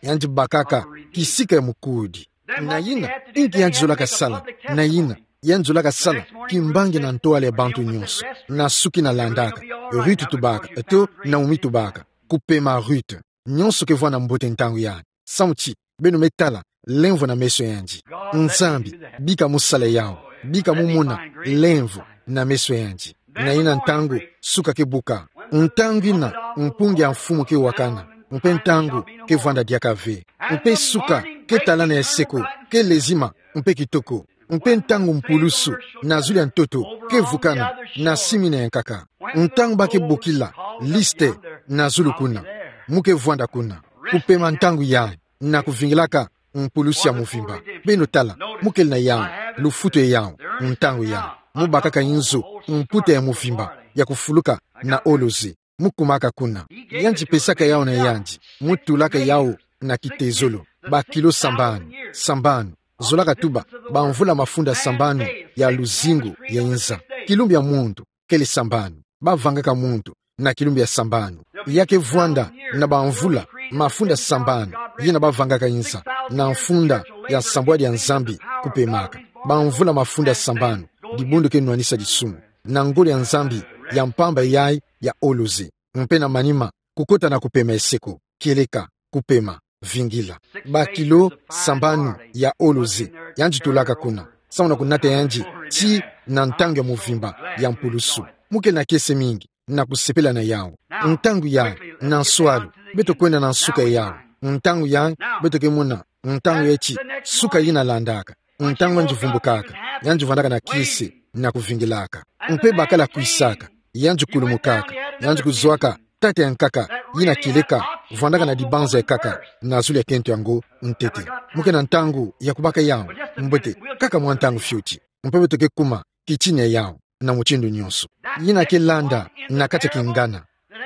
Yandi bakaka kisika ya mukudi. Na yina, inki yandi zolaka sala? Na yina, Yandi zolaka sala kimbangi na ntwala ya bantu nyonso. Na suki na landaka, Ruth tubaka, to Naomi tubaka. Kupema Ruth. Nyonso ke vwanda mbote ntangu yandi. Samu ti, beno me tala lemvo na meso yandi. Nzambi, bika mu sala yawu. Bika mu mona lemvo na meso yandi. Na yina ntangu, suka ke buka. Ntangu yina, mpungi ya mfumu ke wakana. Mpe ntangu ke vwanda diaka ve. Mpe suka ke talana ya seko, ke lezima, mpe kitoko. Mpe ntangu mpulusu na zulu ya ntoto ke vukana na simi na ya nkaka. Ntangu ba ke bokila liste na zulu kuna, mu ke vwanda kuna. Kupema ntangu yayi na kuvingilaka mpulusu ya muvimba. Beno tala, mu kele na yawu, lufutu yawu, ntangu yayi. Mu bakaka inzo, mputa ya muvimba ya kufuluka na oloze. Mu kumaka kuna. Yandi pesaka yawu na yandi. Mu tulaka yawu na kitezolo. Bakilo sambanu, sambanu. Zolaka tuba, bamvula mafunda sambanu ya luzingu ya inza. Kilumbu ya muntu kele sambanu. Ba vangaka muntu na kilumbu ya sambanu. Ya ke vwanda na bamvula mafunda sambanu, yina ba vangaka inza, na mfunda ya nsambwadi ya Nzambi kupemaka. Bamvula mafunda sambanu, dibundu ke nwanisa disumu. Na ngolo ya Nzambi ya mpamba yayi ya oloze. Mpe na manima, kukota na kupema ya seko, kieleka, kupema, vingila. Bakilo sambanu ya oloze, yandi tulaka kuna. Samu na kunata yandi, ti na ntangu ya muvimba ya mpulusu. Mu kele na kiese mingi na kusepela na yawu. Ntangu yayi, na nswalu, beto kwenda na nsuka yawu. Ntangu yayi, beto ke mona ntangu ya ti, suka yina landaka. Ntangu yandi vumbukaka, yandi vwandaka na kiese na kuvingilaka. Mpe bakala kwisaka, yandi kulumukaka, yandi kuzwaka tata ya nkaka, yina kieleka, vwandaka na dibanza ya nkaka na zulu ya kento yango ntete. Mu ke na ntangu ya kubaka yawu, mbote, kaka mwa ntangu fioti. Mpe beto ke kuma kitini ya yawu na mutindu nyonso. Yina ke landa na kati ya kingana,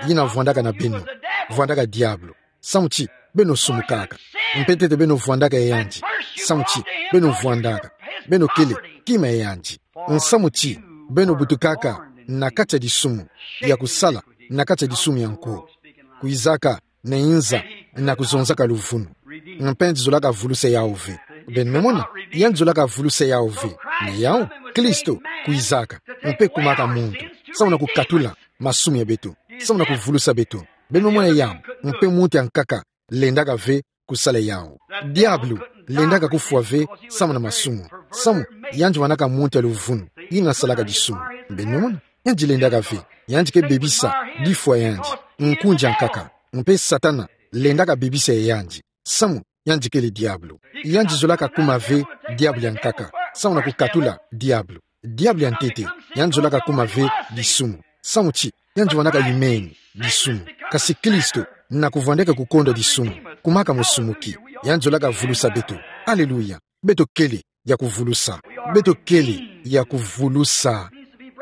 yina vwandaka na beno, vwandaka diabulu. Samu ti, beno sumukaka. Mpe ntete beno vwandaka ya yandi. Samu ti, beno vwandaka. Beno kele kima ya yandi. Nsamu ti, beno butukaka na kati ya disumu, ya kusala na kati ya disumu ya nko. Kwizaka na inza na kuzonzaka luvunu. Mpe yandi zolaka vulusa yawu ve. Beno me mona, yandi zolaka vulusa yawu ve. Ni yawu, Kristo kwizaka, mpe kumaka muntu, samu na kukatula masumu ya beto, samu na kuvulusa beto. Beno me mona yawu, mpe muntu ya nkaka lendaka ve kusala yawu. Diabulu lendaka kufwa ve samu na masumu. Samu, yandi vwandaka muntu ya luvunu, yina salaka disumu. Beno me mona, yandi lendaka ve, yandi ke bebisa difwa ya yandi, nkunzi ya nkaka. Mpe Satana lendaka bebisa ya yandi. Samu, yandi kele diabulu. Yandi zolaka kuma ve diabulu ya nkaka, samu na kukatula diabulu. Diabulu ya ntete, yandi zolaka kuma ve disumu. Samu ti, yandi vwandaka yimeni disumu. Kasi Kristo, na kuvwandaka kukondwa disumu, kumaka musumuki, yandi zolaka vulusa beto. Aleluya. Beto kele ya kuvulusa. Beto kele ya kuvulusa.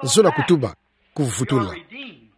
Zola kutuba, kuvutula.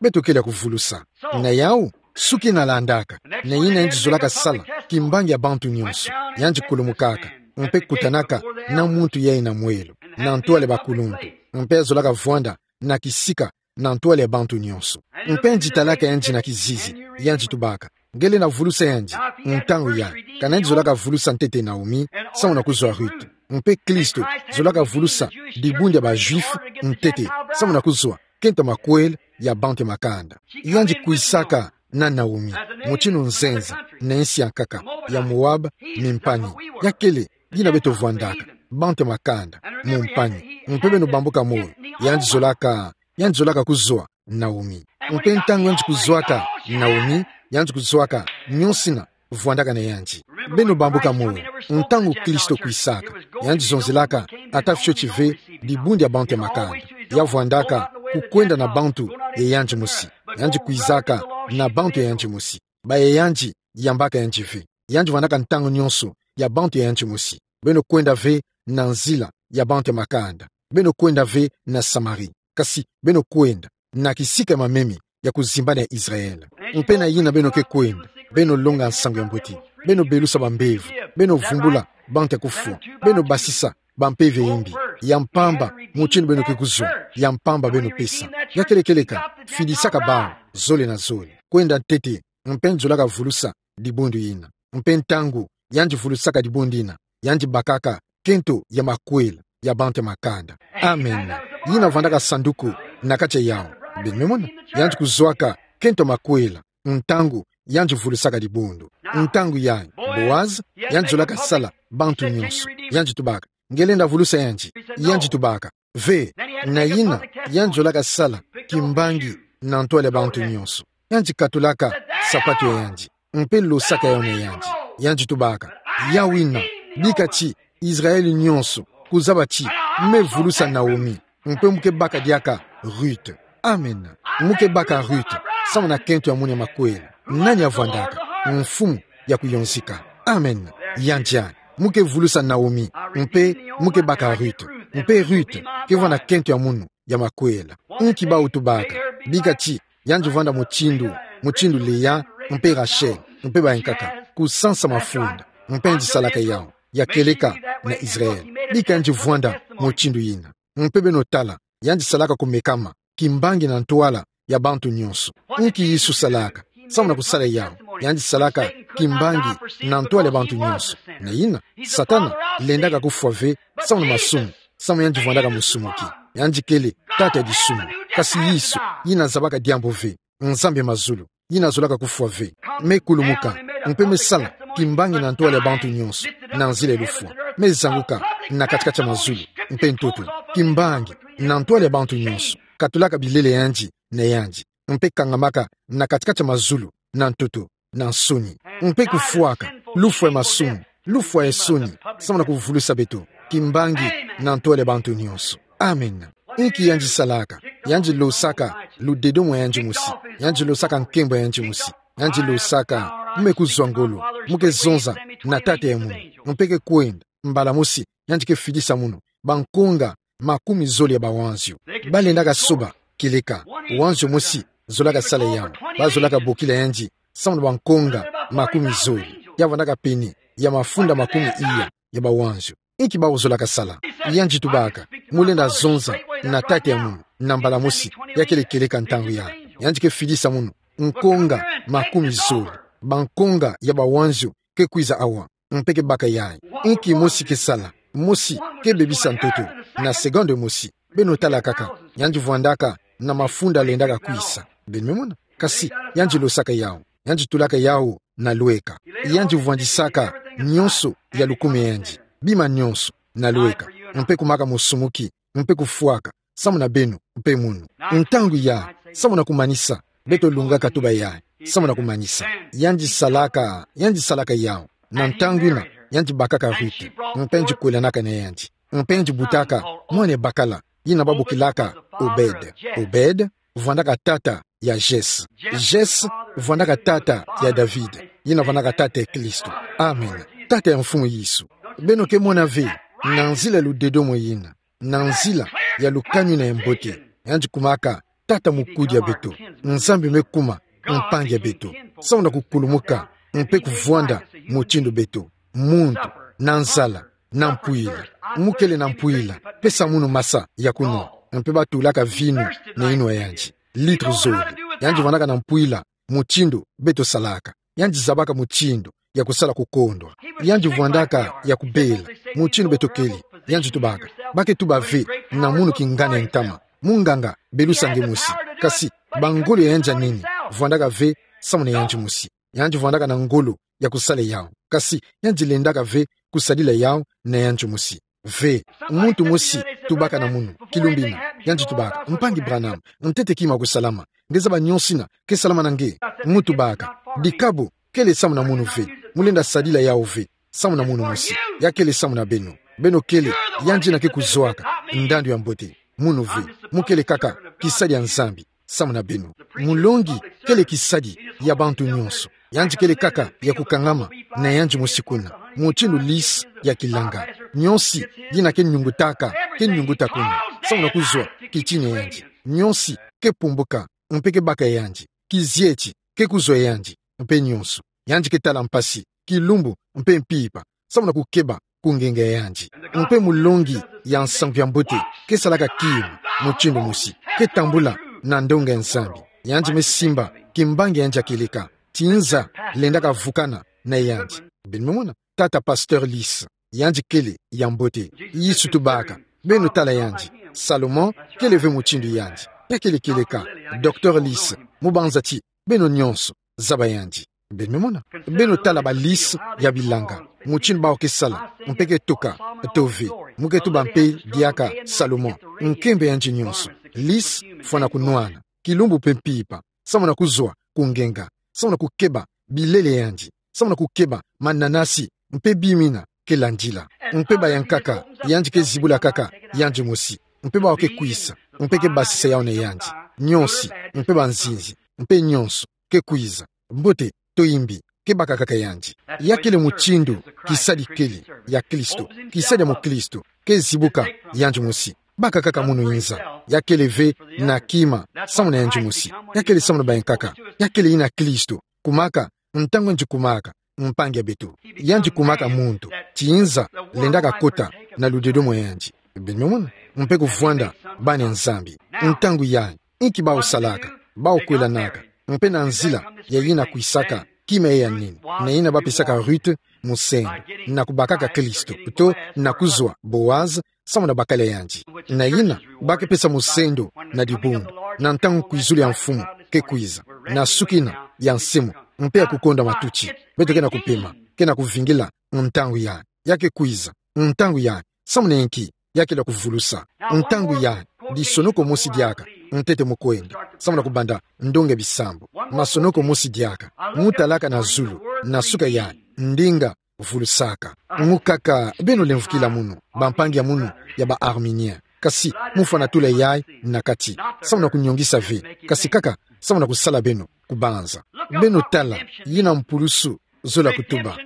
Beto kele ya kuvulusa. Na yawu, suki na landaka, na yina yandi zolaka sala kimbangi ya bantu nyonso. Yandi kulumukaka, mpe kutanaka na muntu yayi na mwelo, na ntwala ya bakuluntu. Mpe zolaka vwanda na kisika na ntwala ya bantu nyonso. Mpe yandi talaka yandi na kizizi, yandi tubaka: Nge lenda vulusa yandi ntangu yayi, kana yandi zolaka vulusa ntete Naomi, samu na kuzwa Ruth. Mpe Kristo zolaka vulusa dibundu ya ba Juifs ntete, samu na kuzwa kento ya makwela ya bantu ya makanda. Yandi kwisaka na Naomi, mutindu nzenza na insi ya nkaka ya Moab, mimpani. Ya kele yina beto vwandaka, bantu ya makanda, mumpani. Mpe beno bambuka moyo, yandi zolaka, yandi zolaka kuzwa Naomi. Mpe ntangu yandi kuzwaka Naomi, yandi kuzwaka nyonsina vwandaka na yandi. Beno bambuka moyo, ntangu Kristo kwisaka, yandi zonzelaka ata fioti ve dibundu ya bantu ya makanda. Ya vwandaka kukwenda na bantu ya yandi mosi. Yandi kwizaka na bantu ya yandi mosi. Ba ya yandi yambaka yandi ve. Yandi vwandaka ntangu nyonso ya bantu ya yandi mosi. Beno kwenda ve na nzila ya bantu ya makanda. Beno kwenda ve na Samari. Kasi beno kwenda na kisika ya mamemi ya kuzimbana ya Israel. Mpe na yina beno ke kwenda, beno longa nsangu ya mbote. Beno belusa bambevo. Beno vumbula bantu ya kufwa. Beno basisa bampeve ya imbi. Ya mpamba, mutindu beno ke kuzwa, ya mpamba beno pesa. Ya kele kieleka, fidisaka bawu zole na zole. Kwenda ntete, mpe yandi zolaka vulusa dibundu yina. Mpe ntangu yandi vulusaka dibundu yina, yandi bakaka kento ya makwela ya bantu ya makanda. Amen. Yina vwandaka sanduku na kati ya yawu. Beno me mona, yandi kuzwaka kento makwela, ntangu yandi vulusaka dibundu. Ntangu yayi, Boaz, yandi zolaka sala bantu nyonso. Yandi tubaka: Nge lenda vulusa yandi? Yandi tubaka: Ve. Na yina, yandi zolaka sala kimbangi na ntwala ya bantu nyonso. Yandi katulaka sapatu ya yandi, mpe losaka yawu na yandi. Yandi tubaka: Yawu yina, bika ti Israele nyonso kuzaba ti me vulusa Naomi, mpe mu ke baka diaka Ruth. Amen. Mu ke baka Ruth, samu na kento ya munu ya makwela. Nani avwandaka? Mfumu ya kuyonzika. Amen. Yandi a, mu ke vulusa Naomi, mpe mu ke baka Ruth. Mpe Ruth ke vwanda kento ya munu ya makwela. Nki bawu tubaka? Bika ti yandi vwanda mutindu, mutindu Lea mpe Rachel, mpe bayankaka, kusansa mafunda. Mpe yandi salaka yawu, ya kieleka na Israele. Bika yandi vwanda mutindu yina. Mpe beno tala, yandi salaka kumekama kimbangi na ntwala ya bantu nyonso. Nki Yesu salaka samu na kusala yawu? Yandi salaka kimbangi na ntwala ya bantu nyonso. Na yina, Satana lendaka kufwa ve samu na masumu, samu yandi vwandaka musumuki. Yandi kele tata ya disumu. Kasi Yesu, yina zabaka diambu ve, Nzambi ya mazulu, yina zolaka kufwa ve, me kulumuka, mpe me sala kimbangi na ntwala ya bantu nyonso, na nzila ya lufwa. Me zanguka na kati-kati ya mazulu mpe ntoto, kimbangi na ntwala ya bantu nyonso, katulaka bilele ya yandi na yandi, mpe kangamaka na kati-kati ya mazulu na ntoto na nsoni, mpe kufwaka lufwa ya masumu, lufwa ya nsoni, samu na kuvulusa beto kimbangi na ntwala ya bantu nyonso. Amen. Nki yandi salaka? Yandi losaka ludedomo ya yandi mosi. Yandi losaka nkembo ya yandi mosi. Yandi losaka: Mu me kuzwa ngolo, mu ke zonza na Tata ya munu, mpe ke kwenda, mbala mosi yandi ke fidisa munu bankonga makumi zole ya bawanzio. Balendaka soba kieleka wanzio mosi zolaka sala yawu. Bazolaka bokila yandi samu na bankonga makumi zole, ya vwandaka pene ya mafunda makumi iya ya bawanzio. Nki bawu zolaka sala? Yandi tubaka: Mu lenda zonza na Tata ya munu, na mbala mosi, ya kele kieleka ntangu yayi. Yandi ke fidisa munu nkonga makumi zole. Bankonga ya bawanzio ke kwiza awa, mpe ke baka yayi. Nki mosi ke sala? Mosi ke bebisa ntoto na seconde mosi. Beno tala kaka, yandi vwandaka na mafunda lendaka kwisa. Beno me mona? Kasi yandi losaka yawu, yandi tulaka yawu na lweka. Yandi vwandisaka nyonso ya lukume ya yandi, bima nyonso, na lweka, mpe kumaka musumuki, mpe kufwaka samu na beno mpe munu. Ntangu yayi, samu na kumanisa, beto lungaka tuba yayi, samu na kumanisa, yandi salaka, yandi salaka yawu. Na ntangu yina, yandi bakaka Ruth, mpe yandi kwelanaka na yandi, mpe yandi butaka mwana ya bakala, yina babokilaka Obed. Obed vwandaka tata ya Jesse. Jesse vwandaka tata ya David, yina vwandaka tata ya Kristo. Amen. Tata ya Mfumu Yesu. Beno ke mona ve, na nzila ya ludedomo yina, na nzila ya lukanu yina ya mbote, yandi kumaka tata mukudi ya beto. Nzambi me kuma mpangi ya beto, samu na kukulumuka mpe kuvwanda mutindu beto, muntu, na nzala, na mpwila. Mu kele na mpwila, pesa munu masa ya kunwa. Mpe batulaka vinu na inwa yandi, litre zole. Yandi vwandaka na mpwila mutindu beto salaka. Yandi zabaka mutindu ya kusala kukondwa. Yandi vwandaka ya kubela mutindu beto kele. Yandi tubaka: Ba ke tuba ve na munu kingana ya ntama: Munganga, belusa nge mosi. Kasi bangolo ya yandi ya nene vwandaka ve samu na yandi mosi. Yandi vwandaka na ngolo ya kusala yawu, kasi yandi lendaka ve kusadila yawu na yandi mosi. Ve, muntu mosi tubaka na munu kilumbu yina, yandi tubaka: Mpangi Branham, ntete kima kusalama? Nge zaba nyonso yina ke salama na nge? Mu tubaka: Dikabu kele samu na munu ve. Mu lenda sadila yawu ve samu na munu mosi. Ya kele samu na beno. Beno kele yandi yina ke kuzwaka ndandu ya mbote. Munu ve. Mu kele kaka kisadi ya Nzambi samu na beno. Mulongi kele kisadi ya bantu nyonso. Yandi kele kaka ya kukangama na yandi mosi kuna, mutindu lisi ya kilanga. Nionsi yina ke niungutaka, ke niunguta kuna, samu na kuzwa kitini ya yandi. Nionsi ke pumbuka, mpe ke baka ya yandi. Kizieti ke kuzwa ya yandi, mpe nionso. Yandi ke tala mpasi, kilumbu, mpe mpimpa, samu na kukeba kungenga ya yandi. Mpe mulongi ya nsangu ya mbote ke salaka kima mutindu mosi, ke tambula na ndonga ya Nzambi. Yandi me simba kimbangi ya yandi ya kieleka, tinza lendaka vukana na yandi. Beno me mona, tata Pasteur Lise, yandi kele ya mbote. Yesu tubaka: Beno tala yandi. Salomon kele ve mutindu yandi. Ya kele kieleka. Docteur Lys, mubanza ti beno nyonso zaba yandi. Beno mona. Beno tala ba lys ya bilanga, mutindu bawu ke sala, mpe ke tuka, to ve. Mu ke tuba mpe diaka Salomon, nkembo yandi nyonso. Lys fwana kunwana, kilumbu mpe mpimpa, samu na kuzwa ku ngenga, samu na kukeba bilele yandi, samu na kukeba mananasi, mpe bimina ke landila. Mpe bayankaka, yandi ke zibula kaka yandi mosi. Mpe bawu ke kwisa, mpe ke basisa yawu na yandi. Nyonso, mpe banzinzi, mpe nyonso ke kwiza. Mbote to imbi, ke bakakaka yandi. Ya kele mutindu kisadi kele ya Kristo, kisadi ya mukristo, ke zibuka yandi mosi. Bakakaka munu nza. Ya kele ve na kima, samu na yandi mosi. Ya kele samu na bayankaka. Ya kele yina Kristo kumaka, ntangu yandi kumaka mpangi ya beto. Yandi kumaka muntu ti nza lendaka kota na ludedo mwa yandi. Beno mona, mpe kuvwanda bana Nzambi. Ntangu yayi, inki bawu salaka? Bawu kwelanaka, mpe na nzila ya yina kwisaka kima ya nini, na yina bapesaka Ruth musendo, na kubakaka Kristo, to na kuzwa Boaz, samu na bakala yandi. Na yina, ba ke pesa musendo na dibundu, na ntangu kwizulu ya mfumu ke kwiza, na suki yina ya nsimu, mpe ya kukonda matuti, beto ke na kupema, ke na kuvingila, ntangu yayi, ya ke kwiza, ntangu yayi, samu na inki? Ya kele kuvulusa. Ntangu yayi, disonoko mosi diaka, ntete mu kwenda, samu na kubanda ndonga bisambu. Masonoko mosi diaka, mu talaka na zulu, na suka yayi, ndinga vulusaka. Mu kaka, beno lemvokila munu, bampangi ya munu, ya ba Arminien. Kasi, mu fwana tula yayi na kati, samu na kunyongisa ve, kasi kaka, samu na kusala beno kubanza. Beno tala, yina mpulusu zola kutuba.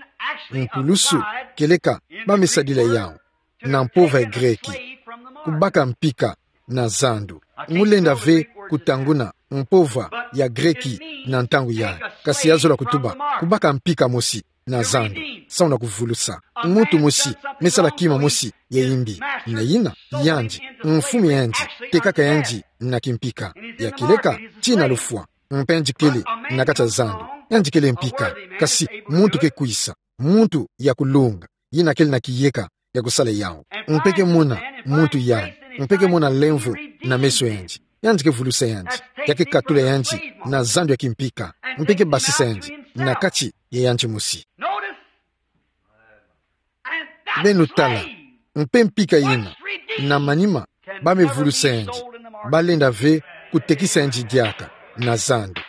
Mpulusu, kieleka, ba me sadila yawu na mpova ya Greki, kubaka mpika na zandu. Mu lenda ve kutanguna mpova ya Greki na ntangu yayi, kasi ya zola kutuba kubaka mpika mosi na zandu, samu na kuvulusa. Muntu mosi me sala kima mosi ya imbi, na yina, yandi, mfumu yandi, tekaka yandi na kimpika. Ya kieleka, tina lufwa, mpe yandi kele na kati ya zandu, yandi kele mpika, kasi muntu ke kwisa, muntu ya kulunga, yina kele na kiyeka ya kusala yawu. Mpe ke mona muntu yandi, mpe ke mona lemvo na meso yandi, yandi ke vulusa yandi, ya ke katula yandi na zandu ya kimpika, mpe ke basisa yandi na kati ya yandi mosi. Beno tala, mpe mpika yina, na manima, ba me vulusa yandi, ba lenda ve kutekisa yandi diaka na zandu.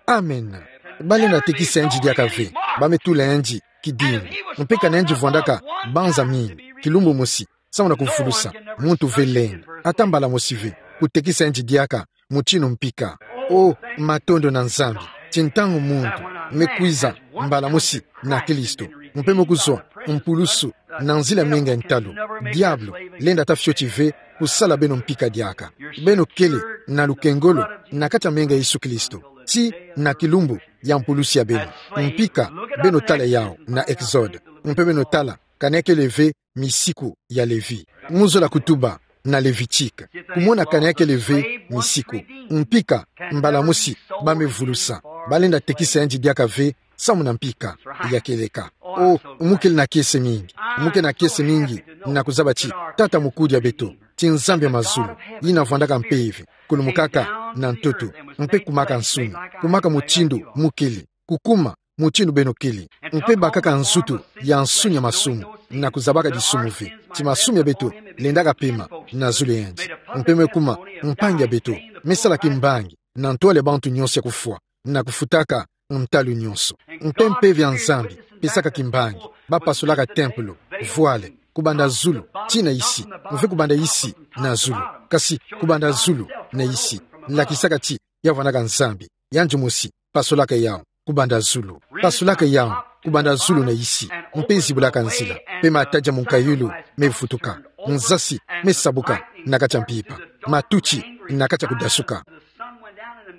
Amen. Ba lenda tekisa yandi diaka ve, ba me tula yandi kidimbu. Mpe kana yandi vwandaka banza mingi, kilumbu mosi, samu na kuvulusa, muntu ve lenda, ata mbala mosi ve, kutekisa yandi diaka, mutinu mpika. O, matondo na Nzambi, ti ntangu muntu me kwiza mbala mosi na Kristo, mpe me kuzwa mpulusu na nzila menga ya ntalu, diabulu lenda ta fioti ve kusala beno mpika diaka. Beno kele na lukengolo na kati ya menga ya Yesu Kristo, ti na kilumbu ya mpulusu ya beno. Mpika, beno tala yawu na Exode, mpe beno tala, kana ya kele ve misiku ya Levi. Mu zola kutuba na Levitique, kumona kana ya kele ve misiku. Mpika, mbala mosi, ba me vulusa, ba lenda tekisa yandi diaka ve, samu na mpika. Ya kieleka. O, mu kele na kiese mingi, mu kele na kiese mingi, na kuzaba ti Tata Mukudi ya beto, ti Nzambi ya mazulu, yina vwandaka mpeve, kulumukaka na ntoto, mpe kumaka nsuni, kumaka mutindu mu kele, kukuma mutindu beno kele, mpe bakaka nzutu ya nsuni ya masumu, na kuzabaka disumu ve, ti masumu ya beto lendaka pema na zulu ya yandi, mpe me kuma mpangi ya beto, me sala kimbangi na ntwala ya bantu nyonso ya kufwa, na kufutaka ntalu nyonso. Mpe mpeve ya Nzambi pesaka kimbangi, ba pasulaka tempelo, voile, kubanda zulu ti na isi, mpe kubanda isi na zulu, kasi kubanda zulu na isi, lakisaka ti ya vwandaka Nzambi, yandi mosi pasulaka yawu kubanda zulu. Pasulaka yawu kubanda zulu na isi, mpe zibulaka nzila, mpe matadi ya munkayulu me vutuka, nzasi me sabuka na kati ya mpimpa, matuti na kati ya kudasuka.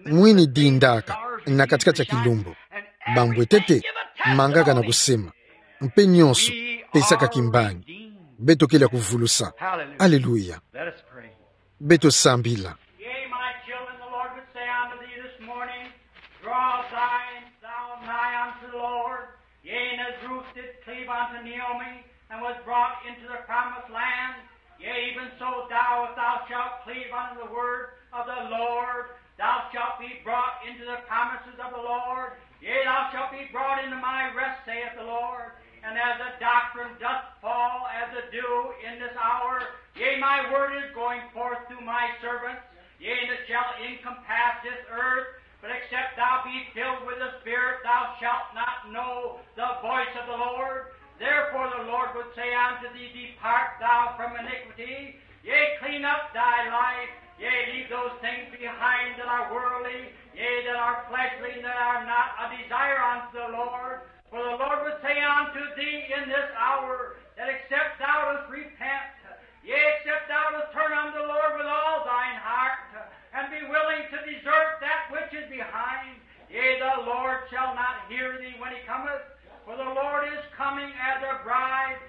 Mwini dindaka na kati-kati ya kilumbu. Bambwetete mangaka na kusema, mpe nyonso pesaka kimbangi. Beto kele ya kuvulusa. Aleluya. Let us pray. Beto sambila. Yea, my children, the Lord would say unto thee this morning, draw thine, thou nigh unto the Lord. Yea, and as Ruth did cleave unto Naomi, and was brought into the promised land, Yea, even so thou, if thou shalt cleave unto the word of the Lord, thou shalt be brought into the promises of the Lord. Yea, thou shalt be brought into my rest, saith the Lord. And as the doctrine doth fall as the dew in this hour, yea, my word is going forth through my servants. Yea, and it shall encompass this earth, but except thou be filled with the Spirit, thou shalt not know the voice of the Lord. Therefore the Lord would say unto thee, Depart thou from iniquity, yea, clean up thy life, yea, leave those things behind that are worldly, yea, that are fleshly, and that are not a desire unto the Lord. For the Lord would say unto thee in this hour, that except thou dost repent, yea, except thou dost turn unto the Lord with all thine heart, and be willing to desert that which is behind, yea, the Lord shall not hear thee when he cometh. For the Lord is coming as a bride,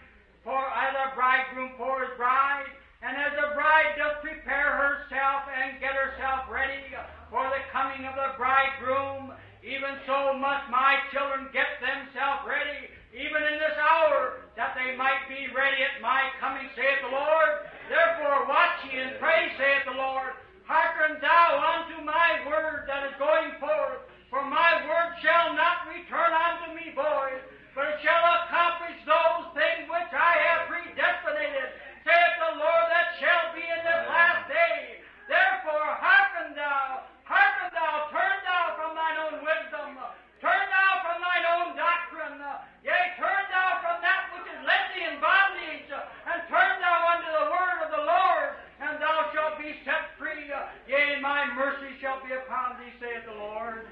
for as a bridegroom for his bride, and as a bride doth prepare herself and get herself ready for the coming of the bridegroom, even so must my children get themselves ready, even in this hour, that they might be ready at my coming, saith the Lord. Therefore watch ye and pray, saith the Lord. Hearken thou unto my word that is going forth, for my word shall not return unto me void, but it shall accomplish those things which I have predestinated, saith the Lord, that shall be in this last day. Therefore hearken thou, hearken thou, turn thou from thine own wisdom, turn thou from thine own doctrine, yea, turn thou from that which has led thee in bondage, and turn thou unto the word of the Lord, and thou shalt be set free, yea, and my mercy shall be upon thee, saith the Lord.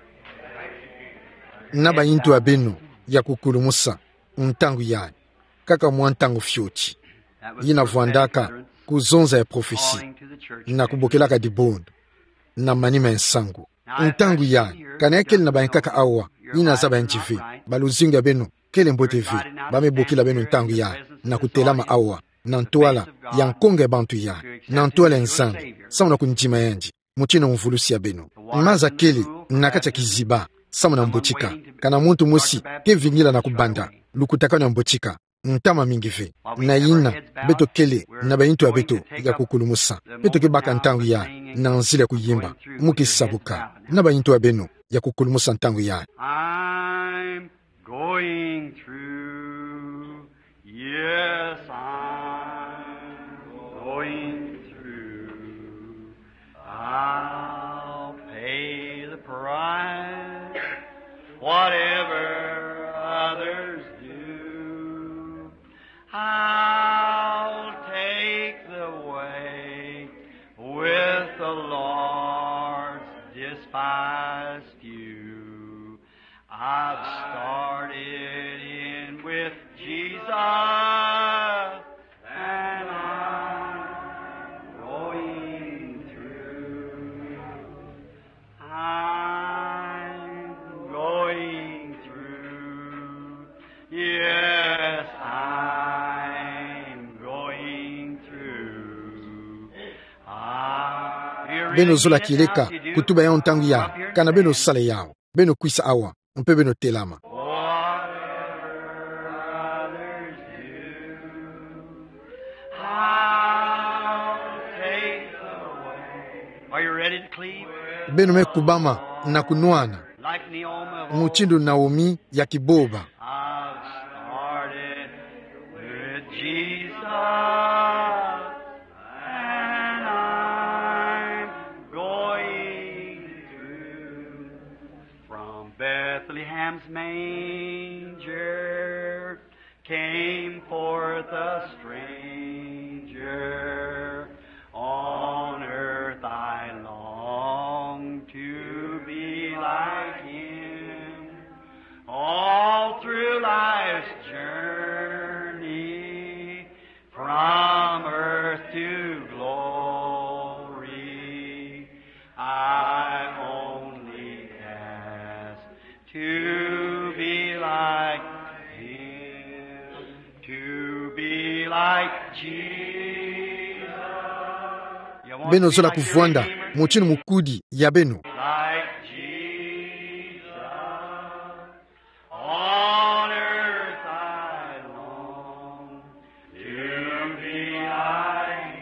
Na bayintu ya beno ya kukulumusa, ntangu yayi, kaka mwa ntangu fioti, yi navwandaka ku zonza ya prophetie, na kubokelaka dibundu na manima ya nsangu. Ntangu yayi, ka nayakele na bayankaka awa, yi nazaba yandi ve, ba luzingu ya beno kele mbote ve, ba me bokila beno ntangu yayi, na kutelama awa, na ntwala ya nkonga ya bantu yayi, na ntwala ya Nzambi, samu na kundima yandi, mutindu mvulusi ya beno. Maza kele na kati ya kiziba, samu na mbotika. Kana muntu mosi ke vingila na kubanda lukutakanu ya mbotika, ntama mingi ve. Na yina, beto kele na bayintu ya beto ya kukulumusa. Beto ke baka ntangu yayi na nzila ya kuyimba mu kisabuka. Na bayintu ya beno ya kukulumusa ntangu yayi. I'm going through. Yes, I'm going through. I'll pay the price, whatever others do. I'll take the way with the Lord's despised few. I've started in with Jesus, and I'm going through. I'm going through. Yes, I'm going through. Beno zola kieleka kutuba yawu ntangu yayi, kana beno sala yawu. Beno kwisa awa, mpe beno telama. Are you ready to cleave? Beno me kubama na kunwana. Like Naomi of old. Mutindu Naomi ya Kiboba. I've started with Jesus, and I'm going through. From Bethlehem's manger came forth a stranger. On earth I long to be like him. All through life's journey, from earth to glory, I only ask to be like him, to be like Jesus. Beno zola kuvwanda mutindu mukudi ya beno. Like Jesus. On earth I long to be like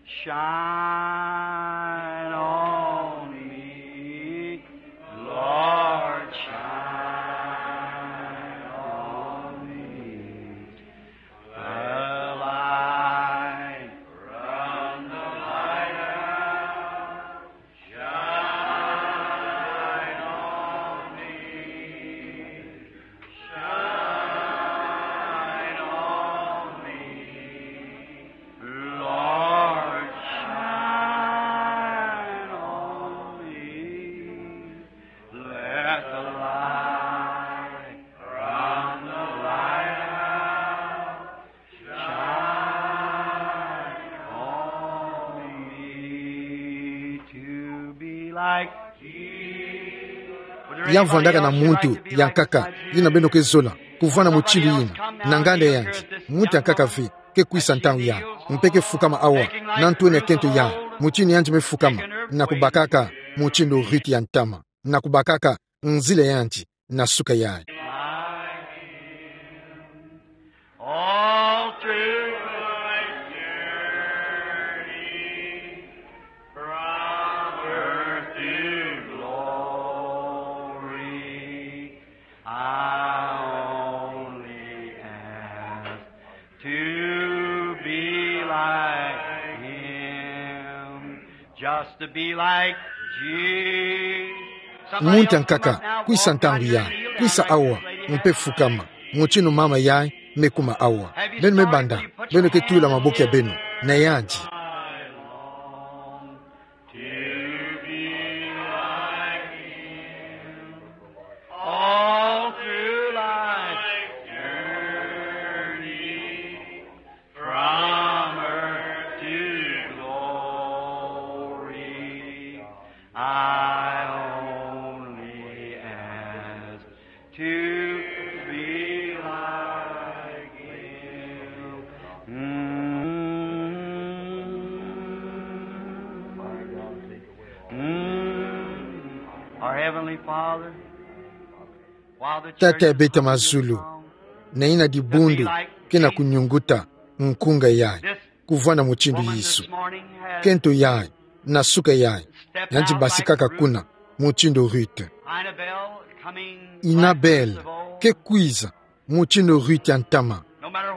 Shine on me, Lord, shine on me. The light from the lighthouse, shine on me, shine on me. Lord, shine on me. Let the light from the lighthouse shine on me to be like Jesus. Ya vwandaka na muntu yankaka, yina beno kezola, kuvwanda mutindu yina, na nganda yandi, muntu yankaka ve, ke kwisa ntangu ya, mpe ke fukama awa, na ntwenia kento ya, mutindu yandi mefukama, na kubakaka, mutindu Ruth ya ntama, na kubakaka, nzila yandi, na suka yayi. All through my journey, from earth to glory, I only ask to be like him, just to be like Jesus. Muntu yankaka, kwisa ntangu ya, kwisa awa, mpe fukama, mutindu mama yayi mekuma awa. Beno mebanda, beno ketula maboko ya beno, na yandi. To be like him, all through life's journey, from earth to glory, I only ask to be like him. Mm. Mm. Our Heavenly Father, while the church Tata ya beto ya mazulu, na yina dibundu ke na kunyunguta nkunga yayi, kuvwanda mutindu Yesu. Kento yayi, na suka yayi, yandi basikaka kuna, mutindu Ruth. Inabel, ke kwiza, mutindu Ruth ya ntama.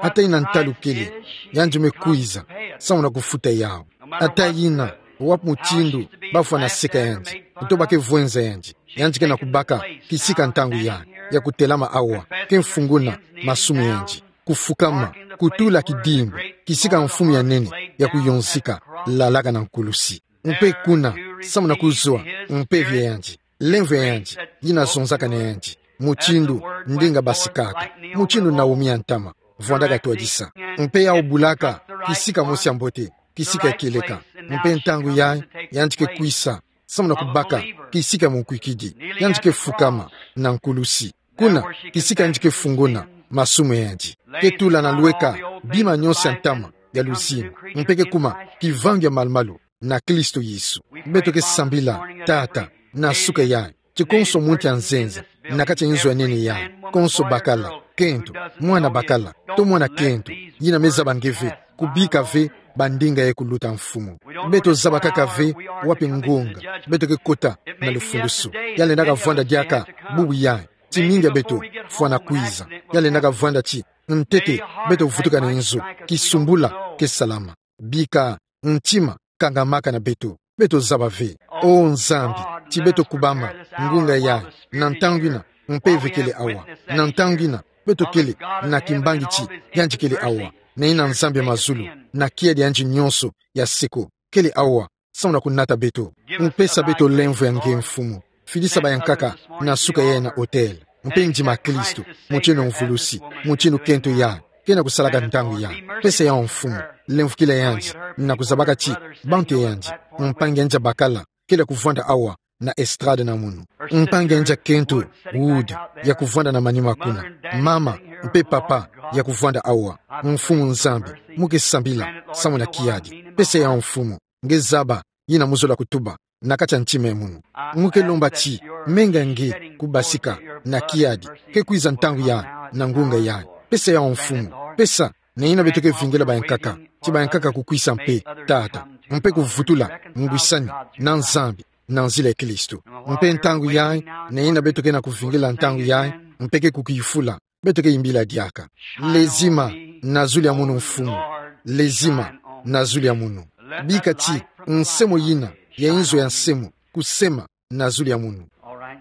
Ata yina ntalu kele, yandi mekwiza, samu na kufuta yawu. Ata yina, wapi mutindu, bafwana seka yandi, kutoba ke vwenza yandi, yandi ke na kubaka, kisika ntangu yayi, ya kutelama awa, ke mfunguna, masumu yandi. Kufukama, kutula kidimbu, kisika mfumu ya nene, ya kuyonzika, lalaka na nkulusi. Mpe kuna, samu na kuzwa, mpeve ya yandi, lemvo ya yandi, yina zonzaka na yandi, mutindu, ndinga basikaka, mutindu Naomi ya ntama, vwandaka twadisa. Mpe yawu bulaka, kisika mosi ya mbote, kisika kieleka, mpe ntangu yayi, yandi ke kwisa, samu na kubaka, kisika munkwikidi, yandi ke fukama, na nkulusi. Kuna, kisika yandi ke funguna, masumu ya yandi. Ke tula na lweka, bima nyonso ya ntama, ya luzingu. Mpe ke kuma, kivangi ya malu-malu, na Kristo Yesu. Beto ke sambila, Tata, na suka yayi. Ti konso muntu ya nzenza, na kati ya nzo ya nene yayi. Konso bakala, kento, mwana bakala, to mwana kento, yina mezaba nge ve, kubika ve, bandinga ye kuluta mfumu. Beto zaba kaka ve, wapi ngunga, beto ke kota, na lufundusu. Ya lendaka vwanda diaka, bubu yayi, ti mingi ya beto, fwana kwiza. Ya lendaka vwanda ti, ntete, beto vutuka na nzo, kisumbula, ke salama. Bika, ntima, kangamaka na beto, beto zaba ve. O Nzambi, ti beto kubama, ngunga yayi, na ntangu yina, mpeve kele awa, na ntangu yina, beto kele, na kimbangi ti, yandi kele awa, na yina Nzambi ya mazulu, na kiadi ya yandi nyonso, ya seko, kele awa, samu na kunata beto. Mpesa beto lemvo ya nge mfumu. Fidisa bayankaka, na suka yayi na autel. Mpe ndima Kristo, mutindu mvulusi, mutindu kento yayi, ke na kusalaka ntangu yayi. Pesa yawu mfumu, lemvokila yandi, na kuzabaka ti, bantu ya yandi, mpangi ya yandi ya bakala, kele ya kuvwanda awa, na estrade na munu. Mpangi ya yandi ya kento, Wood, ya kuvwanda na manima kuna. Mama, mpe papa, ya kuvwanda awa. Mfumu Nzambi, mu ke sambila, samu na kiadi. Pesa yawu mfumu, nge zaba, yina mu zola kutuba, na kati ya ntima ya munu. Mu ke lomba ti, menga nge, kubasika, na kiadi, ke kwiza ntangu yayi, na ngunga yayi. Pesa yawu mfumu, pesa, na yina beto ke vingila bayankaka, ti bayankaka kukwisa mpe, Tata. mpe kuvutula ngwisani na Nzambi na nzila ya Kristo. Mpe ntangu yayi, na yina beto ke na kuvingila ntangu yayi, mpe ke kukifula, beto ke yimbila diaka: Lezima na zulu ya munu, Mfumu. Lezima na zulu ya munu. Bika ti nsemo yina ya inzo ya nsemo kusema na zulu ya munu. All right.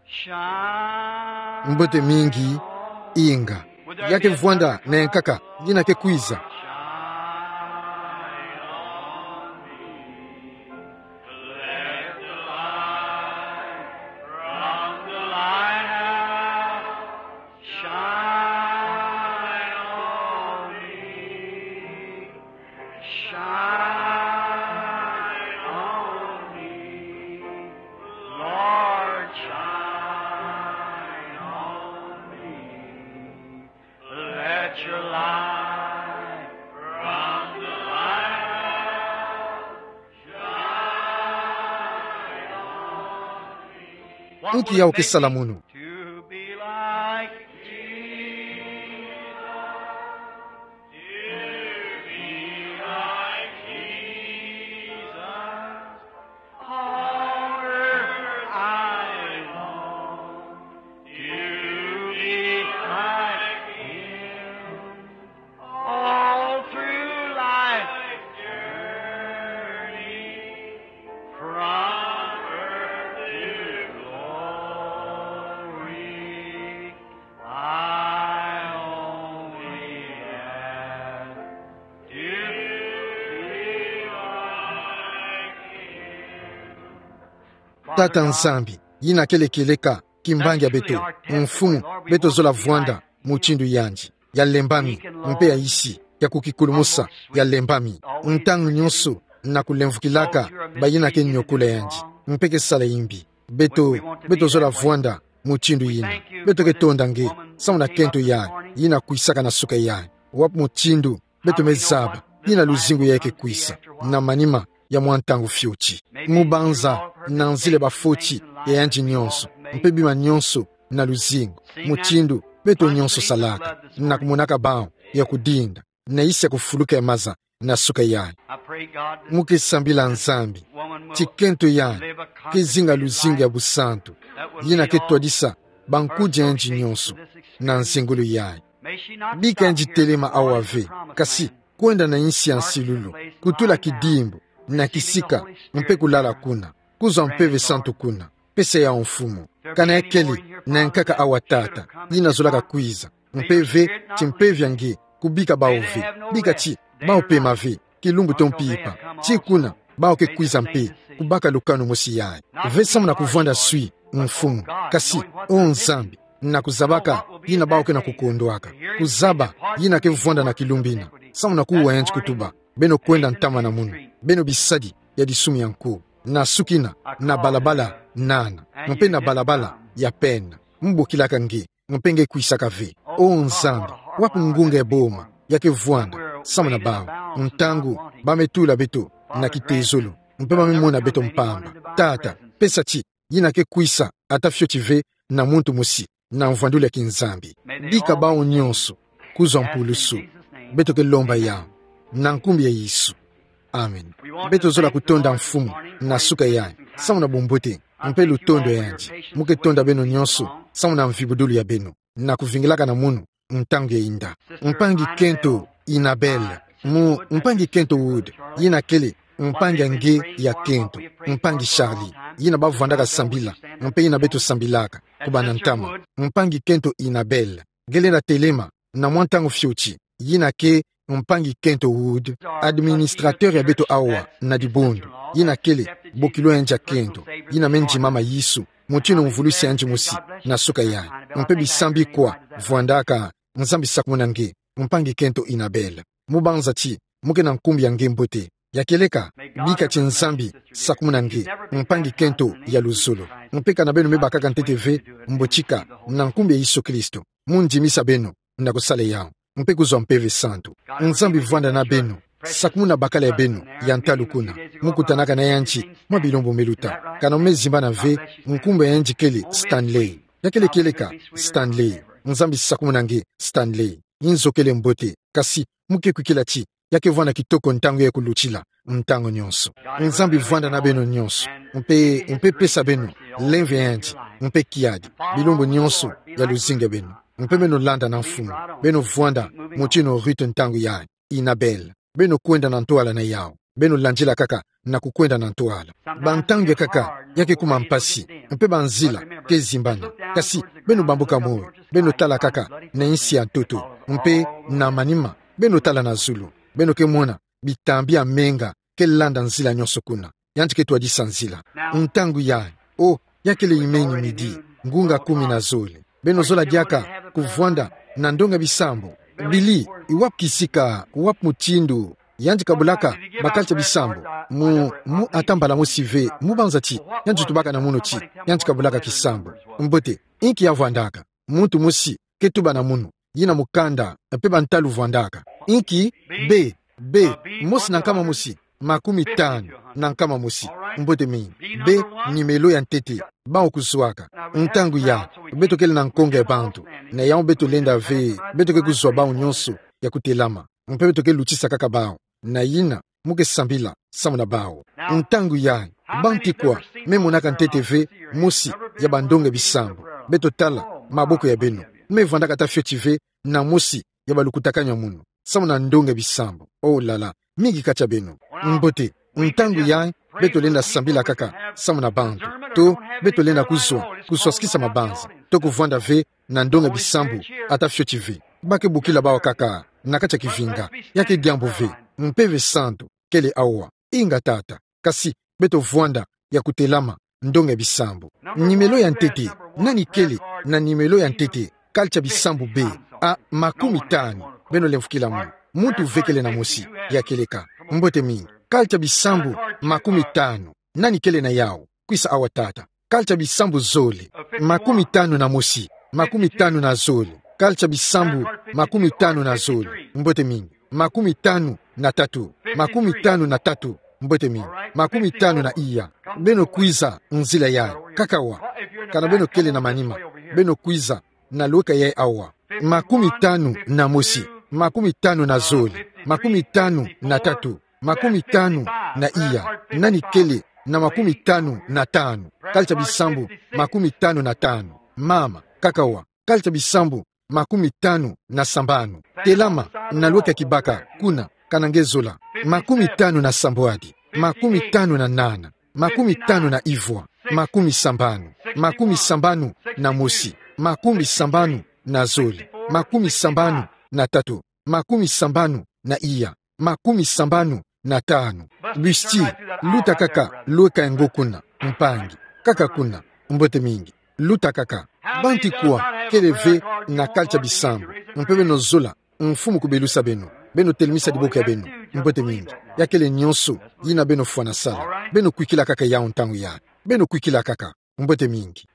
Shine. Mbote mingi, inga. Ya ke vwanda na yankaka, yina ke kwiza. Shine on me. Let the light from the lighthouse shine on me. Shine on me, Lord, shine on me. Let your light from the lighthouse shine on me. Nki yawu ke sala munu? To be like Jesus. To be like Jesus, all earth I long to be like him. All through life's journey, from earth to glory, I only ask to be like him. Tata Nzambi, yina kele kieleka kimbangi ya beto, Mfumu, beto zola vwanda mutindu yandi, ya lembami, mpe ya isi, ya kukikulumusa, ya lembami. Ntangu nyonso na kulemvukilaka bayina ke nyokula yandi, mpe ke sala yimbi. Beto, beto zola vwanda mutindu yina. Beto ke tonda nge, samu na kento yayi, yina kwisaka na suka yayi. Wapi mutindu beto me zaba yina luzingu yayi ke kwisa na manima ya mwa ntangu fioti? Mubanza na nzila bafoti ya yandi nyonso, mpe bima nyonso na luzingu, mutindu beto nyonso salaka, na kumonaka bawu ya kudinda, na isi ya kufuluka ya maza na suka yayi. Mu ke sambila Nzambi ti kento yayi ke zinga luzingu ya busantu, yina ke twadisa bankudi ya yandi nyonso na nzengolo yayi. Bika yandi telema awa ve, kasi kwenda na insi ya nsilulu, kutula kidimbu na kisika, mpe kulala kuna, kuzwa Mpeve Santu kuna. Pesa yawu, Mfumu. Kana ya kele na yankaka awa, Tata, yina zolaka kwiza, mpe ve ti mpeve ya nge kubika bawu ve, bika ti bawu pema ve kilumbu to mpimpa. Ti kuna bawu ke kwiza mpe kubaka lukanu mosi yayi ve samu na kuvwanda swi, Mfumu, kasi, o Nzambi, na kuzabaka yina bawu ke na kukondwaka, kuzaba yina ke vwanda na kilumbu ina, samu na kuwa yandi kutuba: Beno kwenda ntama na munu, beno bisadi ya disumi ya nko, na sukina na balabala nana, mpe na balabala ya pena. Mbokilaka nge, mpe nge kwisaka ve. O Nzambi, wapi ngunga ya boma ya ke vwanda samu na bawu, ntangu ba me tula beto na kitezolo, mpe ba me mona beto mpamba? Tata, pesa ti yina ke kwisa ata fioti ve na muntu mosi na mvwandulu ya kinzambi. Bika bawu nyonso kuzwa mpulusu. Beto ke lomba yawu na nkumbu ya Yesu. Amen. Beto zola kutonda, Mfumu, na suka yayi, samu na bumbote mpe lutondo ya yandi. Mu ke tonda beno nyonso samu na mvibudulu ya beno na kuvingilaka na munu ntangu ya inda. Mpangi kento Inabel, mu mpangi kento Wood, yina kele mpangi ya nge ya kento, mpangi Charlie, yina ba vwandaka sambila, mpe yina beto sambilaka kubana ntama. Mpangi kento Inabel, nge lenda telema na mwa ntangu fioti. Yina ke mpangi kento Wood, administrateur ya beto awa na dibundu. Yina kele bokilo ya yandi ya kento, yina me ndima ma Yesu, mutindu mvulusi yandi mosi na suka yayi. Mpe bisambi kwa vwandaka. Nzambi sakumuna nge, mpangi kento Inabel. Mu banza ti mu ke na nkumbu ya nge mbote. Ya kieleka, bika ti Nzambi sakumuna nge, mpangi kento ya luzolo. Mpe kana beno me bakaka ntete ve, mbotika, na nkumbu ya Yesu Kristo, mu ndimisa beno na kusala yawu, mpe kuzwa Mpeve Santu. Nzambi vwanda na beno, sakumuna bakala ya beno ya ntalu kuna. Mu kutanaka na yandi mwa bilumbu me luta. Kana mu me zimbana ve nkumbu ya yandi kele Stanley. Ya kele kieleka Stanley. Nzambi sakumuna nge, Stanley. Inzo kele mbote, kasi mu ke kwikila ti ya ke vwanda kitoko ntangu ya kulutila, ntangu nyonso. Nzambi vwanda na beno nyonso, mpe, mpe pesa beno, lemve yandi, mpe kiadi, bilumbu nyonso ya luzingu ya beno. Mpe beno landa na Mfumu, beno vwanda, motino Ruth ntangu yayi, Annabelle, beno kwenda na ntwala na yawu, beno landila kaka, na kukwenda na ntwala. Bantangu ya kaka, ya ke kuma mpasi, mpe banzila, ke zimbana. Kasi, beno bambuka moyo, beno tala kaka, na insi ya ntoto, mpe, na manima, beno tala na zulu, beno ke mona, bitambi ya menga, ke landa nzila nyonso kuna. Yandi ke twadisa nzila. Ntangu yayi, o, ya kele imeni midi, ngunga kumi na zole. Beno zola diaka, kuvwanda, na ndonga bisambu. Bili, i wapi kisika, wapi mutindu, yandi kabulaka, ba carte ya bisambu. Mu, mu ata mbala mosi ve, mu banza ti, yandi tubaka na munu ti, yandi kabulaka kisambu. Mbote, inki ya vwandaka, muntu mosi, ke tuba na munu, yina mukanda, mpe bantalu vwandaka. Inki, be, be, mosi na nkama mosi, makumi tanu, na nkama mosi, mbote mingi. Be, nimelo ya ntete, bawu kuzwaka. Ntangu yayi, beto kele na nkonga ya bantu, na yawu beto lenda ve, beto ke kuzwa bawu nyonso, ya kutelama. Mpe beto ke lutisa kaka bawu, na yina, mu ke sambila, samu na bawu. Ntangu yayi, bantu kwa, me monaka ntete ve, mosi, ya bandonga bisambu. Beto tala, maboko ya beno. Me vwandaka ata fioti ve, na mosi, ya balukutakanu ya munu. Samu na ndonga bisambu. O lala, mingi kati ya beno. Mbote, ntangu yayi, beto lenda sambila kaka, samu na bantu. To, beto lenda kuzwa, kuswasikisa mabanza. To kuvwanda ve, na ndonga bisambu, ata fioti ve. Ba ke bokila bawu kaka, na kati ya kivinga, ya ke diambu ve, Mpeve Santu, kele awa, inga tata, kasi, beto vwanda, ya kutelama, ndonga bisambu. Nimelo ya ntete, nani kele, na nimelo ya ntete, carte ya bisambu be, a, makumi tanu, beno lemfukila mu, muntu ve kele na mosi, ya kieleka, mbote mingi, carte ya bisambu, makumi tanu, nani kele na yawu, kwisa awa tata. Carte ya bisambu zole. Makumi tanu na mosi. Makumi tanu na zole. Carte ya bisambu. Makumi tanu na zole. Mbote mingi. Makumi tanu na tatu. Makumi tanu na tatu. Mbote mingi. Makumi tanu na iya. Beno kwiza nzila yayi. Kaka awa. Kana beno kele na manima. Beno kwiza na lweka yayi awa. Makumi tanu na mosi. Makumi tanu na zole. Makumi tanu na tatu. Makumi tanu na iya. Nani kele na makumi tanu na tanu? Carte ya bisambu makumi tanu na tanu. Mama, kaka awa. Carte ya bisambu makumi tanu na sambanu. Telama na lweka kibaka kuna, kana nge zola. Makumi tanu na sambwadi. Makumi tanu na nana. Makumi tanu na ivwa. Makumi sambanu. Makumi sambanu na mosi. Makumi sambanu na zole. Makumi sambanu na tatu. Makumi sambanu na iya. Makumi sambanu na tanu. Busti, luta kaka, lweka ngo kuna, mpangi. Kaka kuna, mbote mingi. Luta kaka. Bantu kwa kele ve na carte ya bisambu? Mpe beno zola, mfumu kubelusa beno. Beno telemisa diboko ya beno. Mbote mingi. Ya kele nyonso yina beno fwana sala. Beno kwikila kaka yawu ntangu yayi. Beno kwikila kaka. Mbote mingi.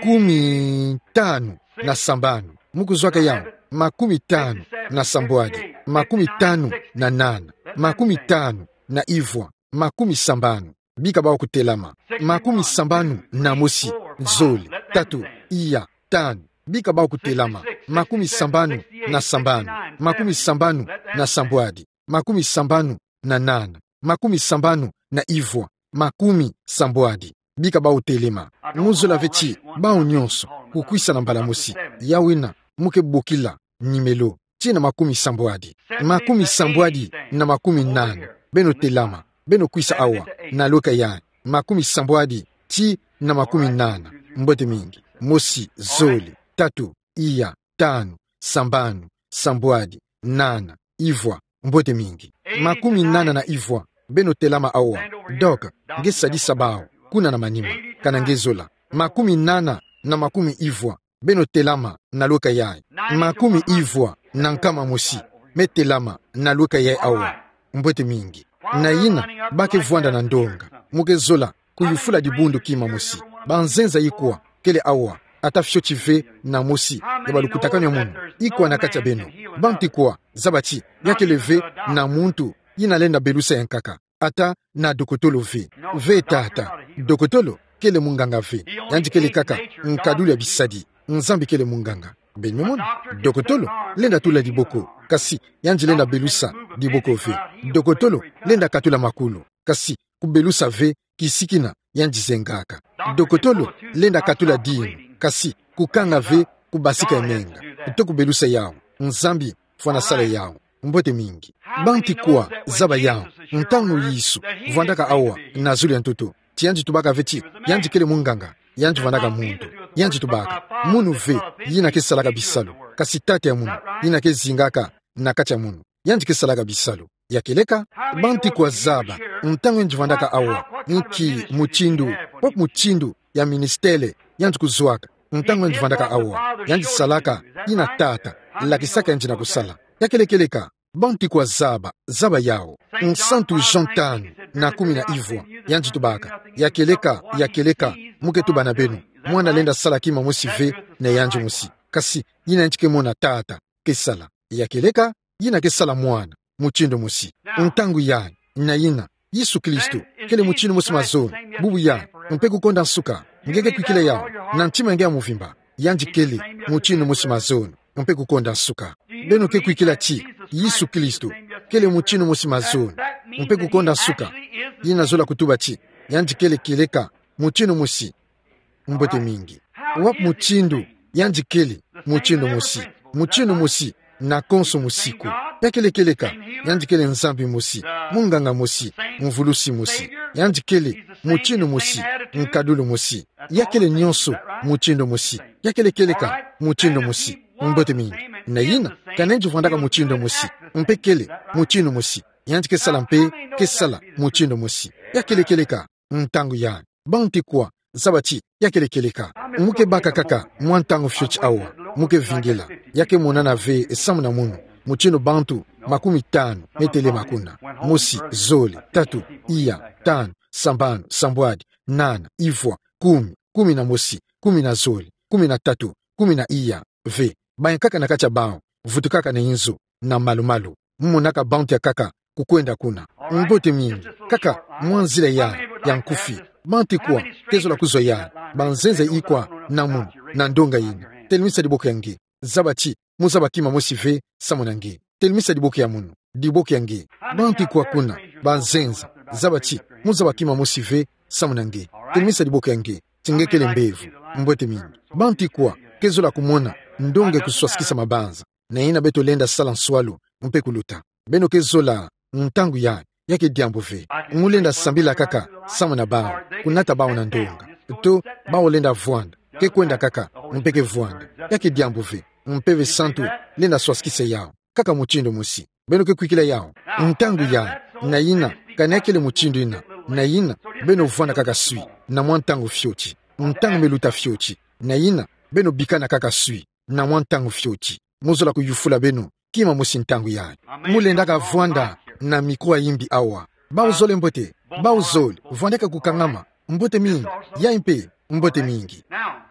Makumi tanu na sambanu. Mu kuzwaka yawu. Makumi tanu na sambwadi. Makumi tanu na nana. Makumi tanu na ivwa. Makumi sambanu. Bika bawu kutelama. Makumi sambanu na mosi. Zole. Tatu. Iya. Tanu. Bika bawu kutelama. Makumi sambanu na sambanu. Makumi sambanu na sambwadi. Makumi sambanu na nana. Makumi sambanu na ivwa. Makumi sambwadi. Bika bawu telema. Mu zola ve ti bawu nyonso kukwisa na mbala mosi. Yawu yina mu ke bokila nimelo. Tii na makumi sambwadi. Makumi sambwadi na makumi nana. Beno telama. Beno kwisa awa. Na lweka yayi. Makumi sambwadi tii na makumi nana. Mbote mingi. Mosi, zole, tatu, iya, tanu, sambanu, sambwadi, nana, ivwa. Mbote mingi. Makumi nana na ivwa. Beno telama awa. Doc, nge sadisa bawu kuna na manima. Kana nge zola. Makumi nana na makumi ivwa. Beno telama na lweka yayi. Makumi ivwa na nkama mosi. Me telama na lweka yayi awa. Mbote mingi. Na yina, ba ke vwanda na ndonga. Mu ke zola kuyufula dibundu kima mosi. Banzenza ikwa kele awa, ata fioti ve na mosi ya balukutakanu ya munu? Ikwa na kati ya beno? Bantu kwa zaba ti ya kele ve na muntu yina lenda belusa yankaka, ata na dokotolo ve? Ve tata. Dokotolo kele munganga ve. Yandi kele kaka nkadulu ya bisadi. Nzambi kele munganga. Beno me mona, dokotolo lenda tula diboko, kasi yandi lenda belusa diboko ve. Dokotolo lenda katula makulu, kasi kubelusa ve, kisikina yandi zengaka. Dokotolo lenda katula dinu, kasi kukanga ve, kubasika emenga. To kubelusa yawu, Nzambi fwana sala yawu. Mbote mingi. Banti kwa zaba yawu, ntangu Yesu vwandaka awa na zulu ya ntoto, ti yandi tubaka ve ti yandi kele munganga, yandi vwandaka muntu. Yandi tubaka, munu ve yina ke salaka bisalu, kasi Tata ya munu yina ke zingaka na kati ya munu, yandi ke salaka bisalu. Ya keleka, banti kwa zaba, ntangu yandi vwandaka awa, inki mutindu, wapi mutindu ya ministele yandi kuzwaka, ntangu yandi vwandaka awa, yandi salaka yina Tata lakisaka yandi na kusala. Ya kele keleka, banti kwa zaba, zaba yawu. Nsantu Jean tanu na kumi na ivwa, yandi tubaka, ya keleka, ya keleka, mu ke tuba na beno, mwana lenda sala kima mosi ve na yandi mosi, kasi yina yandi ke mona Tata ke sala. Ya keleka, yina ke sala Mwana mutindu mosi. Ntangu yayi, na yina, Yesu Kristo kele mutindu mosi mazono. Bubu yayi, mpe kukonda nsuka, nge ke kwikila yawu na ntima nge ya muvimba, yandi kele mutindu mosi mazono, mpe kukonda nsuka. Beno ke kwikila ti Yesu Kristo kele mutindu mosi mazono, mpe kukonda nsuka, yina zola kutuba ti yandi kele keleka mutindu mosi. Mbote mingi. Wapi mutindu yandi kele mutindu mosi? Mutindu mosi na konso musiku. Ya kele keleka, yandi kele Nzambi mosi, munganga mosi, mvulusi mosi. Yandi kele mutindu mosi, nkadulu mosi. Ya kele nyonso mutindu mosi. Ya kele keleka mutindu mosi. Mbote mingi. Na yina, kana yandi vwandaka mutindu mosi, mpe kele mutindu mosi, yandi ke sala mpe ke sala mutindu mosi. Ya kele keleka, ntangu yayi. Banti kwa zaba ti ya kele keleka? Mu ke baka kaka mwa ntangu fioti awa, mu ke vingila, ya ke monana ve samu na munu, mutindu bantu makumi tanu me telema kuna. Mosi, zole, tatu, iya, tanu, sambanu, sambwadi, nana, ivwa, kumi, kumi na mosi, kumi na zole, kumi na tatu, kumi na iya, ve. Bayankaka na kati ya bawu, vutukaka na inzo, na malu-malu. Mu monaka bantu yakaka kukwenda kuna. Mbote mingi. Kaka mwa nzila yayi ya nkufi. Banti kwa ke zola kuzwa yayi? Banzenza ikwa na munu na ndonga yina? Telemisa diboko ya nge. Zaba ti mu zaba kima mosi ve samu na nge. Telemisa diboko ya munu, diboko ya nge. Banti kwa kuna? Banzenza. Zaba ti mu zaba kima mosi ve samu na nge. Telemisa diboko ya nge ti nge kele mbevo. Mbote mingi. Banti kwa ke zola kumona ndonga kuswasikisa mabanza? Na yina beto lenda sala nswalu mpe kuluta. Beno ke zola, ntangu yayi, ya ke diambu ve. Mu lenda sambila kaka samu na bawu, kunata bawu na ndonga. To, bawu lenda vwanda, ke kwenda kaka, mpe ke vwanda. Ya ke diambu ve. Mpeve Santu lenda swasikisa yawu kaka mutindu mosi. Beno ke kwikila yawu? Ntangu yayi. Na yina, kana ya kele mutindu yina, na yina, beno vwanda kaka swi na mwa ntangu fioti, ntangu me luta fioti. Na yina, beno bikana kaka swi na mwa ntangu fioti. Mu zola kuyufula beno kima mosi ntangu yayi. Mu lendaka vwanda na mikro ya yimbi awa? Bawu zole mbote, bawu zole, vwandaka kukangama. Mbote mingi. Yayi mpe, mbote mingi. Now,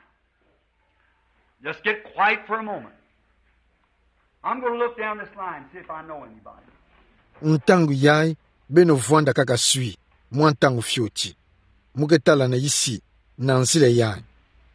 just get quiet for a moment. I'm going to look down this line and see if I know anybody. Ntangu yayi, beno vwanda kaka swi mwa ntangu fioti. Mu ke tala na isi, na nzila yayi,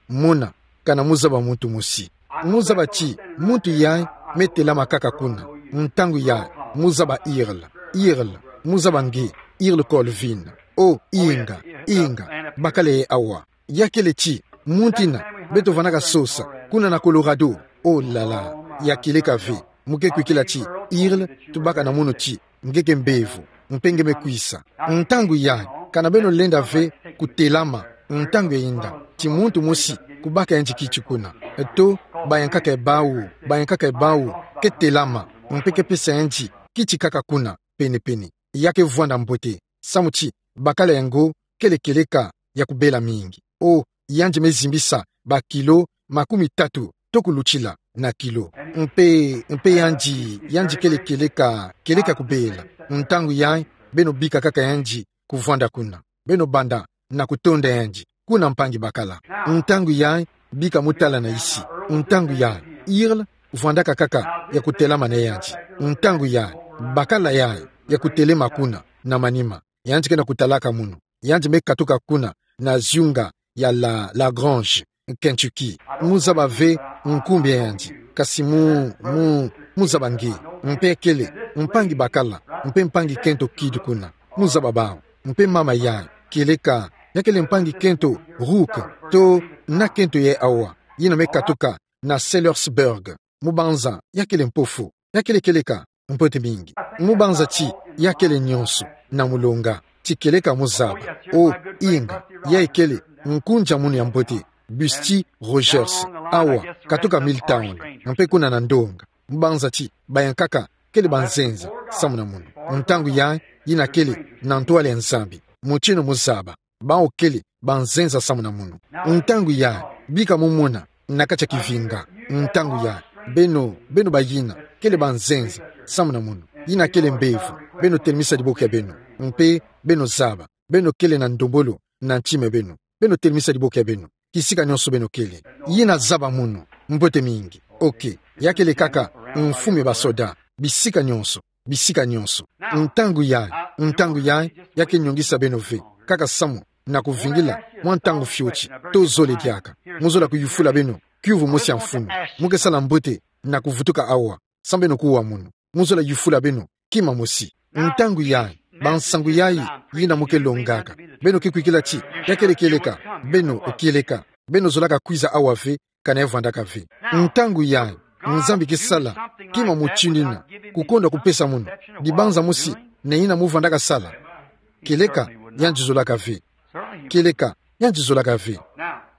mona kana mu zaba muntu mosi. Mu zaba ti muntu yayi me telama kaka kuna. Ntangu yayi, mu zaba Earl. Earl, mu zaba nge, Earl Colvin. O, inga, inga, bakala yayi awa. Ya kele ti muntu yina beto vwandaka sosa kuna na Colorado. Oh là là, ya kieleka ve. Mu ke kwikila ti Earl, tubaka na munu ti nge ke mbevo, mpe nge me kwisa. Ntangu yayi, kana beno lenda ve kutelama, ntangu yayinda, ti muntu mosi kubaka yandi kiti kuna. To, bayankaka bawu, bayankaka bawu ke telama, mpe ke pesa yandi kiti kaka kuna pene-pene. Ya ke vwanda mbote, samu ti bakala yango kele kieleka ya kubela mingi. Oh, yandi me zimbisa ba kilo makumi tatu to kulutila na kilo. Mpe, mpe yandi, yandi kele kieleka, kieleka kubela. Ntangu yayi, beno bika kaka yandi kuvwanda kuna. Beno banda na kutonda yandi kuna mpangi bakala. Ntangu yayi, bika mu tala na isi. Ntangu yayi, Earl vwandaka kaka ya kutelama na yandi. Ntangu yayi, bakala yayi ya kutelema kuna na manima. Yandi ke na kutalaka munu. Yandi me katuka kuna na zunga ya La, La Grange. Kentucky. Muzaba ve nkumbu yandi. Kasi mu, mu, muzaba nge. Mpe kele mpangi bakala, mpe mpangi kento kidi kuna. Muzaba bawu. Mpe mama yayi, kieleka, ya kele mpangi kento Rook, to na kento yayi awa, yina me katuka na Sellersburg. Mubanza, ya kele mpofu, ya kele kieleka mbote mingi. Mubanza ti ya kele nyonso na mulonga, ti kieleka muzaba. O, inga, yayi kele nkunzi a munu ya mbote, Busty Rogers, awa, katuka Milltown, mpe kuna na ndonga. Mubanza ti bayankaka kele banzenza samu na munu. Ntangu yayi, yina kele na ntwala ya Nzambi. Mutino muzaba, bawu kele banzenza samu na munu. Ntangu yayi, bika mumona na kati ya kivinga. Ntangu yayi, beno, beno bayina kele banzenza samu na munu. Yina kele mbevo, beno telemisa diboko ya beno. Mpe beno zaba, beno kele na ndombolo na ntima ya beno. Beno telemisa diboko ya beno kisika nyonso beno kele. Yina zaba munu, mbote mingi. Ok, ya kele kaka mfumu ya basoda, bisika nyonso, bisika nyonso. Ntangu yayi, ntangu yayi, ya ke nyongisa beno ve, kaka samu na kuvingila mwa ntangu fioti, to zole diaka. Muzola kuyufula beno kiuvu mosi ya mfunu. Mu ke sala mbote na kuvutuka awa, samu beno kuwa munu. Muzola yufula beno kima mosi. Ntangu yayi, bansangu yayi, yina mu ke longaka, beno ke kwikila ti ya kele kieleka, beno, o kieleka, beno zolaka kwiza awa ve, kana ya vwandaka ve. Ntangu yayi, Nzambi ke sala kima mutini yina, kukonda kupesa munu dibanza mosi na yina mu vwandaka sala. Kieleka, yandi zolaka ve. Kieleka, yandi zolaka ve.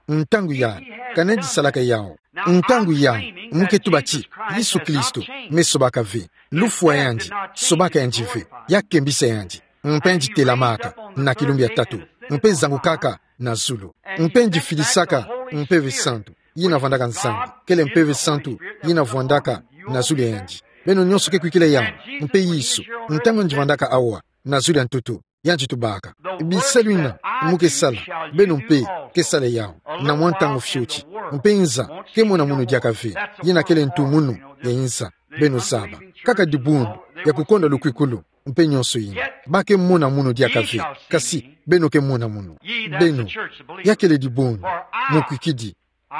Ntangu yayi, kana yandi salaka yawu. Ntangu yayi, mu ke tuba ti Yesu Kristo me sobaka ve. Lufwa yandi, sobaka yandi ve. Ya kembisa yandi. Mpe yandi telamaka na kilumbu ya tatu, mpe zangukaka na zulu. Mpe yandi fidisaka Mpeve Santu, yina vwandaka Nzambi. Kele Mpeve Santu yina vwandaka na zulu ya yandi. Beno nyonso ke kwikila yawu. Mpe Yesu, ntangu yandi vwandaka awa na zulu ya ntoto, yandi tubaka: Bisalu yina mu ke sala, beno mpe ke sala yawu na mwa ntangu fioti. Mpe nza ke mona munu diaka ve. Yina kele ntu munu ya nza. Beno zaba, kaka dibundu ya kukonda lukwikulu, mpe nyonso yina. Ba ke mona munu diaka ve, kasi beno ke mona munu. Beno, ya kele dibundu, mu kwikidi,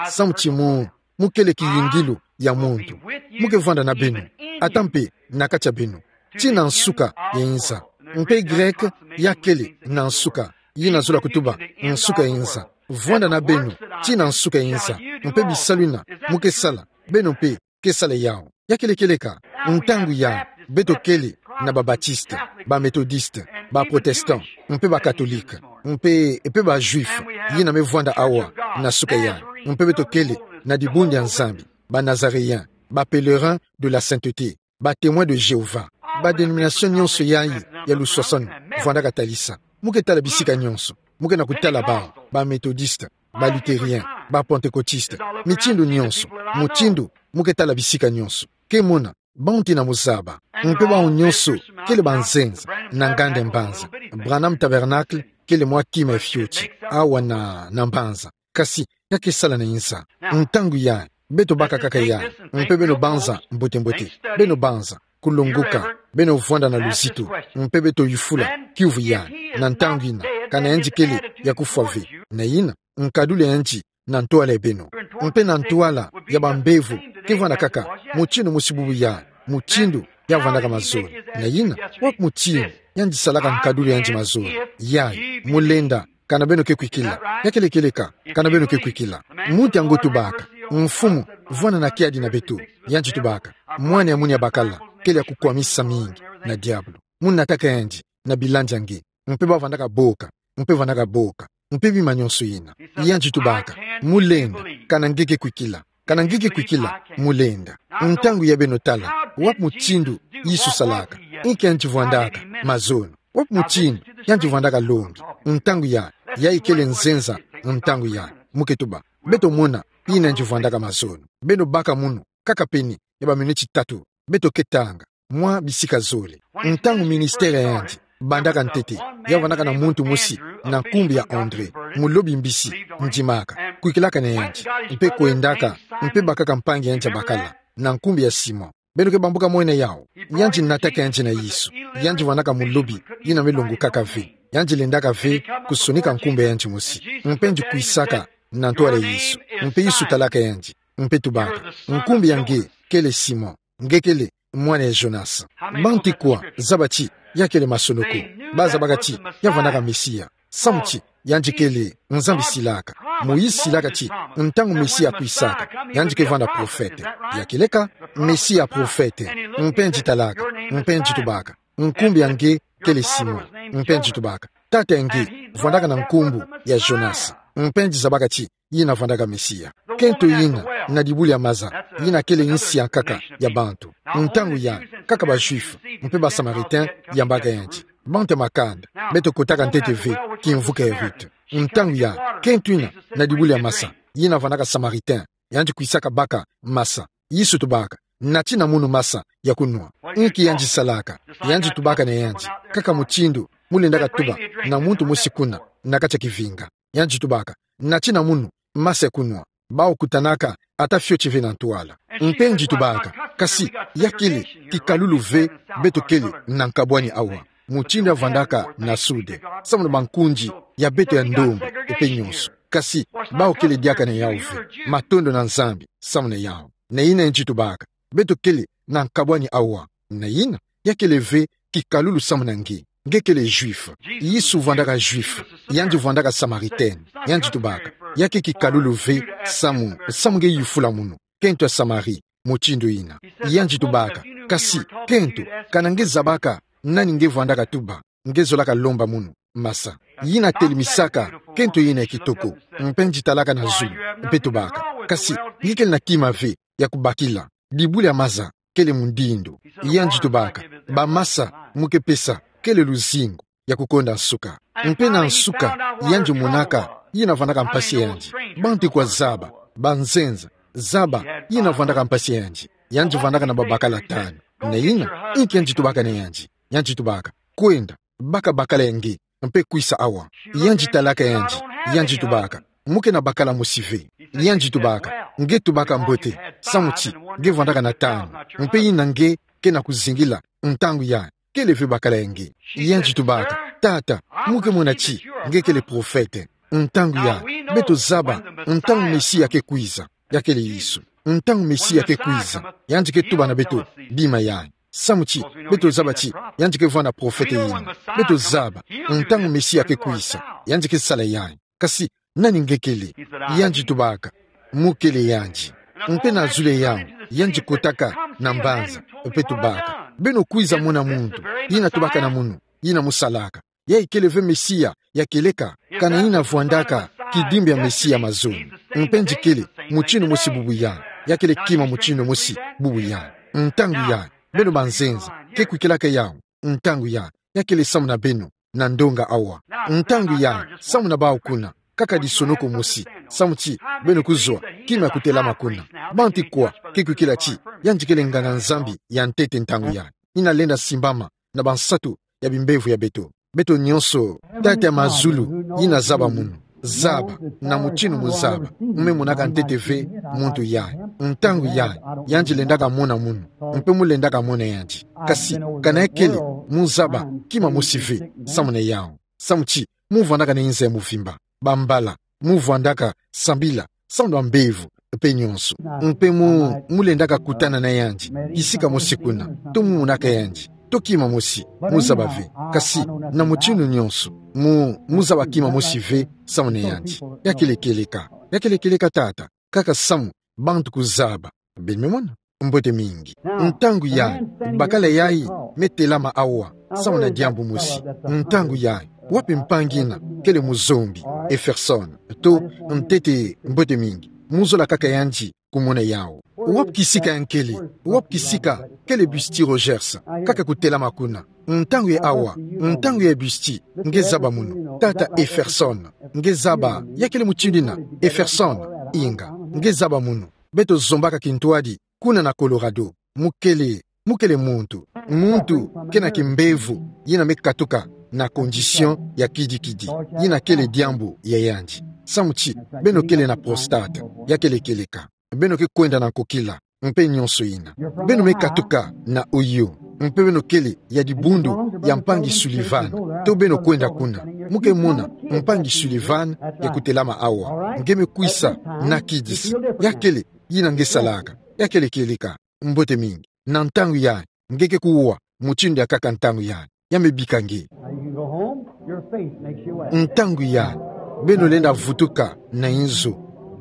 samu ti mu, mu kele kiyingilu ya muntu. Mu ke vwanda na beno, ata mpe na kati ya beno, tii na nsuka ya nza. Mpe Greke ya kele na nsuka, yina zola kutuba nsuka ya nza. Vwanda na beno tii na nsuka ya nza. Mpe bisalu yina mu ke sala, beno mpe ke sala yawu. Ya kele kieleka, ntangu yayi, beto kele na ba Baptiste, ba Methodiste, ba Protestant, mpe ba Catholique, mpe, mpe ba Juif, yina me vwanda awa na suka yayi. Mpe beto kele na dibundu ya Nzambi, ba Nazaréens, ba Pèlerins de la Sainteté, ba Témoins de Jéhovah. Ba dénomination nyonso yayi ya luswaswani vwandaka talisa. Mu ke tala bisika nyonso, mu ke na kutala bawu, ba Methodiste, ba Luthériens, ba Pentecôtistes, mitindu nyonso, mutindu, mu ke tala bisika nyonso. Ke mona, bawu tina mu zaba. Mpe bawu nyonso kele banzenza na nganda ya mbanza. Branham Tabernacle kele mwa kima ya fioti awa na, na mbanza. Kasi ya ke sala na nza. Ntangu yayi, beto baka kaka yayi, mpe beno banza mbote-mbote. Beno banza kulongoka, beno vwanda na luzitu, mpe beto yufula kiuvu yayi, na ntangu yina, kana yandi kele ya kufwa ve. Na yina nkadulu ya yandi na ntwala ya beno, mpe na ntwala ya bambevo ke vwanda kaka mutindu mosi bubu yayi, mutindu ya vwandaka mazole. Na yina, wapi mutindu yandi salaka nkadulu ya yandi mazole? Yayi, mu lenda, kana beno ke kwikila. Ya kele kieleka, kana beno ke kwikila. Muntu yango tubaka: Mfumu, vwanda na kiadi na beto. Yandi tubaka: Mwana ya munu ya bakala kele ya kukwamisa mingi na diabulu. Mu nataka yandi na bilandi ya nge. Mpe ba vwandaka boka, mpe vwandaka boka, mpe bima nyonso yina. Yandi tubaka: Mu lenda, kana nge ke kwikila. Kana nge ke kwikila, mu lenda. Ntangu yayi, beno tala, wapi mutindu Yesu salaka? Inki yandi vwandaka? Mazono. Wapi mutindu yandi vwandaka lombi? Ntangu yayi, yayi kele nzenza. Ntangu yayi, mu ke tuba, beto mona yina yandi vwandaka mazono. Beno baka munu kaka pene ya baminiti tatu, beto ke tanga mwa bisika zole. Ntangu ministère ya yandi bandaka ntete, ya vwandaka na muntu mosi na nkumbu ya André, mulobi mbisi, ndimaka, kwikilaka na yandi, mpe kwendaka, mpe bakaka mpangi ya yandi ya bakala na nkumbu ya Simon. Beno ke bambuka mona yawu? Yandi nataka yandi na Yesu. Yandi vwandaka mulobi yina me longokaka ve. Yandi lendaka ve kusonika nkumbu ya yandi mosi. Mpe yandi kwisaka na ntwala Yesu. Mpe Yesu talaka yandi, mpe tubaka: Nkumbu ya nge kele Simon, nge kele mwana ya Jonas. Bantu kwa zaba ti ya kele masonoko? Bazabaka ti ya vandaka Mesia, samu ti yandi kele Nzambi silaka. Moïse silaka ti ntangu Mesia akwisaka, yandi ke vanda profete. Ya kele ka? Mesia profete. Mpe yandi talaka, mpe yandi tubaka: Nkumbu ya nge kele Simon. Mpe yandi tubaka: Tata ya nge vandaka na nkumbu ya Jonas. Mpe yandi zabaka ti yina vandaka Mesia. Kento yina na dibu dia maza, yina kele insi ya nkaka ya bantu. Ntangu ya, kaka ba Juifs mpe ba Samaritains yambaka yandi. Bantu ya makanda, beto kotaka ntete ve kimvuka ya Ruth. Ntangu ya, kento yina na dibu dia masa, yina vandaka Samaritain, yandi kwisaka baka masa. Yesu tubaka: Nati na munu masa ya kunwa. Inki yandi salaka? Yandi tubaka na yandi, kaka mutindu mu lendaka tuba na muntu mosi kuna na kati ya kivinga. Yandi tubaka: Nati na munu masa ya kunwa. Bawu kutanaka ata fioti ve na ntwala. Mpe yandi tubaka: Kasi ya kele kikalulu ve beto kele na nkabwani awa. Mutindu ya vandaka na sud, samu na bankundi ya beto ya ndombe, mpe nyonso. Kasi bawu kele diaka na yawu ve. Matondo na Nzambi samu na yawu. Na yina yandi tubaka: Beto kele na nkabwani awa. Na yina, ya kele ve kikalulu samu na nge. Nge kele Juif. Yesu vandaka Juif. Yandi vandaka Samaritain. Yandi tubaka: Ya ke kikalulu ve samu, samu nge yufula munu, kento ya Samari, mutindu yina. Yandi tubaka: Kasi, kento, kana nge zabaka nani nge vandaka tuba, nge zolaka lomba munu masa. Yina telemesaka kento yina ya kitoko. Mpe yandi talaka na zulu, mpe tubaka: Kasi nge kele na kima ve ya kubakila. Dibu dia maza kele mundindu. Yandi tubaka: Ba masa mu ke pesa kele luzingu ya kukonda nsuka. Mpe na nsuka, yandi monaka yina vandaka mpasi ya yandi. Bantu kwa zaba, banzenza, zaba yina vandaka mpasi ya yandi. Yandi vandaka na babakala tanu. Na yina, inki yandi tubaka na yandi? Yandi tubaka: Kwenda, baka bakala ya nge, mpe kwisa awa. Yandi talaka yandi, yandi tubaka: Mu ke na bakala mosi ve. Yandi tubaka: Nge tubaka mbote, samu ti nge vandaka na tanu, mpe yina nge ke na kuzingila ntangu ya kele ve bakala ya nge. Yandi tubaka: Tata, mu ke mona ti nge kele profete. Ntangu ya, beto zaba ntangu Mesia ke kwiza, ya kele Yesu. Ntangu Mesia ke kwiza, yandi ke tuba na beto bima yayi. Samu ti beto zaba ti yandi ke vanda profete yina. Beto zaba ntangu Mesia ke kwiza, yandi ke sala yayi. Kasi nani nge kele? Yandi tubaka: Mu kele yandi. Mpe na zulu ya yawu, yandi kotaka na mbanza, mpe tubaka: Beno kwiza mona muntu yina tubaka na munu, yina mu salaka. Yayi kele ve Mesia ya kieleka, kana yina vwandaka kidimbu ya Mesia mazono. Mpe yandi kele mutindu mosi bubu yayi, ya kele kima mutindu mosi bubu yayi. Ntangu yayi, beno banzenza ke kwikilaka yawu. Ntangu yayi, ya kele samu na beno na ndonga awa. Ntangu yayi, samu na bawu kuna, kaka disonoko mosi, samu ti beno kuzwa kima ya kutelama kuna. Bantu kwa ke kwikila ti yandi kele nganga-Nzambi ya ntete ntangu yayi, yina lenda simbama na bansatu ya bimbevo ya beto. Beto nyonso, Tata ya mazulu yina zaba munu. Zaba, na mutindu mu zaba, mu me monaka ntete ve muntu yayi. Ntangu yayi, yandi lendaka mona munu, mpe mu lendaka mona yandi. Kasi kana ya kele, mu zaba kima mosi ve samu na yawu. Samu ti mu vwandaka na inza ya muvimba, bambala, mu vwandaka sambila samu na bambevo mpe nyonso. Mpe mu, mu lendaka kutana na yandi kisika mosi kuna, to mu monaka yandi, to kima mosi, mu zaba ve. Kasi na mutindu nyonso, mu, mu zaba kima mosi ve samu na yandi. Ya kele kieleka, ya kele kieleka, Tata, kaka samu bantu kuzaba. Beno me mona? Mbote mingi. Ntangu yayi, bakala yayi me telama awa samu na diambu mosi. Ntangu yayi, wapi mpangi yina kele muzombi, Efferson? To, ntete, mbote mingi, mu zola kaka yandi kumona yawu. Wapi kisika ya nkele? Wapi kisika kele Busty Rogers? Kaka kutelama kuna. Ntangu yayi awa, ntangu yayi Busty, nge zaba munu. Tata Efferson, nge zaba, ya kele mutindu yina, Efferson? Inga, nge zaba munu. Beto zombaka kintwadi kuna na Colorado. Mu kele, mu kele muntu, muntu ke na kimbevo yina me katuka na condition ya kidikidi, yina kele diambu ya yandi. Samu ti beno kele na prostate, ya kele kieleka. Beno ke kwenda na nkokila, mpe nyonso yina. Beno me katuka na Ohio, mpe beno kele ya dibundu ya mpangi Sullivan, to beno kwenda kuna. Mu ke mona mpangi Sullivan ke kutelama awa. Nge me kwisa na kidisi. Ya kele yina nge salaka. Ya kele kieleka. Mbote mingi. Na ntangu yayi, nge ke kuwa mutindu ya kaka ntangu yayi. Ya me bika nge. Now you can go home. Your faith makes you well. Ntangu yayi, beno lenda vutuka na inzo.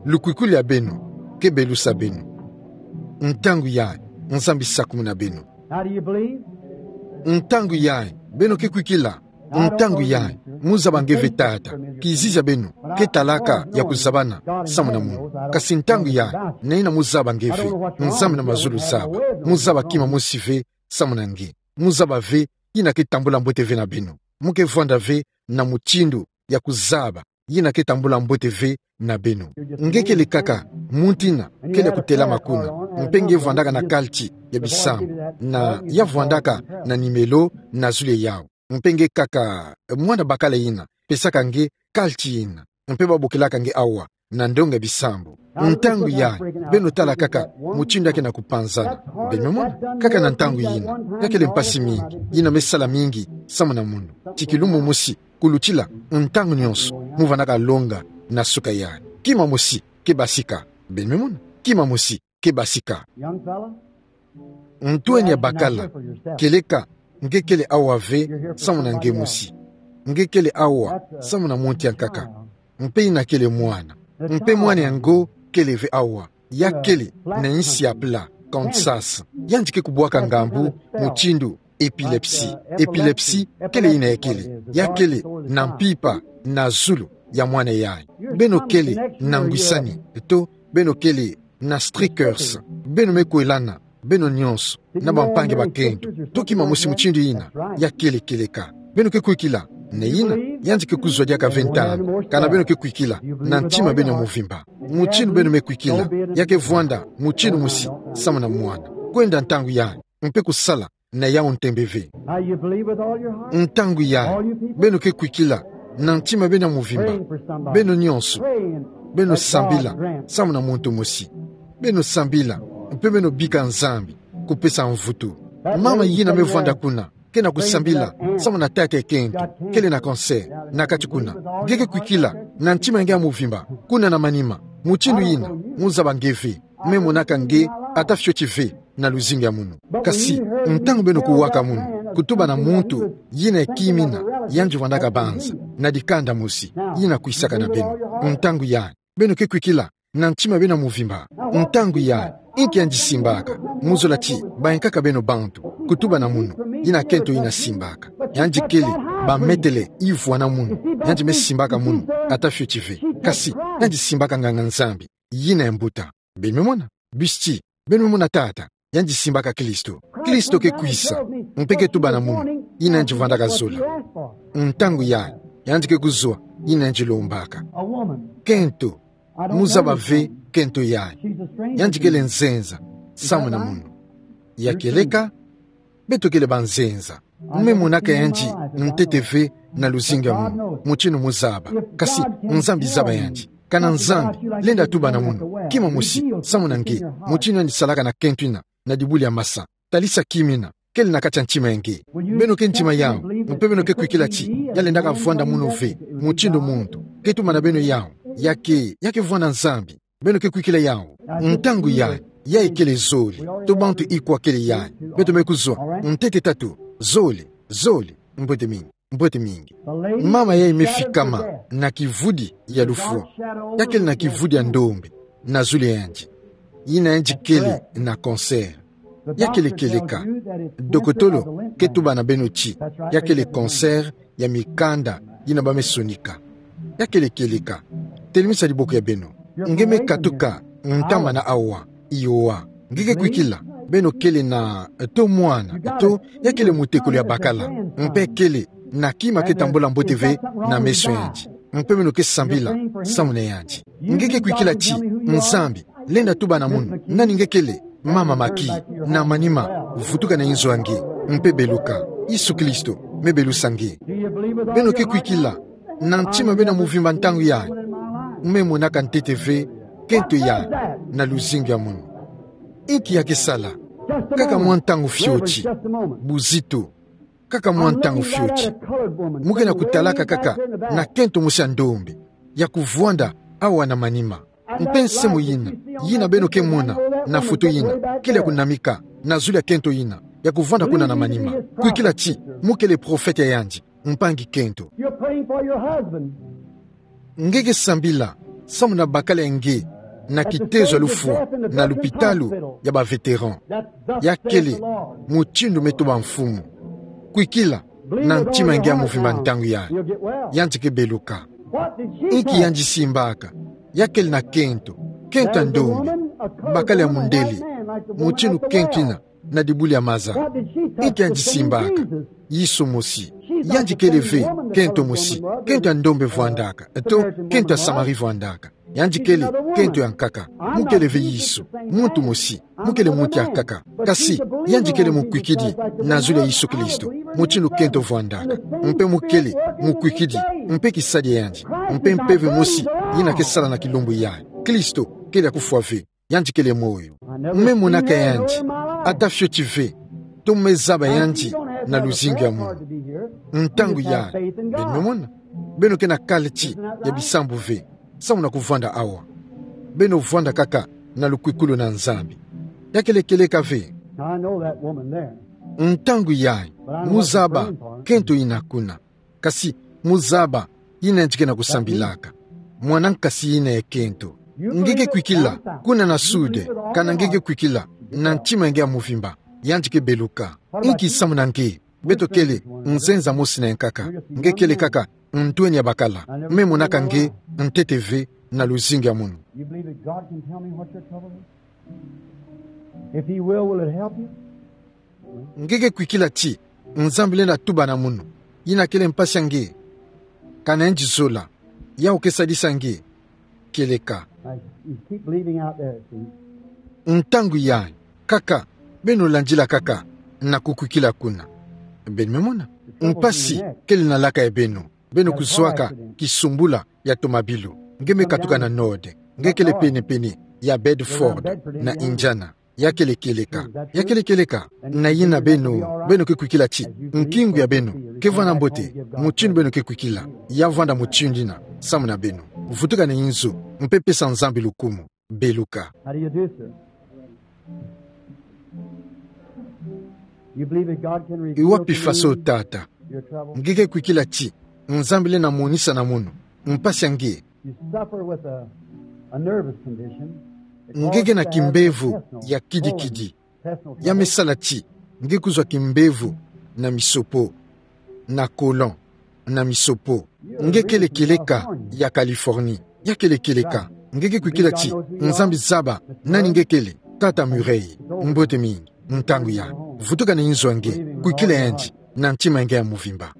Lukwikwili ya beno ke belusa beno. Ntangu yayi, Nzambi sakumuna beno. Now do you believe? Ntangu yayi, beno ke kwikila. Ntangu yayi, mu zaba nge ve Tata. Kizizi ya beno ke talaka ya kuzabana samu na munu. Kasi ntangu yayi, nayina mu zaba nge ve. Nzambi na mazulu zaba. Mu zaba kima mosi ve samu na nge. Mu zaba ve yina ke tambula mbote ve na beno. Mu ke vwanda ve na mutindu ya kuzaba yina ke tambula mbote ve na beno. Nge kele kaka muntu yina kele kutelama kuna. Mpe nge vwandaka na kaliti ya bisambu. Na ya vwandaka na nimelo na zulu yawu. Mpe nge kaka mwana bakala yina pesaka nge kaliti yina. Mpe babokelaka nge awa na ndonga ya bisambu. Ntangu yayi, beno tala kaka mutindu ya ke na kupanzana. Beno me mona, kaka na ntangu yina, ya kele mpasi mingi, yina me sala mingi samu na munu. Ti kilumbu mosi, kulutila ntangu nyonso, mu vwandaka longa na suka yayi. Kima mosi ke basika. Beno me mona, kima mosi ke basika. Young fella, ntweni ya bakala, kieleka nge kele awa ve samu na nge mosi. Nge kele awa samu na muntu ya nkaka. Mpe yina kele mwana. Mpe mwana yango kele ve awa. Ya kele na insi ya pla, Kansas. Yandi ke kubwaka ngambu mutindu epilepsie. Epilepsie kele yina ya kele. Ya kele na mpimpa na zulu ya mwana yayi. Beno kele na ngwisani, to beno kele na streakers. Beno me kwelana, beno nyonso, na bampangi bakento. To kima mosi mutindu yina, ya kele kieleka. Beno ke kwikila, nayina, yandi ke kuzwa diaka ve ntama. Kana beno ke kwikila na ntima beno ya muvimba. Mutindu beno me kwikila, ya ke vwanda mutindu mosi samu na mwana. Kwenda ntangu yayi, mpe kusala na yawu ntembe ve. Now you believe with all your heart. Ntangu yayi, beno ke kwikila na ntima beno ya muvimba. Beno nyonso, beno sambila samu na muntu mosi. Beno sambila, mpe beno bika Nzambi kupesa mvutu. Mama yina me vwanda kuna, ke na kusambila samu na tata ya kento, kele na cancer na kati kuna. Nge ke kwikila na ntima ya nge ya muvimba, kuna na manima. Mutindu yina, mu zaba nge ve. Me monaka nge ata fioti ve na luzingu ya munu. Kasi, ntangu beno kuwaka munu, kutuba na muntu yina ya kimina, yandi vwandaka banza na dikanda mosi, yina kwisaka na beno. Ntangu yayi, beno ke kwikila na ntima beno ya muvimba. Ntangu yayi, inki yandi simbaka? Mu zola ti bayinkaka beno bantu, kutuba na munu, yina kento yina simbaka. Yandi kele bametele ivwa na munu. Yandi me simbaka munu ata fioti ve. Kasi, yandi simbaka nganga-Nzambi yina ya mbuta. Beno me mona? Busti, beno me mona tata, yandi simbaka Kristo. Kristo ke kwisa, mpe ke tuba na munu yina yandi vwandaka zola. Ntangu yayi, yandi ke kuzwa yina yandi lombaka. Kento, mu zaba ve kento yayi. Yandi kele nzenza samu na munu. Ya kieleka, beto kele banzenza. Me monaka yandi ntete ve na luzingu ya munu, mutindu mu zaba. Kasi, Nzambi zaba yandi. Kana Nzambi lenda tuba na munu kima mosi samu na nge, mutindu yandi salaka na kento yina na dibulu ya masa. Talisa kimina kele na kati ya ntima ya nge. Beno ke ndima yawu, mpe beno ke kwikila ti ya lendaka vwanda munu ve, mutindu muntu ke tuba na beno yawu, ya ke, ya ke vwanda Nzambi. Beno ke kwikila yawu. Ntangu yayi, yayi kele zole. To bantu ikwa kele yayi. Beto me kuzwa ntete tatu. Zole, zole. Mbote mingi, mbote mingi. Mama yayi me fikama na kivudi ya lufwa. Ya kele na kivudi ya ndombe na zulu ya yandi. Yina yandi kele na cancer. Ya kele kieleka. Dokotolo ke tuba na beno ti ya kele cancer ya mikanda yina ba me sonika. Ya kele kieleka. Telemisa diboko ya beno. Nge me katuka ntama na awa. Iyo wa. Nge ke kwikila. Beno kele na, to mwana, to ya kele mutekolo ya bakala. Mpe kele na kima ke tambula mbote ve na meso ya yandi. Mpe beno ke sambila samu na yandi. Nge ke kwikila ti Nzambi lenda tuba na munu nani nge kele. Mama Maki, na manima, vutuka na inzo ya nge, mpe beluka. Yesu Kristo me belusa nge. Beno ke kwikila na ntima beno ya muvimba ntangu yayi? Me monaka ntete ve kento yayi na luzingu ya munu. Inki ya ke sala? Kaka mwa ntangu fioti. Buzito. Kaka mwa ntangu fioti, mu ke na kutalaka kaka na kento mosi ya ndombe, ya kuvwanda awa na manima. Mpe nse mo yina, yina beno ke mona na foto yina, kele ya kunamika na zulu ya kento yina, ya kuvwanda kuna na manima. Kwikila ti, mu kele profete ya yandi, mpangi kento. You're praying for your husband. Nge ke sambila samu na bakala ya nge na kitezo ya lufwa na lupitalu ya ba vétéran. Ya kele mutindu me toba Mfumu. Kwikila na ntima ya nge ya muvimba ntangu yayi, yandi ke beluka. Inki yandi simbaka? Ya kele na kento, kento ya ndombe, bakala ya mundele, mutindu kento yina na dibuli ya maza. Inki yandi simbaka? Yesu mosi. Yandi kele ve kento mosi, kento ya ndombe vwandaka, to kento ya Samari vwandaka. Yandi kele kento ya nkaka. Mu kele ve Yesu, muntu mosi. Mu kele muntu ya nkaka. Kasi yandi kele mukwikidi na zulu ya Yesu Kristo, mutindu kento vwandaka. Mpe mu kele mukwikidi, mpe kisadi ya yandi, mpe mpeve mosi yina ke sala na kilumbu yayi. Kristo kele ya kufwa ve. Yandi kele moyo. Me monaka yandi ata fioti ve, to me zaba yandi na luzingu ya munu. Ntangu yayi, beno me mona, beno ke na kalati ya bisambu ve samu na kuvwanda awa. Beno vwanda kaka na lukwikulu na Nzambi. Ya kele kieleka ve. Now, I know that woman there. Ntangu yayi, mu zaba kento yina kuna. Kasi mu zaba yina yandi ke na kusambilaka. Mwana nkasi yina ya kento. Nge ke kwikila kuna na sude, kana nge ke kwikila na ntima ya nge ya muvimba, yandi ke beluka. Inki samu na nge? Beto kele nzenza mosi na ya nkaka. Nge kele kaka ntweni ya bakala. Me monaka nge ntete ve na luzingu ya munu. You believe that God can tell me what your trouble is? If He will, will it help you? Nge ke kwikila ti Nzambi lenda tuba na munu yina kele mpasi ya nge? Kana yandi zola, yawu ke sadisa nge? Kieleka. Now, you keep believing out there, see? Ntangu yayi, kaka beno landila kaka na kukwikila kuna. Beno me mona, mpasi kele na laka ya beno. Beno kuzwaka kisumbula ya tomabilu. Nge me katuka na Nord. Nge kele penepene ya Bedford, na Indiana. Ya kele kieleka. Ya kele kieleka. Na yina beno, beno ke kwikila ti nkingu ya beno ke vwanda mbote mutindu beno ke kwikila. Ya vwanda mutindu yina samu na beno. Vutuka na inzo, mpe pesa Nzambi lukumu. Beluka. How do you do, sir? You believe that God can reveal to you your trouble? I wapi faso, tata? Nge ke kwikila ti Nzambi lenda monisa na munu mpasi ya nge. You suffer with a, a nervous condition. Nge ke na kimbevo ya kidikidi. Ya me sala ti nge kuzwa kimbevo na misopo, na colon, na misopo. Nge kele kieleka ya Californie. Ya kele kieleka. Nge ke kwikila ti Nzambi zaba nani nge kele. Tata Murray, mbote mingi. Ntangu yayi, vutuka na inzo ya nge, kwikila yandi na ntima ya nge ya muvimba.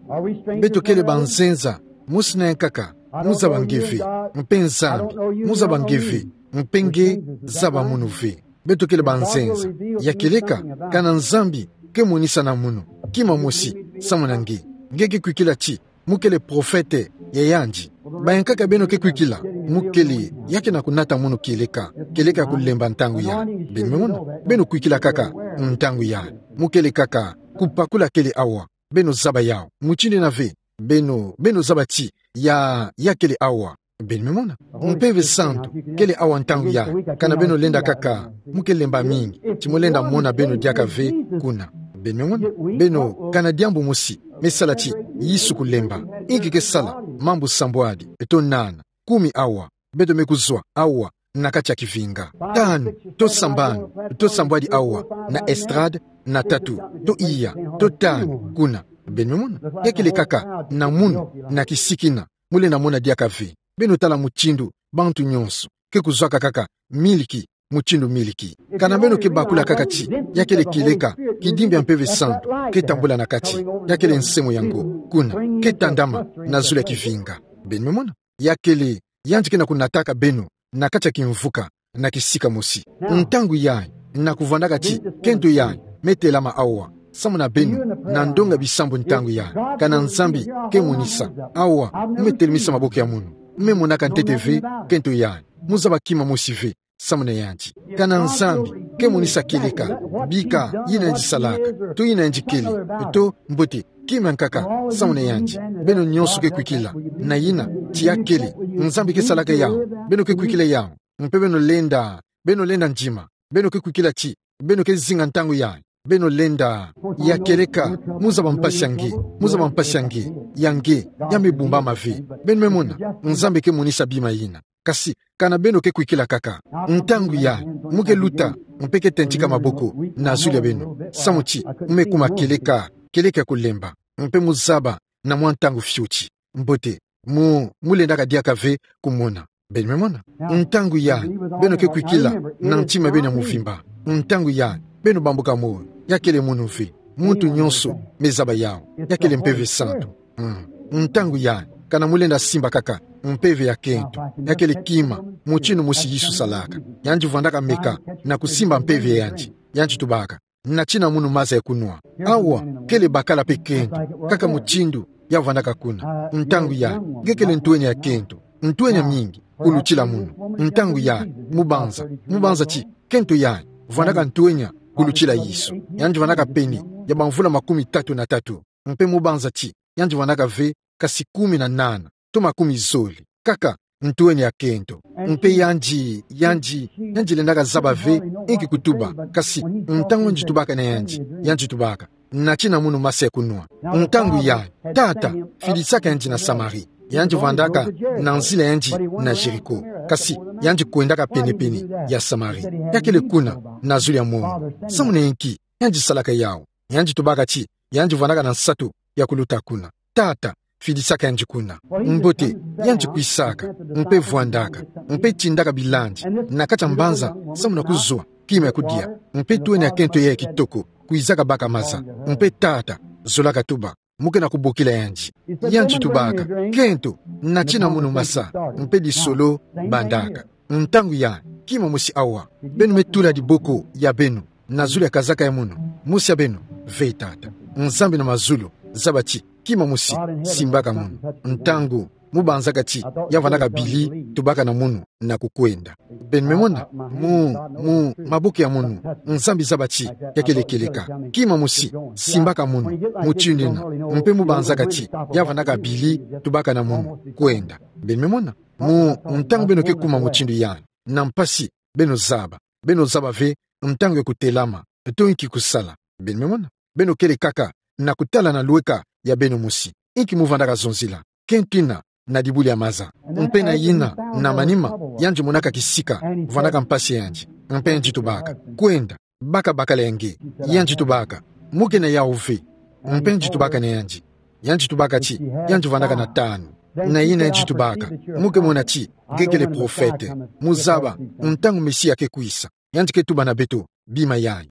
Beto kele banzenza mosi na ya nkaka. Mu zaba nge ve, mpe Nzambi mu zaba nge ve, mpe nge zaba munu ve. Beto kele banzenza. Ya kieleka, kana Nzambi ke monisa na munu kima mosi samu na nge, nge ke kwikila ti mu kele profete ya yandi. Ba ya nkaka beno ke kwikila, mu kele ya ke na kunata munu kieleka, kieleka ya kulemba ntangu yayi. Beno me mona, beno kwikila kaka ntangu yayi. Mu kele kaka kupakula kele awa. Beno zaba yawu. Mutindu yina ve, beno, beno zaba ti ya, ya kele awa. Beno me mona, Mpeve Santu kele awa ntangu yayi. Kana beno lenda kaka, mu ke lemba mingi ti mu lenda mona beno diaka ve kuna. Beno me mona, beno, kana diambu mosi me sala ti Yesu kulemba, inki ke sala? Mambu sambwadi to nana, kumi awa, beto me kuzwa awa na kati ya kivinga. Tanu to sambanu to sambwadi awa na estrade, na tatu to iya, to tanu kuna. Beno me mona, ya kele kaka na munu, na kisiki yina mu lenda mona diaka ve. Beno tala mutindu bantu nyonso ke kuzwaka kaka miliki, mutindu miliki. Kana beno ke bakula kaka ti ya kele kieleka, kidimbi ya Mpeve Santu ke tambula na kati, ya kele nsemo yango kuna, ke tandama na zulu ya kivinga. Beno me mona, ya kele yandi ke na kunataka beno na kati ya kimvuka na kisika mosi. Ntangu yayi, na kuvwandaka ti kento yayi me telama awa samu na beno, na ndonga bisambu ntangu yayi. Kana Nzambi ke monisa, awa, me telemisa maboko ya munu, me monaka ntete ve kento yayi, mu zaba kima mosi ve samu na yandi. Kana Nzambi Ke monisa kieleka, bika, yina yandi salaka, to yina yandi kele, to, mbote, kima nkaka, samu na yandi. Beno nyonso ke kwikila, na yina, ti ya kele, Nzambi ke salaka yawu, beno ke kwikila yawu, mpe beno lenda, beno lenda ndima, beno ke kwikila ti, beno ke zinga ntangu yayi, beno lenda, ya kieleka, mu zaba mpasi ya nge, mu zaba mpasi ya nge, ya nge, ya me bumbama ve, beno me mona, Nzambi ke monisa bima yina. Kasi, kana beno ke kwikila kaka. Ntangu yayi, mu ke luta, mpe ke tentika maboko, na zulu ya beno. Samu ti, mu me kuma kieleka, kieleka ya kulemba. Mpe mu zaba, na mwa ntangu fioti. Mbote, mu, mu lendaka diaka ve kumona. Beno me mona. Ntangu yayi, beno ke kwikila, na ntima beno ya mvimba. Ntangu yayi, beno bambuka moyo. Ya kele munu ve. Muntu nyonso, me zaba yawu. Ya kele Mpeve Santu. Mm. Ntangu yayi, kana mu lenda simba kaka, mpeve ya kento, ya kele kima, mutindu mosi Yesu salaka. Yandi vwandaka meka, na kusimba mpeve ya yandi. Yandi tubaka, natina munu maza ya kunwa. Awa, kele bakala mpe kento, kaka mutindu, ya vwandaka kuna. Ntangu yayi, nge kele ntwenya ya kento, ntwenya mingi, kulutila munu. Ntangu yayi, mu banza, mu banza ti, kento yayi, vwandaka ntwenya, kulutila Yesu. Yandi vwandaka pene, ya bamvula makumi tatu na tatu. Mpe mu banza ti, yandi vwandaka ve, kasi kumi na nana, to makumi zole. Kaka, ntwenya ya kento. Mpe yandi, yandi, yandi lendaka zaba ve, inki kutuba, kasi, ntangu yandi tubaka na yandi, yandi tubaka, natina munu maza ya kunwa. Ntangu yayi, tata, fidisaka yandi na Samari. Yandi vwandaka, na nzila yandi, na Jeriko. Kasi, yandi kwendaka pene-pene, ya Samari. Ya kele kuna, na zulu ya mongo. Samu na inki, yandi salaka yawu. Yandi tubaka ti, yandi vwandaka na nsatu ya kuluta kuna. Tata, fidisaka yandi kuna. Mbote, yandi kwisaka, mpe vwandaka, mpe tindaka bilandi, na kati ya mbanza, samu na kuzwa, kima ya kudia, mpe ntwenya ya kento ya kitoko, kwizaka baka maza, mpe tata, zolaka tuba, mu ke na kubokila yandi. Yandi tubaka, kento, natina munu maza, mpe disolo, bandaka. Ntangu yayi, kima mosi awa, beno me tula diboko ya beno, na zulu ya kazaka ya munu, mosi ya beno, ve tata. Nzambi na mazulu, zaba ti, kima mosi, simbaka munu. Ntangu, mu banzaka ti, ya vwandaka bili, tubaka na munu, na kukwenda. Beno me mona, mu, mu, maboko ya munu, Nzambi zaba ti, ya kele kieleka. Kima mosi, simbaka munu, mutindu yina, mpe mu banzaka ti, ya vwandaka bili, tubaka na munu, kwenda. Beno me mona, mu, ntangu beno ke kuma mutindu yayi, na mpasi, beno zaba. Beno zaba ve, ntangu ya kutelama, to inki kusala. Beno me mona. Beno kele kaka, na kutala na lweka, ya beno mosi. Inki mu vwandaka zonzila. Kento yina, na dibula ya maza. Mpe na yina, na manima, yandi monaka kisika, vwandaka mpasi ya yandi. Mpe yandi tubaka. Kwenda, baka bakala ya nge. Yandi tubaka. Mu ke na yawu ve. Mpe yandi tubaka na yandi. Yandi tubaka ti, yandi vwandaka na tanu. Na yina yandi tubaka. Mu ke mona ti, nge kele profete. Mu zaba, ntangu Mesia ke kwisa. Yandi ke tuba na beto, bima yayi.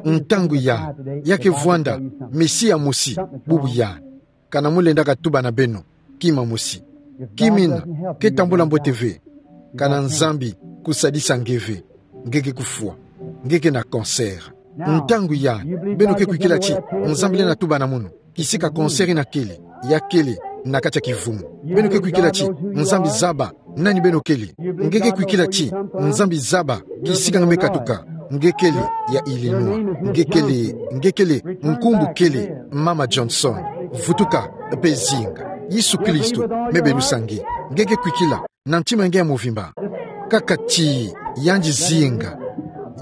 Ntangu yayi, ya ke vwanda, Mesia mosi, bubu yayi. Kana mu lendaka tuba na beno, kima mosi. Kima yina, ke tambula mbote ve. Kana Nzambi, kusadisa nge ve. Nge ke kufwa. Nge ke na cancer. Ntangu yayi, beno ke kwikila ti, Nzambi lenda tuba na munu. Kisika cancer yina kele, ya kele, na kati ya kivumu. Beno ke kwikila ti, Nzambi zaba, nani beno kele. Nge ke kwikila ti, Nzambi zaba, kisika nge me katuka. Nge kele, ya Illinois. Nge kele, nge kele, nkumbu kele, Mama Johnson. Vutuka, mpe zinga. Yesu Kristo, me belusa nge. Nge ke kwikila, na ntima nge ya mvimba. Kaka ti, yandi zinga.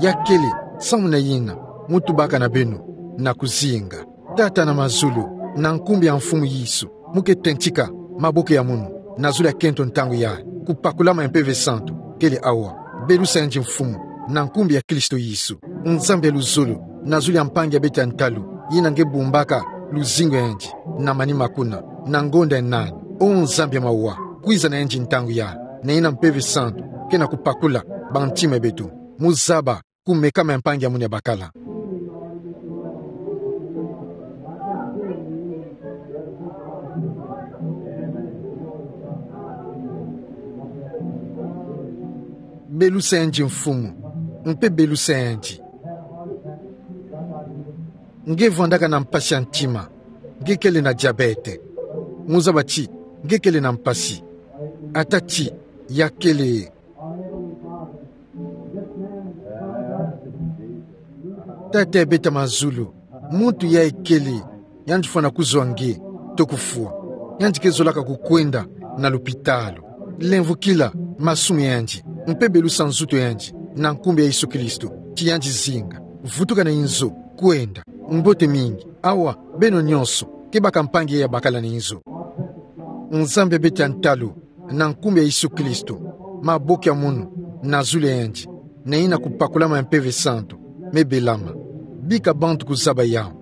Ya kele, samu na yina, mu tubaka na beno, na kuzinga. Tata na mazulu, na nkumbu ya Mfumu Yesu, mu ke tentika, maboko ya munu, na zulu ya kento ntangu yayi, kupakulama ya Mpeve Santu, kele awa, belusa yandi Mfumu, na nkumbu ya Kristo Yesu, Nzambi ya luzolo, na zulu ya mpangi ya beto ya ntalu, yina nge bumbaka, luzingu ya yandi, na manima kuna, na ngonda ya nani, o Nzambi ya mawa, kwiza na yandi ntangu yayi, na yina Mpeve Santu, ke na kupakula, bantima ya beto, mu zaba, kumekama ya mpangi ya munu ya bakala. Belusa yandi Mfumu, mpe belusa yandi. Nge vwandaka na mpasi ya ntima, nge kele na diabète. Mu zaba ti, nge kele na mpasi. Ata ti, ya kele. Tata ya beta mazulu, muntu ya ekele, yandi fwana kuzwa nge, toko fwa. Yandi ke zolaka kukwenda na lupitalu. Lemvukila masumu yandi, mpe belusa nzutu yandi, na nkumbu ya Yesu Kristo, ti yandi zinga. Vutuka na inzo, kwenda. Mbote mingi, awa, beno nyonso, kebaka mpangi ya bakala na inzo. Nzambi ya beta ntalu, na nkumbu ya Yesu Kristo, maboko ya munu, na zulu ya yandi, na yina kupakulama ya Mpeve Santu, me belama. Bika bantu kuzaba yawu,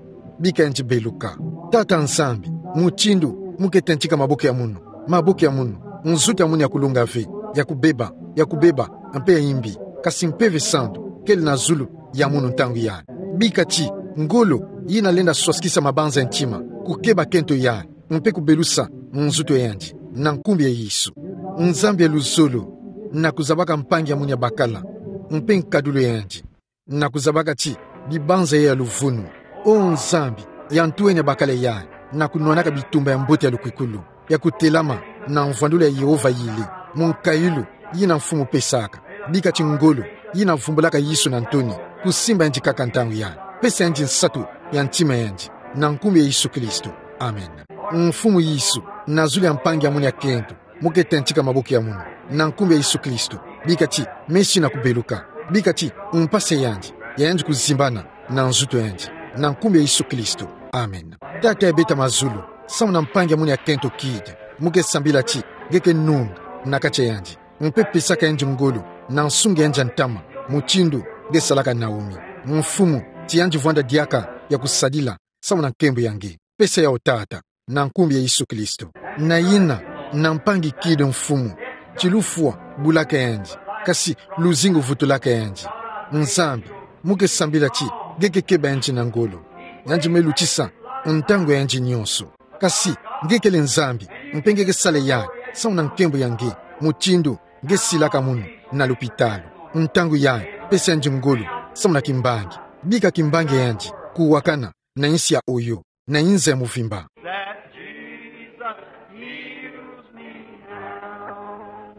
bika yandi beluka. Tata Nzambi, mutindu mu ke tentika maboko ya munu, maboko ya munu, nzutu ya munu ya kulunga ve, ya kubeba, ya kubeba, mpe ya imbi, kasi Mpeve Santu kele na zulu ya munu ntangu yayi. Bika ti ngolo yina lenda swasikisa mabanza ya ntima, kukeba kento yayi, mpe kubelusa nzutu ya yandi, na nkumbu ya Yesu. Nzambi ya luzolo, na kuzabaka mpangi ya munu ya bakala, mpe nkadulu ya yandi, na kuzabaka ti bibanza ya luvunu. O Nzambi, ya ntu eni ya bakala yayi, na kunwanaka bitumba ya mbote ya lukwikulu, ya kutelama na mvwandulu ya Yehova yili, mu nkayulu yina Mfumu pesaka. Bika ti ngolo yina vumbulaka Yesu na ntoni, kusimba yandi kaka ntangu yayi. Pesa yandi nsatu ya ntima yandi, na nkumbu ya Yesu Kristo. Amen. Mfumu Yesu, na zulu ya mpangi ya munu ya kento, mu ke tentika maboko ya munu, na nkumbu ya Yesu Kristo, bika ti mesi na kubeluka. Bika ti mpasi ya yandi, ya yandi kuzimbana na nzutu ya yandi, na nkumbu ya Yesu Kristo. Amen. Tata ya beta mazulu, samu na mpangi ya munu ya kento Kid, mu ke sambila ti nge ke nunga na kati ya yandi, mpe pesaka yandi ngolo, na nsunga yandi ya ntama, mutindu nge salaka Naomi. Mfumu, ti yandi vwanda diaka ya kusadila samu na nkembo ya nge. Pesa yawu Tata, na nkumbu ya Yesu Kristo. Na yina, na mpangi Kid Mfumu, ti lufwa bulaka yandi, kasi luzingu vutulaka yandi. Nzambi, mu ke sambila ti nge ke keba yandi na ngolo. Yandi me lutisa ntangu ya yandi nyonso. Kasi nge kele Nzambi, mpe nge ke sala yayi samu na nkembo ya nge, mutindu nge silaka munu na lupitalu. Ntangu yayi, pesa yandi ngolo samu na kimbangi. Bika kimbangi ya yandi kuwakana na insi ya Oyo na inza ya muvimba. That Jesus heals me now.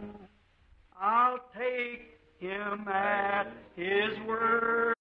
I'll take him at his word.